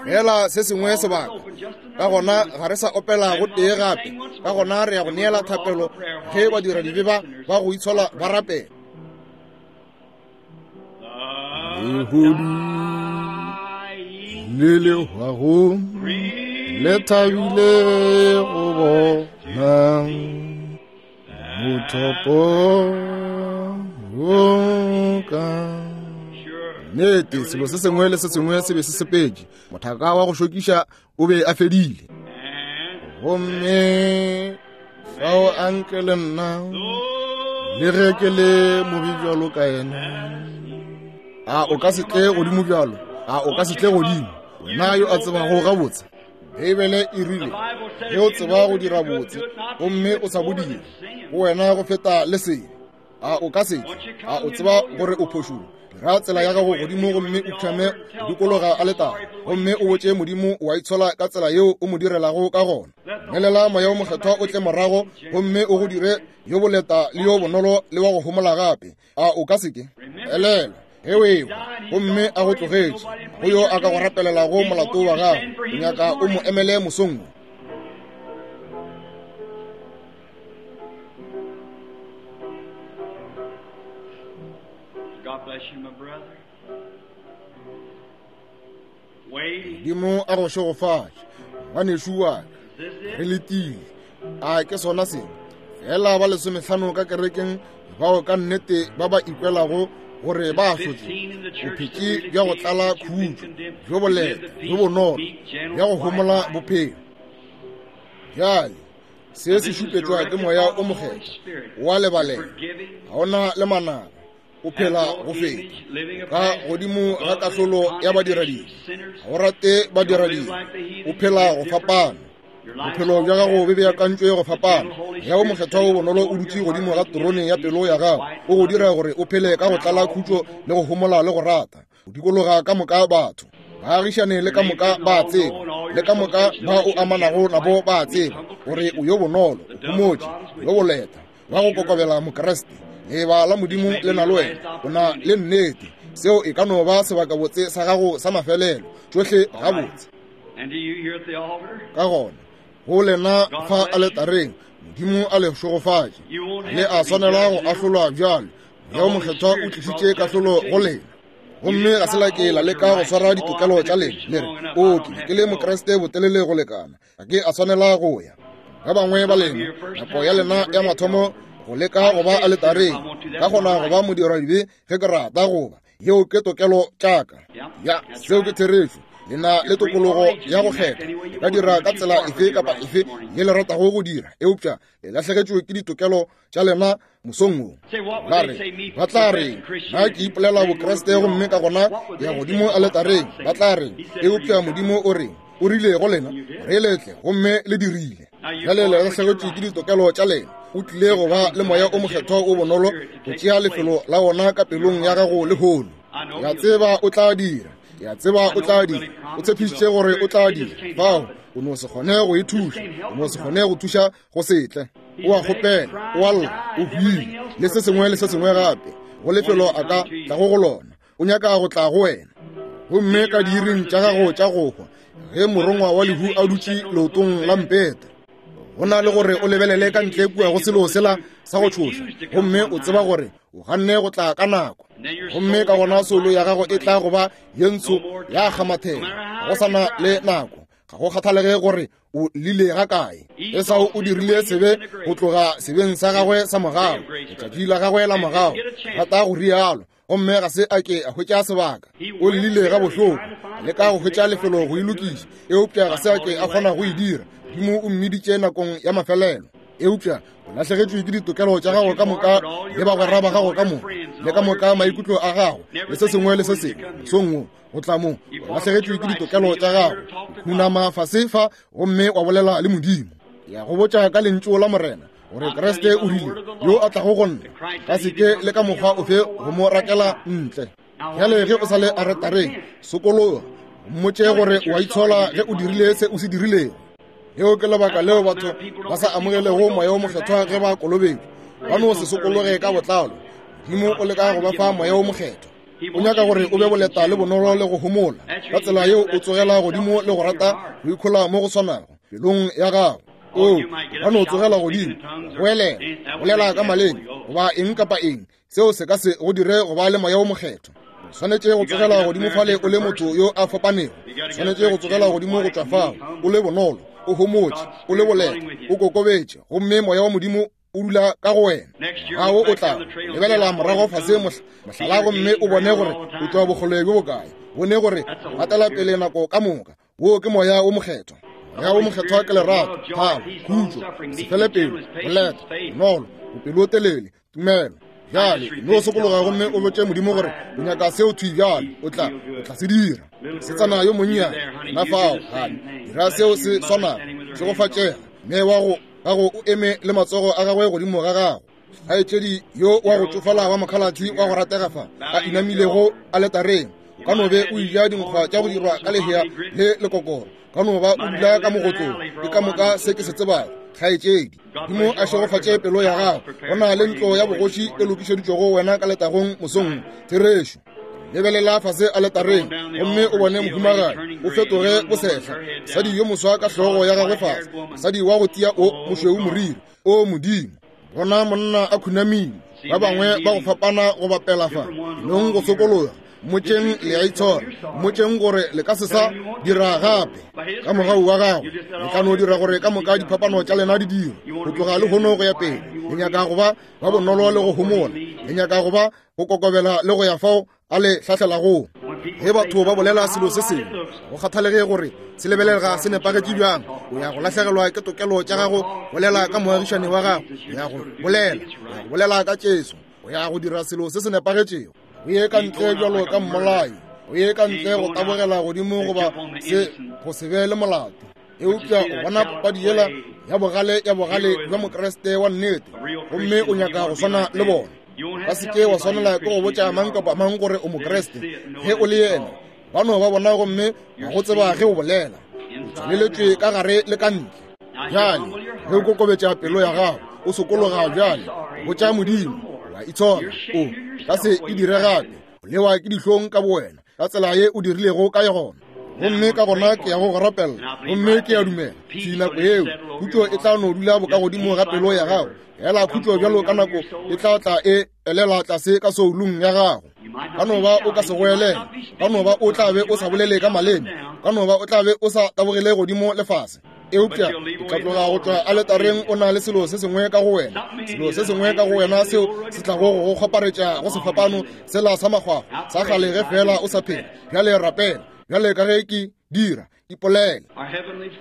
Feela se sengwe sebaka. Ka gona ga re sa opela go tee gape. Ka gona re ya go neela thapelo ge badiradibe ba ba go itshola ba rapela. Lehodu le le hwago le thabile go bona mothopo wo ka nnete. Selo se sengwe le se sengwe se be se sepetše. Mothaka wa go šokiša o be a fedile. Gomme fao a nke le nna, le ge ke le mobe bjalo ka yena. A o ka se tle godimo bjalo? A o ka se tle godimo, wena yo a tsebago gabotse? Beibele e rile, ge o tseba go dira botse gomme o sa bo dire, go wena go feta le sebe. A o ka se tle? A o tseba gore o phošong? Dira tsela ya gago godimo gomme o phšame go dikologa aletara, gomme o botše Modimo wa itshola ka tsela yeo o mo direlago ka gona. Dumelela Moya wo Mokgethwa o tle morago gomme o go dire yo boleta le yo bonolo le wa go homola gape. A o ka se ke? Elelwa, ge o ehwa gomme a go tlogetše, go yo a ka go rapelelago molato wa gago, o nyaka o mo emele mosong wo. Modimo a go šegofatše, ngwanešu wa ka. Re letile. A ke sona se? Fela ba lesomehlano ka kerekeng bao ka nnete ba ba ikwelago gore ba ahlotšwe, o phetše bja go tlala khutšo, bjo boleta, bjo bonolo, bja go homola bophelo. Bjale, se se šupetšwa ke Moya o Mokgethwa, o a lebalela, ga o na le manaba, o phela go feta ka godimo ga kahlolo ya badiradibe, ga o rate badiradibe, o phela go fapana. Bophelo bja gago bo beakantšwe go fapana. Moya wo Mokgethwa wo bonolo o dutše godimo ga terone ya pelo ya gago, o go dira gore o phele ka go tlala khutšo le go homola le go rata. O dikologa ka moka batho, baagišane le ka moka ba a tseba, le ka moka ba o amanago nabo ba a tseba gore o yo bonolo, o homotše, yo boleta, wa go kokobela Mokriste. Leeba la Modimo le na le wena, o na le nnete. Seo e ka no ba sebakabotse sa gago sa mafelelo, tšohle gabotse. Ka gona, go lena fa aletareng, Modimo a le šegofatše. Le a swanela go ahlolwa bjalo. Moya wo Mokgethwa o tlišitše kahlolo go lena. Gomme ga se la ke la leka go swara ditokelo tša lena, le re, O, ke be ke le Mokriste botelele go lekana, ga ke a swanela go ya. Ba bangwe ba lena, nako ya lena ya mathomo go leka go ba aletareng, ka kgona go ba modiradibe ge ke rata go ba. Yeo ke tokelo tša ka. Ya, seo ke therešo. Le na le tokologo ya go kgetha. Le ka dira ka tsela efe kapa efe ye le ratago go dira, eupša le lahlegetšwe ke ditokelo tša lena mosong wo. Ba re, ba tla re, na ke ipolela Bokriste gomme ka gona ya godimo aletareng. Ba tla re, eupša Modimo o re, o rile go lena, re letle, gomme le dirile. Bjale le lahlegetšwe ke ditokelo tša lena. O tlile go ba le Moya o Mokgethwa o bonolo go tšea lefelo la wona ka pelong ya gago lehono. Ke a tseba o tla dira. Ke a tseba o tla dira. O tshepišitše gore o tla dira. Fao, o no se kgone go e thuša. O no se kgone go thuša go se tle. O a kgopela, o a lla, o hwile, le se sengwe le se sengwe gape, go lefelo a ka tlago go lona. O nyaka go tla go wena. Gomme ka diiring tša gago tša go hwa, ge morongwa wa lehu a dutše leotong la mpete, go na le gore o lebelele ka ntle kua go selo sela sa go tšhoša, gomme o tseba gore o ganne go tla ka nako, gomme ka gona soulo ya gago e tla go ba ye ntsho ya kgamathela. Ga go sa na le nako. Ga go kgathalege gore o lile ga kae. Esau o dirile sebe go tloga sebeng sa gagwe sa morago, letšatši la gagwe la morago, rata go rialo, gomme ga se a ke a hwetša sebaka. O llile ga bohloko, a leka go hwetša lefelo go e lokiša, eupša ga se a ke a kgona go e dira. Modimo o mmiditše nakong ya mafelelo. Eupša o lahlegetšwe ke ditokelo tša gago ka moka le bagwera ba gago ka moka, le ka moka maikutlo a gago, le se sengwe le se sengwe. Mosong wo, go tla mo, o lahlegetšwe ke ditokelo tša gago. Khunama fase fa gomme wa bolela le Modimo. Ke a go botša ka lentšu la Morena, gore Kriste o rile, yo a tlago go nna, ka se ke le ka mokgwa ofe go mo rakela ntle. Bjale ge o sa le aretareng, sokologa, mmotše gore o a itshola ge o dirile se o se dirilego. Leo ke lebaka leo batho ba sa amogelego Moya wo Mokgethwa ge ba kolobetšwa. Ba no se sokologe ka botlalo. Modimo o leka go ba fa Moya wo Mokgethwa. O nyaka gore o be boleta le bonolo le go homola. Ka tsela yeo o tsogela godimo le go rata go ikhola mo go swanago pelong ya gago. O ka no tsogela godimo, goelela, bolela ka maleme, goba eng kapa eng, seo se ka se go dire go ba le Moya wo Mokgethwa. O swanetše go tsogela godimo fale o le motho yo a fapanego. O swanetše go tsogela godimo go tšwa fao o le bonolo, o homotše, o le boleta, o kokobetše, gomme Moya wa Modimo o dula ka go wena. Ngwaga wo o tlago, lebelela morago fase mohlala gomme o bone gore o tšwa bokgole bjo bokae. Bone gore o gatela pele nako ka moka. Wo ke Moya wo Mokgethwa. Moya wo Mokgethwa ke lerato, thabo, khutšo, se fele pelo, boleta, bonolo, bopelotelele, tumelo. Bjale no sokologa gomme o botše Modimo gore o nyaka seo thwi bjale. O tla, o tla se dira. Mosetsana yo monnyane, na fao, gane, dira seo se swanago. Šegofatšega, mme wa go gago o eme le matsogo a gagwe godimo ga gago. Kgaetšedi yo wa go tšofala wa mokhalatši wa go ratega fa, a inamilego aletareng, o ka no be o eja dinkgwa tša go dirwa ka lehea le lekokoro, ka no ba o dula ka mogotlong. Ke ka moka se ke se tsebago, kgaetšedi. Modimo a šegofatše pelo ya gago. Go na le ntlo ya bogoši e lokišeditšwego wena ka letagong mosong. Therešo. Lebelela fase aletareng gomme o bone mohumagadi o fetoge bosehla, mosadi yo moswa ka hlogo ya gagwe fase, mosadi wa go tia o mošweu moriri. O Modimo, bona monna a khunamile, ba bangwe ba go fapana go bapela fa, nong go sokologa. Mmotšeng le a itshola. Mmotšeng gore le ka se sa dira gape. Ka mogau wa gagwe, le tla no dira gore ka moka diphapano tša lena di dirwe. Go tloga lehono go ya pele, le nyaka go ba ba bonolo le go homola. Le nyaka go ba go kokobela le go ya fao a le hlahlelagoo. Ge batho ba bolela selo se sengwe, go kgathalege gore se lebelega se nepagetše bjang, o ya go lahlegelwa ke tokelo tša gago bolela ka moagišani wa gago. O ya go bolela, o ya go bolela ka Jesu. O ya go dira selo se se nepagetšego. O ye ka ntle bjalo ka mmolai, o ye ka ntle go tabogela godimo goba se go se be le molato. Eupša o bona papadi yela ya bogale ya bogale bja Mokriste wa nnete, gomme o nyaka go swana le bona. Ba se ke wa swanela ke go botša mang kapa mang gore o Mokriste ge o le yena. Ba no ba bona gomme ba go tseba ge o bolela. O tswaleletšwe ka gare le ka ntle. Bjale ge o kokobetša pelo ya gago, o sokologa bjale, botša Modimo, wa itshola, o ka se e dire gape. O lewa ke dihlong ka bowena ka tsela ye o dirilego ka yona. Gomme ka gona ke ya go go rapella, gomme ke a dumela thwi nako yeo khutšo e tla no dula bokagodimo ga pelo ya gago. Fela khutšo bjalo ka nako e tla tla e elela tlase ka soulung ya gago. Ka no ba o ka se goelele, ka no ba o tla be o sa bolele ka maleme, ka no ba o tla be o sa tabogele godimo le fase, eupša o tla tloga go tšwa aletareng o na le selo se sengwe ka go wena, selo se sengwe ka go wena seo se tlago go go kgwaparetša go sefapano sela sa makgwakgwa sa kgale ge feela o sa phela. Bjale rapela bjale ka ge ke dira, ipolele.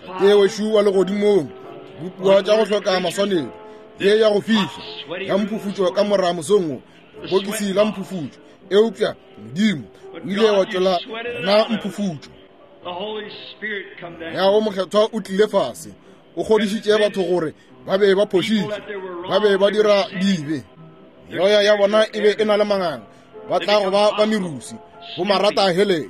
Tate wešo wa legodimong, dibopiwa tša go hloka maswanedi ye ya go fiša ya mphufutšo ka mora mosong wo, bokisi la mphufutšo, eupša Modimo o ile wa tšwela rena mphufutšo. Moya wo Mokgethwa o tlile fase, o kgodišitše batho gore ba be ba phošitše, ba be ba dira dibe, meoya ya bona e be e na le manganga, ba tla go ba ba merusi, bo marata helele,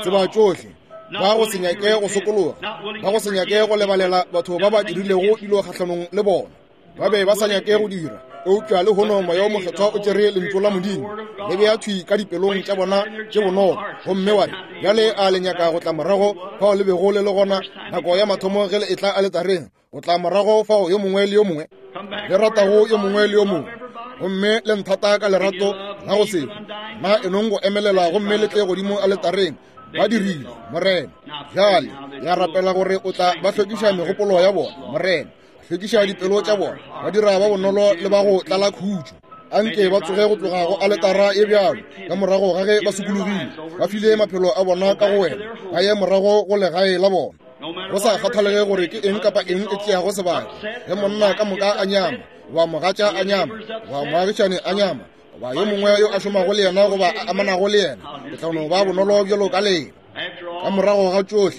tseba tšohle, ba go se nyake go sokologa, ba go se nyake go lebalela batho ba ba dirilego dilo kgahlanong le bona. Ba be ba sa nyake go dira, eupša lehono Moya wo Mokgethwa o tšere Lentšu la Modimo le bea thwi ka dipelong tša bona tše bonolo, gomme wa re, Bjale a le nyaka go tla morago fao le bego le le gona nako ya mathomo ge le etla aletareng, go tla morago fao yo mongwe le yo mongwe le ratago yo mongwe le yo mongwe, gomme le nthata ka lerato la go se hwe. Na enong go emelela gomme le tle godimo aletareng. Ba dirile, Morena. Bjale ya rapela gore o tla ba hlwekiša megopolo ya bona, Morena. Hlwekiša dipelo tša bona, ba dira ba bonolo le ba go tlala khutšo. Anke ba tsoge go tloga go aletara e bjalo ka morago ga ge ba sokologile, ba file maphelo a bona ka go wena, ba ye morago go legae la bona. Go sa kgathalege gore ke eng kapa eng e tšeago sebaka, ge monna ka moka a nyama, goba mogatša a nyama, goba moagišane a nyama, goba yo mongwe yo a šomago le yena goba a amanago le yena, ke tla no ba bonolo bjalo ka lena. Ka morago ga tšohle,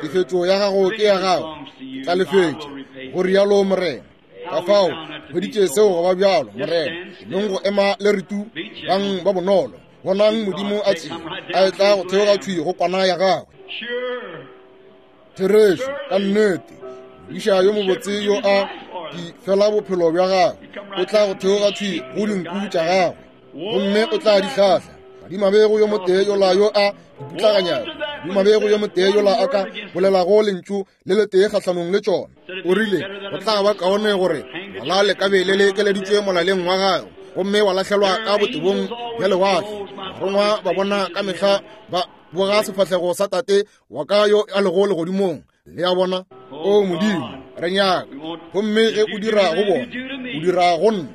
tefetšo ya gago ke ya gago, ke tla lefetša, go rialo Morena. Ka fao hweditše seo go ba bjalo, Morena. Nong go ema le re tu, bang ba bonolo. Bonang Modimo a tsee, a etla go theoga thwi go kwana ya gagwe. Therešo, ka nnete, modiša yo mobotse yo a di fela bophelo bja gagwe, o tla go theoga thwi go dinku tša gagwe, gomme o tla di hlahla. Madimabe go yo motee yola yo a di putlaganyago, madimabe go yo motee yola a ka bolelago lentšu le letee kgahlanong le tšona. O rile, go tla ba kaone gore ngwala le ka be le lekeleditšwe molaleng wa gago, gomme wa lahlelwa ka botebong bja lewatle. Barongwa ba bona ka mehla ba boga sefahlego sa Tate wa ka yo a lego legodimong. Le a bona? O Modimo, re nyaka. Gomme ge o dira go bona, o dira go nna.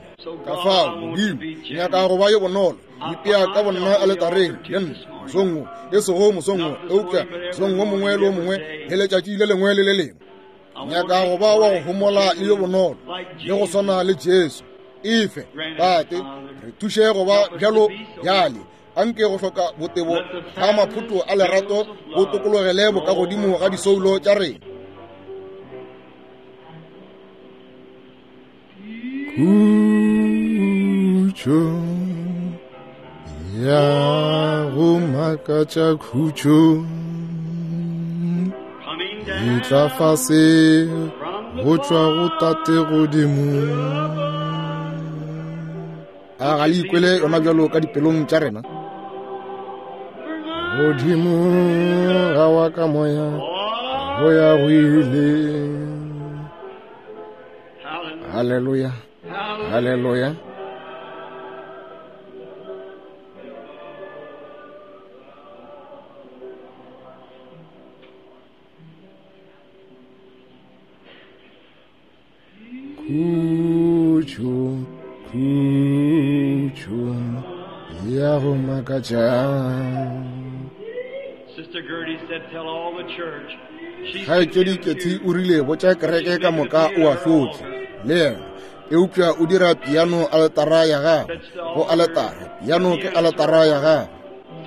Ka fao, Modimo, ke nyaka go ba yo bonolo. Ipea ka bonna aletareng le nna mosong wo, e sego mosong wo, eupša mosong wo mongwe le wo mongwe le letšatši le lengwe le le lengwe. Nyaka go ba wa go homola le yo bonolo, le go swana le Jesu. Efe, Tate, re thuše go ba bjalo bjale. Anke go hloka botebo ga maphoto a lerato bo tokologele bokagodimo ga disoulo tša rena. Khutšo ya go makatša khutšo e tla fase go tšwa go Tate godimo. A ga le ikwele yona bjalo ka dipelong tša rena? Godimo ga wa ka moya go ya go ile. Haleluya, haleluya. Khutšo, khutšo ya go makatša. Sister Gertie said, tell all the church. She's Kgaetšedi Ketty o rile botša kereke ka moka o ahlotše le yena, eupša o dira piano aletara ya gagwe. Go aletara, piano ke aletara ya gagwe.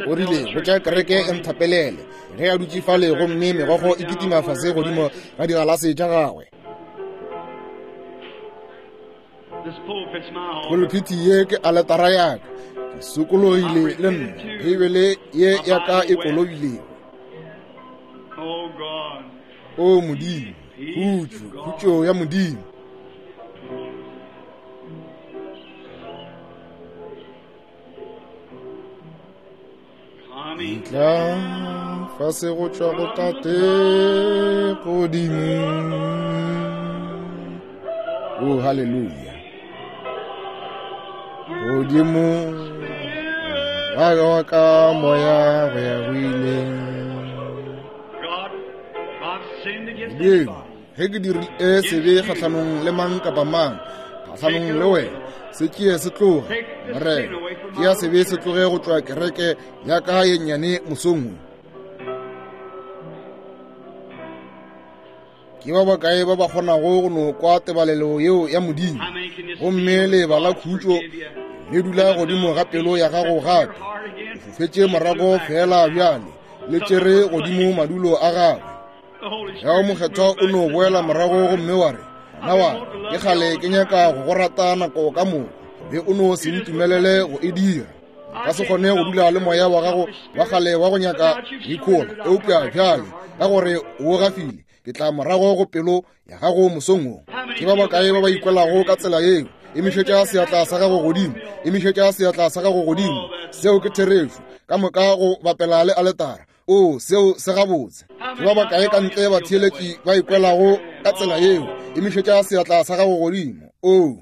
O rile botša kereke e nthapelele ge a dutše fale gomme megokgo e kitima fase godimo ga digalase tša gagwe. This pulpit's my altar. Pulpiti ye ke aletara ya ka. Ke sokologile le nna. Beibele ye ya ka e kolobilego. Oh God. O Modimo, khutšo, khutšo ya Modimo. Coming Tla fase go tšwa go Tate godimo. Oh, hallelujah. Godimo wa ka wa ka moya go ya go ile. God, I've sinned against Modimo, anybody. ge ke dirile sebe kgahlanong le mang kapa mang, kgahlanong le wena, se tšee se tloge. Morena, tšea sebe se tloge go tšwa kereke ya ka ye nnyane mosong wo. Ke ba bakae ba ba kgonago go no kwa tebalelo yeo ya Modimo, How many can just gomme feel leeba la God khutšo forgive you? le dula godimo ga pelo ya gago gape. Your heart again. Fofetše morago fela bjale, le tšere godimo madulo a gagwe. The Holy Ya Spirit mokgethwa o no boela morago gomme wa re, ngwana wa ka, ke kgale ke nyaka go go rata nako ka moka, be o no se ntumelele go e dira. Nka se kgone go dula le moya wa gago wa kgale wa go nyaka go ikhola, eupša bjale ka gore o gafile, ke tla morago go pelo ya gago mosong wo. Ke ba bakae ba ba ikwelago ka tsela yeo? Emišetša seatla sa gago godimo, emišetša seatla sa gago godimo. Seo ke therešo, ka moka go bapela le aletara. O, seo se gabotse. Ke ba bakae ka ntle batheeletši ba ikwelago ka tsela yeo? Emišetša seatla sa gago godimo. O.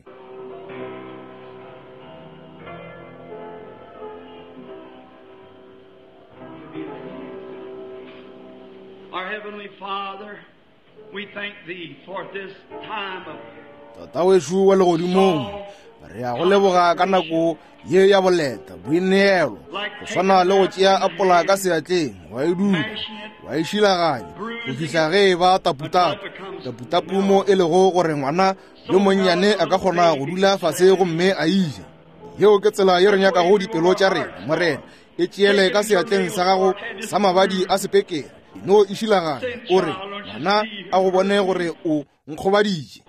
Our Heavenly Father, we thank Thee for this time of Tata wešo wa legodimong, re a go leboga ka nako ye ya boleta, boineelo, go swana le go tšea apola ka seatleng, wa e dupa, wa e šilaganya, go fihla ge e ba taputapu. Taputapu mo e lego gore ngwana yo monnyane a ka kgona go dula fase gomme a e ja. Yeo ke tsela ye re nyakago dipelo tša rena, Morena. E tšeele ka seatleng sa gago sa mabadi a sepekere, no e šilaganya, o re, ngwana a go bone gore o nkgobaditše.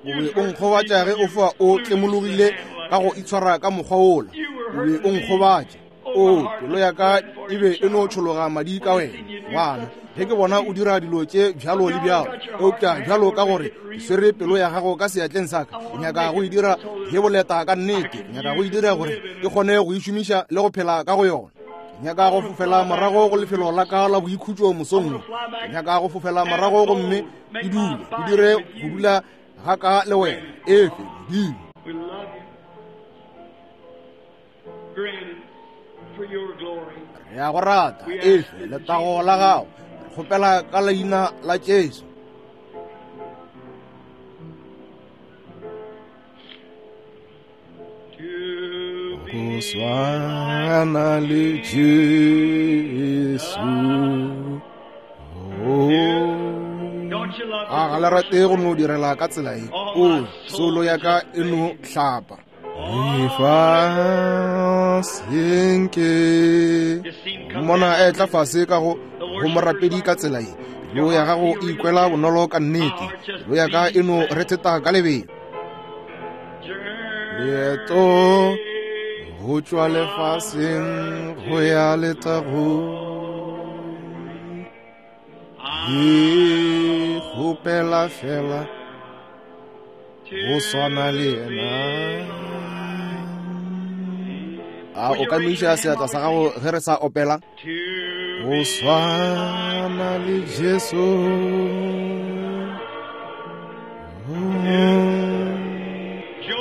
O be o nkgobatša ge o foa o tlemologile ka go itshwara ka mokgwa wola. O be o nkgobatša. O, pelo ya ka e be e no tšhologa madi ka wena, ngwana, ge ke bona o dira dilo tše bjalo le bjalo. Eupša bjalo ka gore ke swere pelo ya gago ka seatleng sa ka, ke nyaka go e dira ye boleta ka nnete. Ke nyaka go e dira gore ke kgone go e šomiša le go phela ka go yona. Ke nyaka go fofela morago go lefelo la ka la boikhutšo mosong wo. Ke nyaka go fofela morago gomme ke dule, ke dire go dula ga ka le wena. Efe, Modimo. We love you. Grant it for your glory. Re a go rata, efe letago la gago. Re kgopela ka leina la Jesu. To Go be swana le Jesu. Oh. Don't you love A ga le rate go no direla ka tsela ye? O, soulo ya ka e no hlapa. Lefaseng ke mmona a etla fase ka go go morapedi ka tsela ye. Pelo ya gago e ikwela bonolo ka nnete. Pelo ya ka e no retheta ka lebelo. Leeto go tšwa lefaseng go ya letagong. Ke kgopela fela go swana le yena. A o ka miša seatla sa gago ge re sa opela? Go swana le Jesu.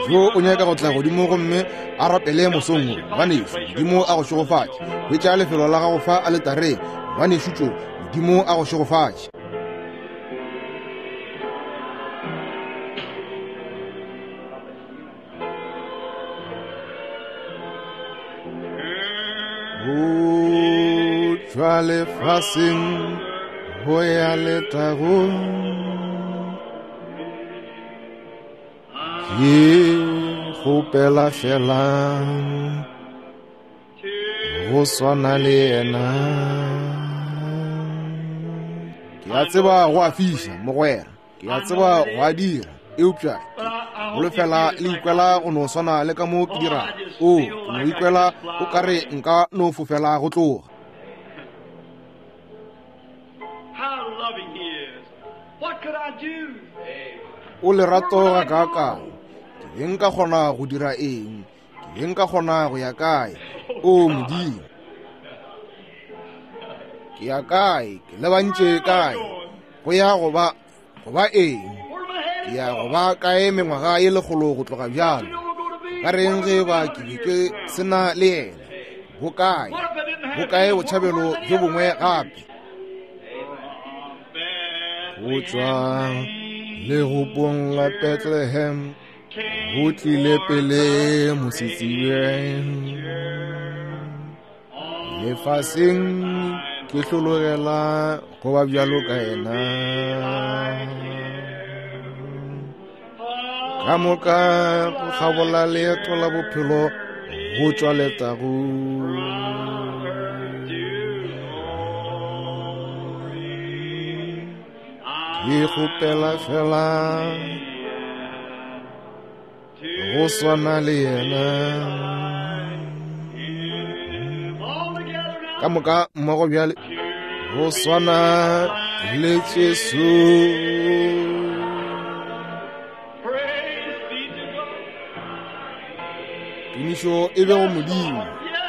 Jo o nyaka go tla godimo gomme a rapele mosong wo. Ngwanešu, Modimo a go šegofatše. Hwetša lefelo la gago fa aletareng. Ngwanešu tšo, Modimo a go šegofatše. tšwa lefaseng go ya letagong. Ke kgopela fela go swana le yena. Ke a tseba go a fiša, mogwera. Ke a tseba go a dira, eupša holofela le ikwela go no swana le ka mo ke dirago. O, ke no ikwela o ka re nka no fofela go tloga. O lerato gakaakang! Ke be nka kgona go dira eng? Ke be nka kgona go ya kae? O Modimo, ke ya kae? Ke lebantše kae? Go ya go ba, go ba eng? Ke ya go ba kae mengwaga ye lekgolo go tloga bjalo? Ka reng ge ba ke be ke se na le yena? Bokae, bokae botšhabelo bjo bongwe gape? Go tšwa legopong la Bethlehem go tlile pele mosetsebje. Lefaseng ke hlologela go ba bjalo ka yena. Ka moka go kgabola leeto la bophelo go tšwa letagong. Ke kgopela fela go swana le yena. Ka moka mmogo bjale, go swana le Jesu. Tumišo e be go Modimo.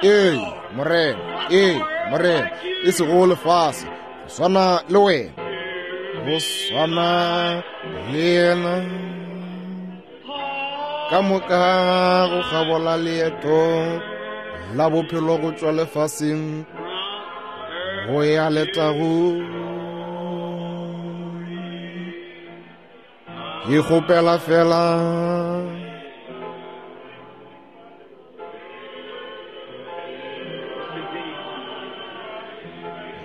Ee, Morena. Ee, Morena. E sego lefase, go swana le wena, go swana le yena. Ka moka go kgabola leeto la bophelo go tšwa lefaseng go ya letagong. Ke kgopela fela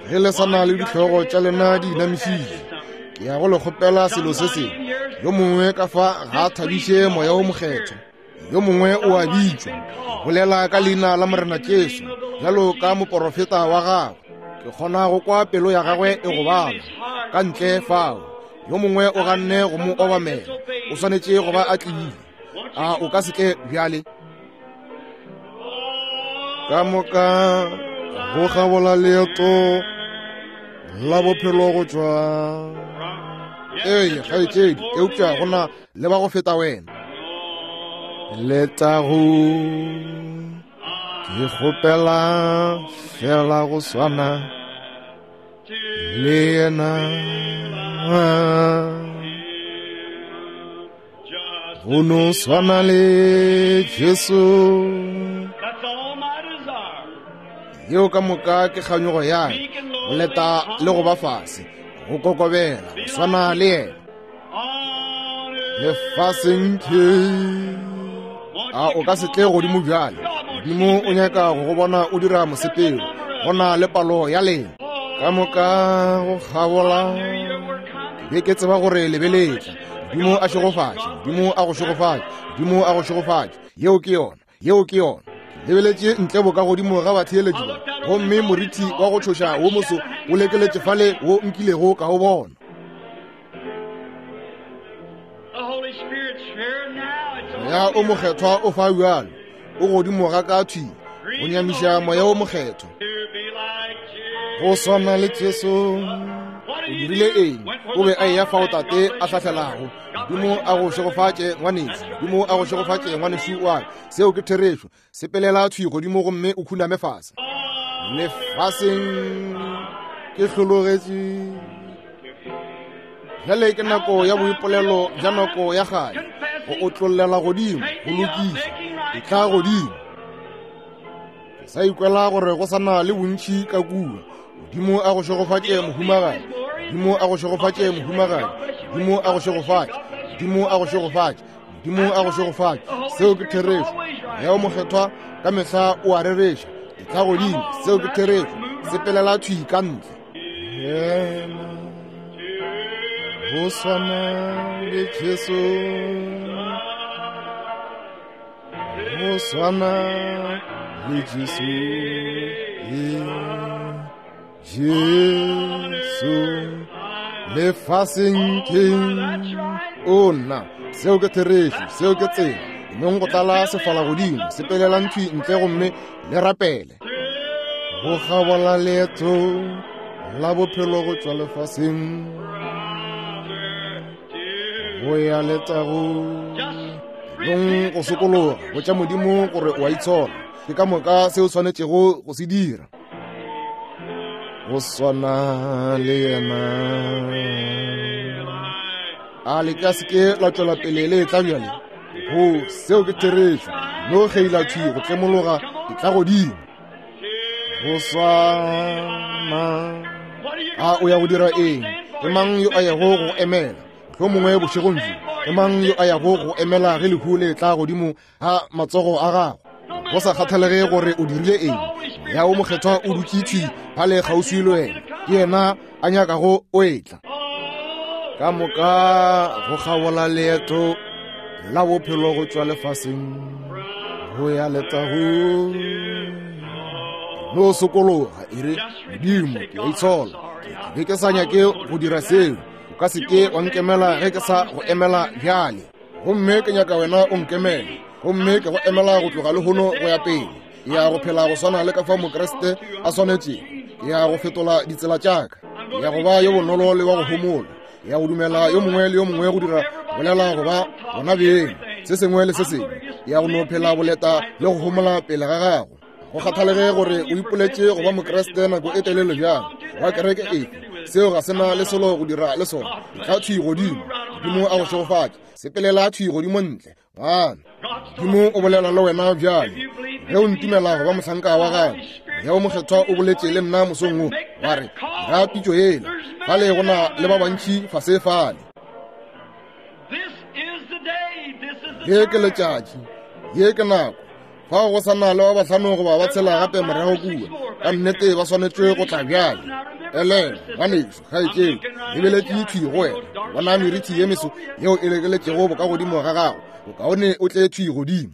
ge le sa na le dihlogo tša lena di inamišitše, ke ya go le kgopela selo se sengwe. Yo mongwe ka fa ga a thabiše Moya wo Mokgethwa, yo mongwe o a bitšwa, bolela ka leina la Morena Jesu bjalo ka moporofeta wa gagwe. Ke kgona go kwa pelo ya gagwe e gobala ka ntle fao. Yo mongwe o ganne go mo obamela, o swanetše go ba a tlile. A o ka se tle bjale? Ka moka go kgabola leeto la bophelo go tšwa. Ee, kgaetšedi, eupša go na le ba go feta wena. Letago, ke kgopela fela go swana le yena. Go no swana le Jesu. Yeo ka moka ke kganyogo ya ka, go leta le go ba fase, go kokobela, go swana le yena. Lefaseng ke a o ka se tle godimo bjale. Modimo o nyaka go go bona o dira mosepelo. Go na le palo ya lena ka moka go kgabola. Ke be ke tseba gore le be le tla. Modimo a šegofatše, Modimo a go šegofatše, Modimo a go šegofatše. Yeo ke yona, yeo ke yona. Ke lebeletše ntle boka godimo ga batheeletši ba, gomme morithi wa go tšhoša wo moso o lekeletše fale wo nkilego ka o bona. Moya o Mokgethwa o fa bjalo, o godimo ga ka thwi, go nyamiša Moya o Mokgethwa. Go swana le Jesu. O dirile eng? O be a eya fao Tate a hlahlelago. Modimo a go šegofatše, ngwanešu. Modimo a go šegofatše, ngwanešu wa ka. Seo ke therešo. Sepelela thwi godimo gomme o khuname fase. Lefaseng ke hlologetše. Bjale ke nako ya boipolelo bja nako ya kgale, go otlollela godimo, go lokiša, etla godimo. Ke sa ikwela gore go sa na le bontši ka kua. Modimo a go šegofatše, mohumagadi. Modimo a go šegofatše, mohumagadi. Modimo a go šegofatše. Modimo a go šegofatše. Modimo a go šegofatše. Seo ke therešo. Moya wo Mokgethwa ka mehla o a rereša. Etla godimo. Seo ke therešo. Sepelela thwi ka ntle. Yena go swana le Jesu, go swana le Jesu, Jesu lefaseng ke o nna. Seo ke therešo, seo ke tsela. Nong go tlala sefala godimo, sepelelang thwi ntle gomme le rapele. Go kgabola leeto la bophelo go tšwa lefaseng go ya letagong. Nong go sokologa, botša Modimo gore o a itshola. Ke ka moka se o swanetšego go se dira. Go swana le yena. A le ka se ke la tšwela pele le etla bjale? Go, seo ke therešo. No kgeila thwi go tlemologa, e tla godimo. Go swana. A o ya go dira eng? Ke mang yo a yago go emela? Mohlomongwe bošegong bjo. Ke mang yo a yago go emela ge lehu le tla godimo ga matsogo a gago? Go sa kgathalege gore o dirile eng, Moya wo Mokgethwa o dutše thwi fale kgauswi le wena. Ke yena a nyakago o etla. Ka moka go kgabola leeto la bophelo go tšwa lefaseng go ya letagong. No sokologa, e re, Modimo, ke a itshola. Ke be ke sa nyake go dira seo. O ka se ke wa nkemela ge ke sa go emela bjale. Gomme ke nyaka wena o nkemele. Gomme ke go emela go tloga lehono go ya pele. Ke ya go phela go swana le ka fao Mokriste a swanetšego. Ke ya go fetola ditsela tša ka. Ke ya go ba yo bonolo le wa go homola. Ke ya go dumela yo mongwe le yo mongwe go dira bolela go ba bona beng se sengwe le se sengwe. Ke ya go no phela boleta le go homola pele ga gago. Go kgathalege gore o ipoletše go ba Mokriste nako e telele bjang, wa kereke efe, seo ga se na le selo go dira le sona. Etla thwi godimo. Modimo a go šegofatše. Sepelela thwi godimo ntle. Ngwana, Modimo o bolela le wena bjale. Ge o ntumela go ba mohlanka wa gagwe, Moya wo Mokgethwa o boletše le nna mosong wo, wa re, dira pitšo yela. Fale go na le ba bantši fase fale. Ye ke letšatši, ye ke nako. Fao go sa na le ba bahlano goba ba tshela gape morago kua. Ka nnete ba swanetšwe go tla bjale. Elelwa, ngwanešu, kgaetšedi, lebeletše thwi go wena. Bona merithi ye meso yeo e lekeletšego bokagodimo ga gago. Bokaone o tle thwi godimo.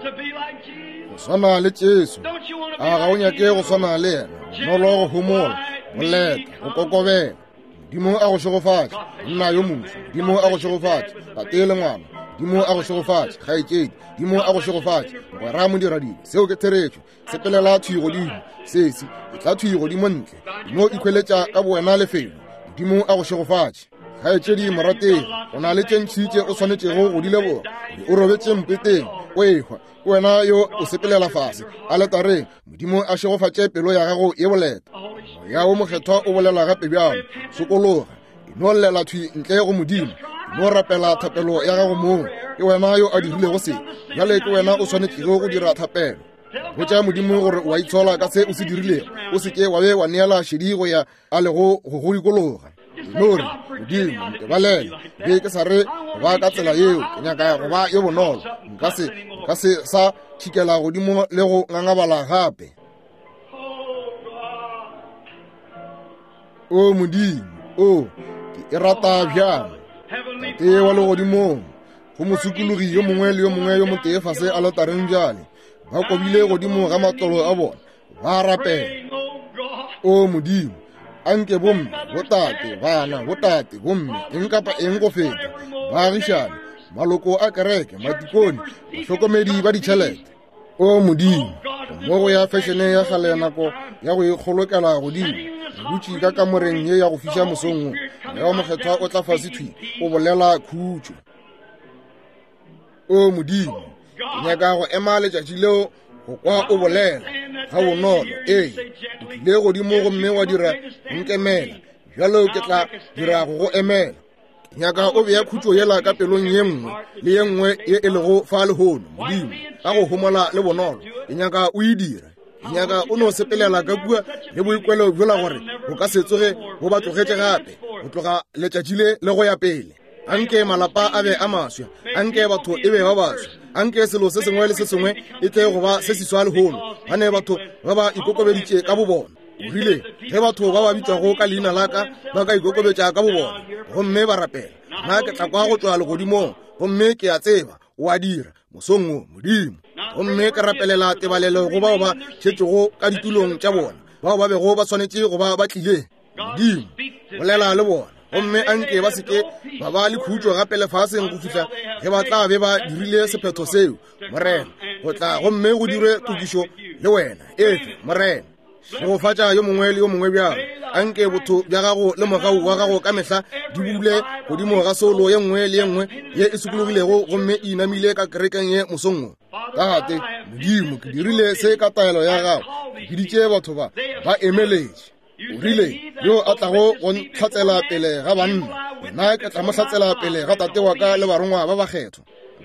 Go swana le Jesu. A ga o nyake go swana le yena? Bonolo, go homola, boleta, go kokobela. Modimo a go šegofatše, monna yo moswa. Modimo a go šegofatše, tate le ngwana. Modimo a go šegofatše, kgaetšedi. Modimo a go šegofatše, mogwera modiradibe. Seo ke therešo. Sepelela thwi godimo, sesi. Etla thwi godimo ntle. No ikhweletša ka bowena lefelo. Modimo a go šegofatše. Kgaetšedi morategi, o na le tše ntši tše o swanetšego go di leboga. O robetše mpeteng, o ehwa. Ke wena yo o sepelela fase aletareng. Modimo a šegofatše pelo ya gago ye boleta. Moya wo Mokgethwa o bolela gape bjalo. Sokologa, e no llela thwi ntle go Modimo. E no rapela thapelo ya gago mong. Ke wena yo a dirilego se. Bjale ke wena o swanetšego go dira thapelo. Botša Modimo gore o a itshola ka se o se dirilego. O se ke wa be wa neela šedi go ya a lego go go dikologa. No re, Modimo, ntebalele. Be ke sa re go ba ka tsela yeo. Ke nyaka go ba yo bonolo. Nka se, nka se sa tšhikela godimo le go ngangabala gape. O Modimo, o, ke e rata bjang. Tate wa legodimong, go mosokologi yo mongwe le yo mongwe yo motee fase aletareng bjale, ba kobile godimo ga matlolo a bona, ba rapela. O Modimo, anke bomme, botate, bana, botate, bomme, eng kapa eng go feta, baagišane, maloko a kereke, matikone, bahlokomedi ba ditšhelete. O Modimo, mo go ya fešene ya kgale nako ya go ikgolokela godimo, re dutše ka kamoreng ye ya go fiša mosong wo, Moya wo Mokgethwa o tla fase thwi, o bolela khutšo. O Modimo, ke nyaka go ema letšatši leo go kwa o bolela ga bonolo. Ee, o tlile godimo gomme wa dira go nkemela, bjalo ke tla dira go go emela. Ke nyaka o bea khutšo yela ka pelong ye nngwe le ye nngwe ye e lego fa lehono, Modimo, ka go homola le bonolo. Ke nyaka o e dire. Ke nyaka o no sepelela ka kua le boikwelo bjola gore bo ka se tsoge bo ba tlogetše gape go tloga letšatši le le go ya pele. Anke malapa a be a maswa, anke batho e be ba baswa. Anke selo se sengwe le se sengwe e tle go ba se seswa lehono, gane batho ba ba ikokobeditše ka bobona. O rile, Ge batho ba ba bitšwago ka leina la ka ba ka ikokobetša ka bobona gomme ba rapela, nna ke tla kwa go tšwa legodimong, gomme ke a tseba o a dira mosong wo, Modimo. Gomme ke rapelela tebalelo go bao ba šetšego ka ditulong tša bona, bao ba bego ba swanetše go ba ba tlile. Modimo, bolela le bona, gomme anke ba seke ba ba le khutšo gape lefaseng go fihla ge ba tla be ba dirile sephetho seo, Morena, go tla gomme go dirwe tokišo le wena. Efe, Morena. Šegofatša yo mongwe le yo mongwe bjalo. Anke botho bja gago le mogau wa gago ka mehla di bule godimo ga soulo ye nngwe le ye nngwe ye e sokologilego gomme e inamile ka kerekeng ye mosong wo. Tate, Modimo, ke dirile se ka taelo ya gago. Ke biditše batho ba, ba emeletše. O rile, Yo a tlago go ntlhatsela pele ga banna, nna ke tla mo hlatsela pele ga Tate wa ka le barongwa ba bakgethwa.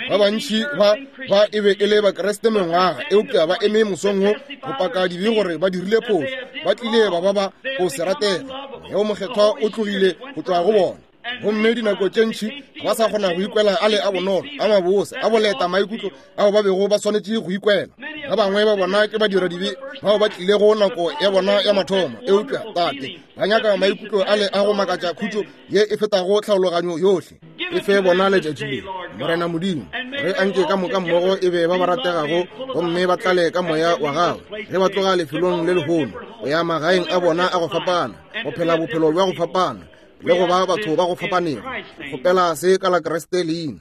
Ba bantši ba ba e be e le Bakriste mengwaga, eupša ba eme mosong wo go paka dibe gore ba dirile phošo, ba tlile ba ba ba go se ratege. Moya wo Mokgethwa o tlogile go tšwa go bona. Gomme dinako tše ntši ga ba sa kgona go ikwela a le a bonolo, a mabose, a boleta maikutlo ao ba bego ba swanetše go ikwela. Ba bangwe ba bona ke badiradibe bao ba tlilego nako ya bona ya mathomo, eupša, Tate, ba nyaka maikutlo a le a go makatša khutšo ye e fetago tlhaologanyo yohle. E fe bona letšatši le, Morena Modimo, re anke ka moka mmogo e be ba ba rategago gomme ba tlale ka Moya wa Gago ge ba tloga lefelong le lehono go ya magaeng a bona a go fapana, go phela bophelo bja go fapana le go ba batho ba go fapanego. Kgopela se ka la Kriste leina.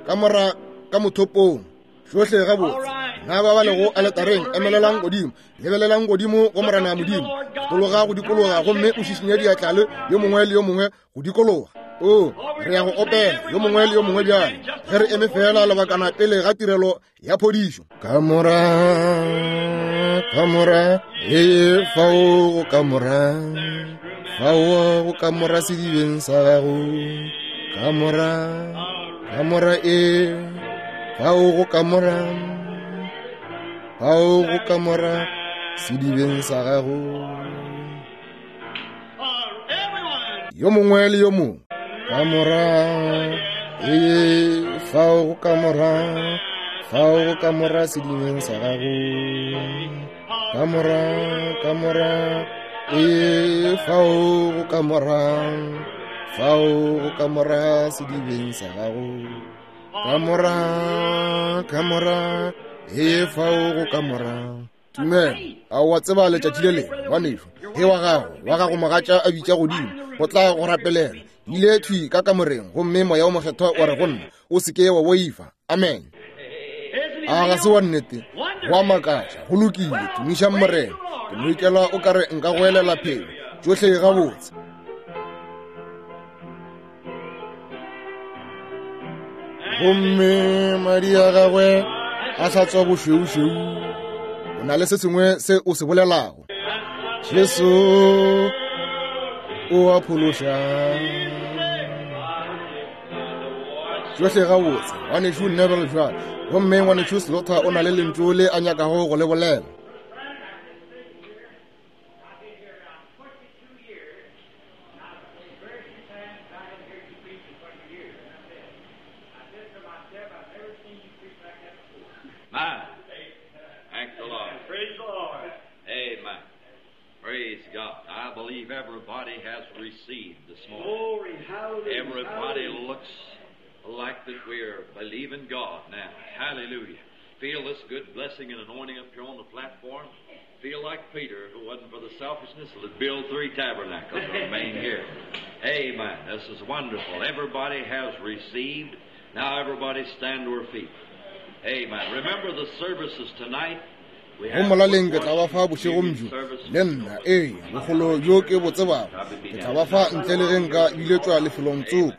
Ka mora ka mothopong tšohle gabotse. Na ba ba lego aletareng, emelelang godimo, lebelelang godimo go Morena Modimo, tologa go dikologa gomme o šišinye diatla le yo mongwe le yo mongwe go dikologa. O, re ya go opela yo mongwe le yo mongwe bjale, ge re eme feela lebakana pele ga tirelo ya phodišo. Kamora, kamora, ee, fao go kamora, fao go kamora sedibeng sa gago. Kamora, kamora, ee, fao go kamora, fao go kamora sedibeng sa gago. Yo mongwe le yo mongwe. Kamora, ee, fao go kamora, fao go kamora sedibeng sa gago. Kamora, kamora, ee, fao go kamora, fao go kamora sedibeng sa gago. Kamora, kamora, ee, fao go kamora. Tumelo, a o a tseba letšatši le lengwe, ngwanešu, ge wa gago, wa gago mogatša a bitša godimo go tla go rapelela, ile thwi ka kamoreng gomme Moya wo Mokgethwa wa re go nna, o se ke wa boifa. Amen. A ga se wa nnete? Go a makatša. Go lokile, tumišang Morena. Ke no ikela o ka re nka goelela phelo. Tšohle gabotse. Gomme madi a gagwe a hlatswa bošweušweu. O na le se sengwe se o se bolelago. Jesu o a phološa. Tšohle gabotse, ngwanešu Neville bjale. Gomme ngwanešu Slaughter o na le lentšu le a nyakago go le bolela. My. Thank the Lord. Praise the Lord. Amen. Praise God. I believe everybody has received this morning. Glory, hallelujah. Everybody hallelujah. looks like that we're believing God now. Hallelujah. Feel this good blessing and anointing up here on the platform. Feel like Peter, if it wasn't for the selfishness, would build 3 tabernacles and remain here. Amen. This is wonderful. Everybody has received. Now everybody stand to her feet. Amen. Remember the services tonight. We Go have molaleng ke tla ba fa bošegong bjo le nna, ee, bogolo bjo ke bo tsebago, ke tla ba fa ntle le ge nka biletšwa lefelong tsoko.